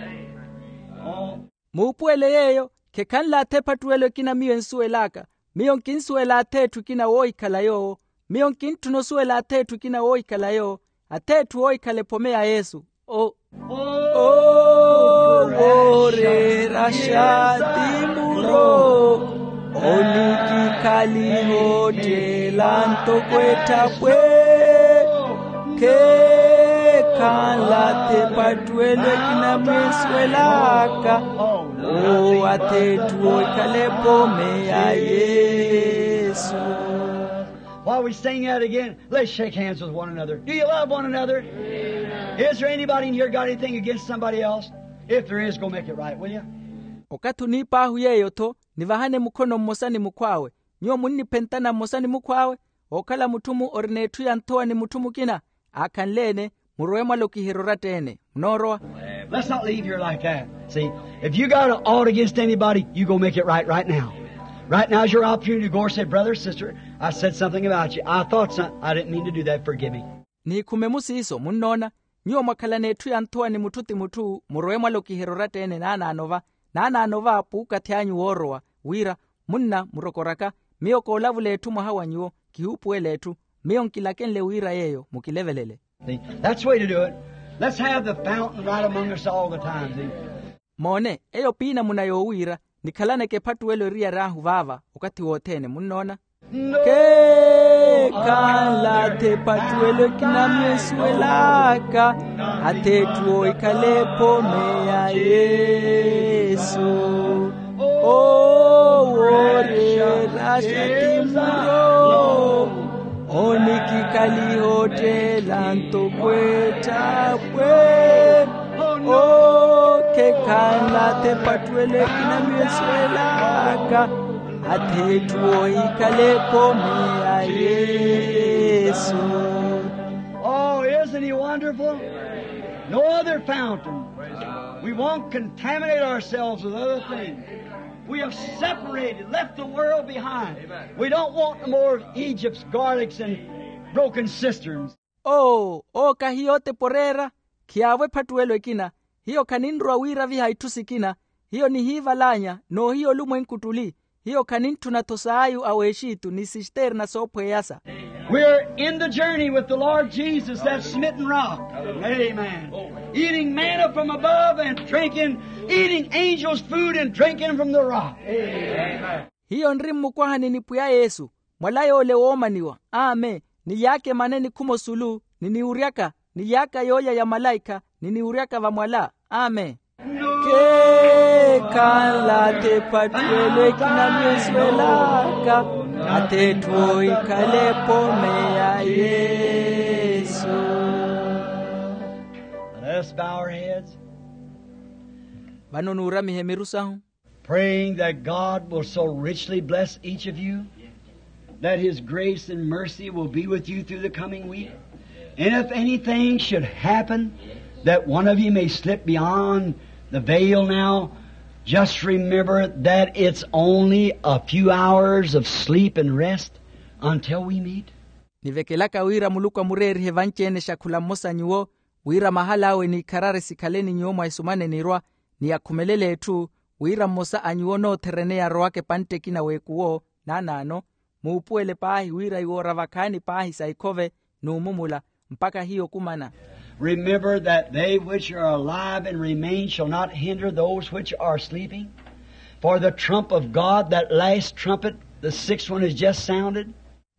Oh. Muupuwele yeeyo, khekhanle athe ephattuwelo ekina miyo ensuwel'aka. Miyo nkinsuwela atheetthu ekina woohikhala yoowo. Miyo nkintthuna osuwela atheetthu ekina woohikhala yoowo. Atheetthu woohikhala ephome ya yesu. Owo ooreeraxa ti muro, onikikhaliha otteela ntoko etthapwe. Khekhanla athe ephattuwelo ekina miyo ensuwelaka, owo atheetthu woohikhala ephome ya yesu. While we sing that again, let's shake hands with one another. Do you love one another? Is there anybody in here got anything against somebody else? If there is, go make it right, will you? Okathi oniip'ahu yeeyo-tho, nivahane mukhono mmosa ni mukhw'awe. Nyuwo munniphentana mmosa ni mukhw'awe. Ookhala mutthu-mu ori n'etthu ya nthowa ni mutthu mukina, aakhanle-ene, murowe mwalokiherye oratta-ene. Munoorowa. Let's not leave here like that. See, if you got an ought against anybody, you go make it right right now. Right now is your opportunity to go and say, "Brother, sister, I said something about you. I thought some, I didn't mean to do that. Forgive me." Nihikhume-mu siiso, munnoona. Nyuwo mwakhalana etthu ya nthowa ni mutthu ti mutthu, murowe mwalokiherye oratta-ene naanaano va, naanaano va puukathi anyu woorowa, wira, munna murokoraka, miyo koolavula etthu mwaha wa nyuwo, kihuupuwela etthu. Miyo nkilakenle wira yeeyo mukilevelele. See, that's the way to do it. Let's have the fountain right among us all the time, see? Moone, eyo piinamuna yoowiira, nikhalaneke ephattuwelo eriyari ahu vaava okathi wothene, munnoona. Kekhanla athe ephattuwelo ekina miyo ensuwelaka, atheetthu woohikhala ephome ya yesu. Owo ooreeraxa ti muro, onikikhaliha otteela ntoko etthapwe. Owo kekhanla athe ephattuwelo ekina miyo ensuwelaka, atheetthu woohikhala ephome ya yesu. Oh, isn't he wonderful? No other fountain. We won't contaminate ourselves with other things. We have separated, left the world behind. We don't want no more of Egypt's garlics and broken cisterns. Oo, oo kahi yootepa oreera, khiyaavo ephattuwelo ekina. Hiyo khaninrowa wiiraviha itthu sikina. Hiyo nihiival'anya, n'ohiya olumwenku ttuli. Hiyo khanintthuna-tho saayu a w'exitu ni sisterna soophweyasa. We're in the journey with the Lord Jesus, that smitten rock. Amen. Eating manna from above and drinking, eating angels' food and drinking from the rock. Amen. Hiyo nri mmukwahani ni pwiya yesu, mwala yoole woomaniwa. Amen. Nilyaaka emana enikhuma osulu, niniwuryaka, nilyaaka yoolya ya malaikha, niniwuryaka vamwala. Amen. Kekhanla athe ephattuwelo ekina miyo ensuwelaka, atheetthu woohikhala ephome ya yesu. Let us bow our heads. Vano nuuramihe miru sahu. Praying that God will so richly bless each of you, that His grace and mercy will be with you through the coming week. And if anything should happen that one of you may slip beyond the veil now, just remember that it's only a few hours of sleep and rest until we meet. Nivekelaka wira muluku amureerihe vanci-ene xakhula mmosa nyuwo, wira mahal'awe n'ikharari sikhale ni nyuwo mwa esumana enirwa, ni akhumelele etthu, wira mmosa a nyuwo nootherene yarowaka epantte ekina w'ekuwo. Naanaano, muupuwele paahi wira iwoora vakhaani paahi sa ikhove, n'umumula, mpakha hiyo okumana. Remember that they which are alive and remain shall not hinder those which are sleeping. For the trump of God, that last trumpet, the sixth one, is just sounded.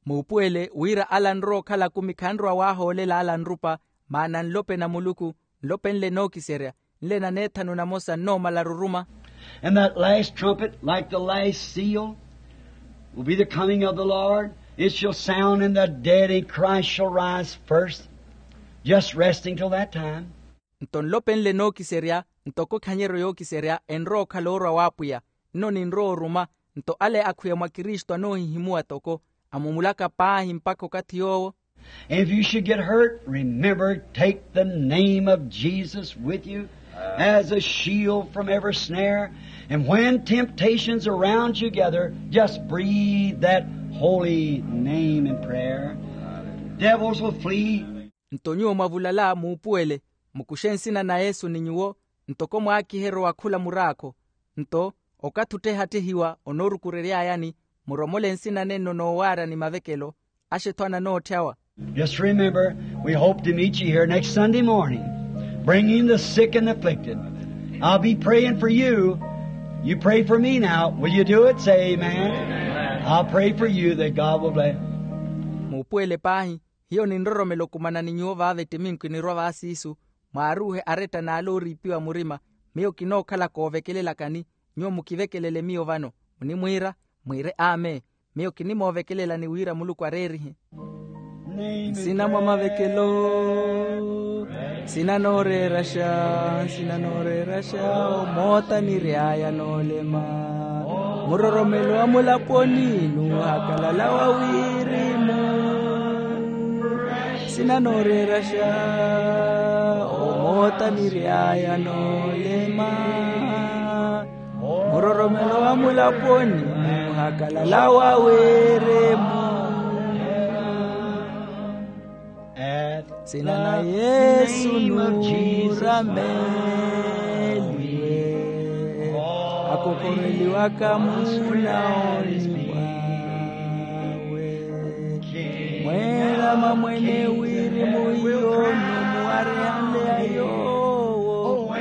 Muupuwele wira ala anrowa okhala akumi khanrowa waahoolela ala anrupa, maana nlopeni a muluku, nlopeni nle nookiserya, nle na neethanu namosa nnoomala aruruma. And that last trumpet, like the last seal, will be the coming of the Lord. It shall sound in the dead, and Christ shall rise first. Just resting till that time. Nto nlopeni nle nookiserya, Ntoko khanyeryo yookiserya enrowa okhala orwa w'apwiya. Nno ninrowa oruma. Nto ale akhwiya mwa kristu anoohihimuwa toko amumulaka paahi mpakha okathi yoowo. And if you should get hurt, remember, take the name of Jesus with you as a shield from every snare. And when temptations around you gather, just breathe that holy name in prayer. Devils will flee. Nto nyuwo mwavulala muupuwele, mukuxe nsina na yesu ni nyuwo, ntoko mwaakiheryo wa khula muraakho. Nto okathi ottehattehiwa onoorukurery'ayani, muromole nsina nenno noowaara ni mavekelo, axe-tho ananootthyawa. Just remember, we hope to meet you here next Sunday morning, bringing the sick and afflicted. I'll be praying for you. You pray for me now. Will you do it? Say amen. I'll pray for you that God will bless. Muupuwele paahi. Hiyo ninroromela okumana ni nyuwo vaava ettiminku enirwa vaasiisu, mwaaruuhe aretta n'ale ooriipiwa murima. Miyo kinookhala koovekelelakani. Nyuwo mukivekelele miyo vano. Munimwiira? Mwiire amen. Miyo kinimoovekelelani wira muluku areerihe. Nsina mwa mavekelo. Nsina nooreeraxa. Nsina nooreeraxa. Omoota niry'aya noolema. Muroromelo wa mulaponi nuuhakalala wa wirimu. Nsina nooreeraxa. Omoota niry'aya noolema. Muroromelo wa mulaponi nuuhakalala wa wirimu. Nsina na yesu nuurameliwe. Akokoreliwaka munaoni mwawe. Mweerama mwene wirimu yono muwareyanle ya yoowo.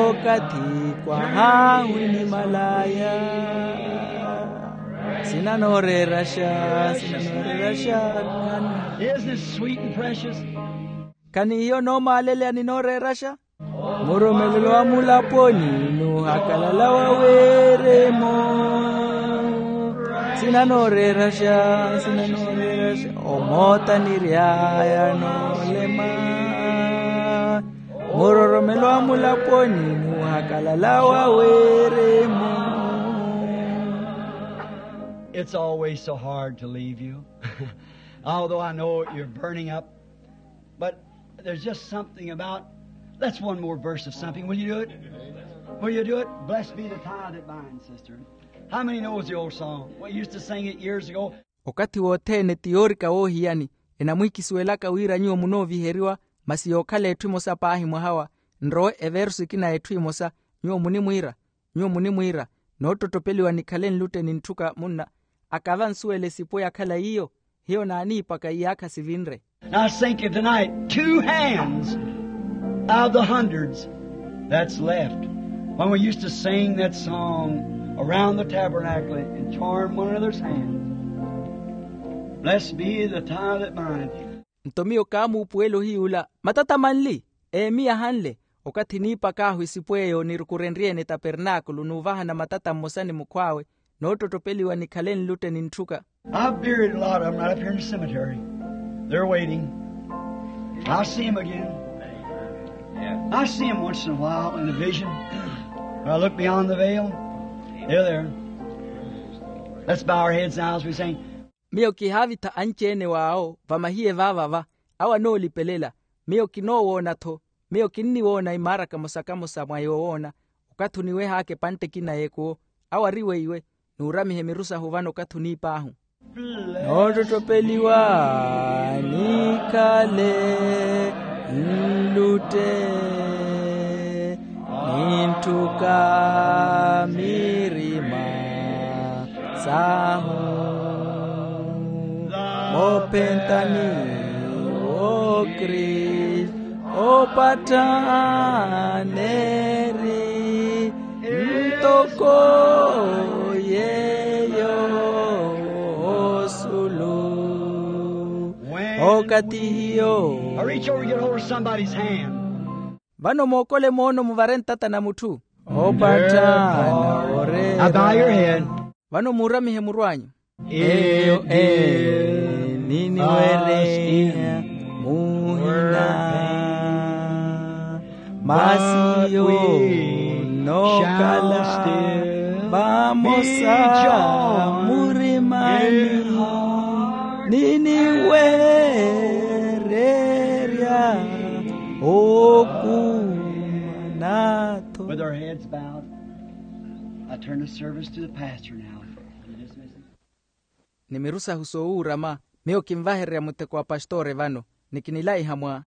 Okathi kwahahu ni malaya. Nsina nooreeraxa. Nsina nooreeraxa. Isn't it sweet and precious? Khanihiyo noomaaleleya ni nooreeraxa. Muromelelo wa mulaponi nuuhakalala wa wirimu. Nsina nooreeraxa. Nsina nooreeraxa. Omoota niry'aya noolema. Muroromelo wa mulaponi nuuhakalala wa wirimu. It's always so hard to leave you. Although I know you're burning up, but there's just something about, that's one more verse of something. Will you do it? Will you do it? Blessed be the tie that binds, sister. How many knows the old song? We used to sing it years ago. Okathi wothene ti yoorika woohiyani. Enamwiikisuwelaka wira nyuwo munooviheriwa, masi yookhala etthu emosa paahi mwaha wa. Nrowe eversu ekina etthu emosa. Nyuwo munimwiira. Nyuwo munimwiira. Noottottopeliwa nikhale nlutte ni ntthuka munna. Akava nsuwele esipo yakhala yiyo. Hiyo naaniipaka iyaakha sivinre. Now I think of tonight, two hands out of the hundreds that's left. When we used to sing that song around the tabernacle and charm one another's hands. Blessed be the tie that bindeth. Nto miyo kaamuupuwela ohiy'ula, matata manli eemiyahanle. Okathi niipak'ahu esipo eyo nirukurenrye-ene tapernaakulu nuuvahana matata mmosa ni mukhw'awe, noottotopeliwa nikhale nlutte ni ntthuka. I've buried a lot of them right up here in the cemetery. They're waiting. I'll see 'em again. I see 'em once in a while in a vision. When I look beyond the veil, they're there. Let's bow our heads now as we sing. Miyo kihaavitha anci-ene w'awo vamahiye vaavava. Awo anoolipelela. Miyo kinoowoona-tho. Miyo kinniwoona imaara kamosa-kamosa mwa yoowoona. Okathi oniweh'aka epantte ekina y'ekuwo. Awo ari weiwe. Nuuramihe miru sahu vano okathi oniip'ahu. Noottottopeliwa nikhale nlutte ni ntthuka mirima sahu. Moophentani w'okristu opatthaneri ntoko yeyo osulu. Okathi hiyo. Now reach over and get hold of somebody's hand. Vano mookole moono muvare ntata na mutthu. Opatthana orera. Now bow your head. Vano muuramihe muru anyu. Eyo eni niwereya muhina masi yo. Nookala vamosa murimani, ni niweererya okumanatho. With our heads bowed, I turn the service to the pastor now. Ni miru sahu soowuurama, miyo kinvahererya mutteko wa pastore vano, ni kinilaiha mwa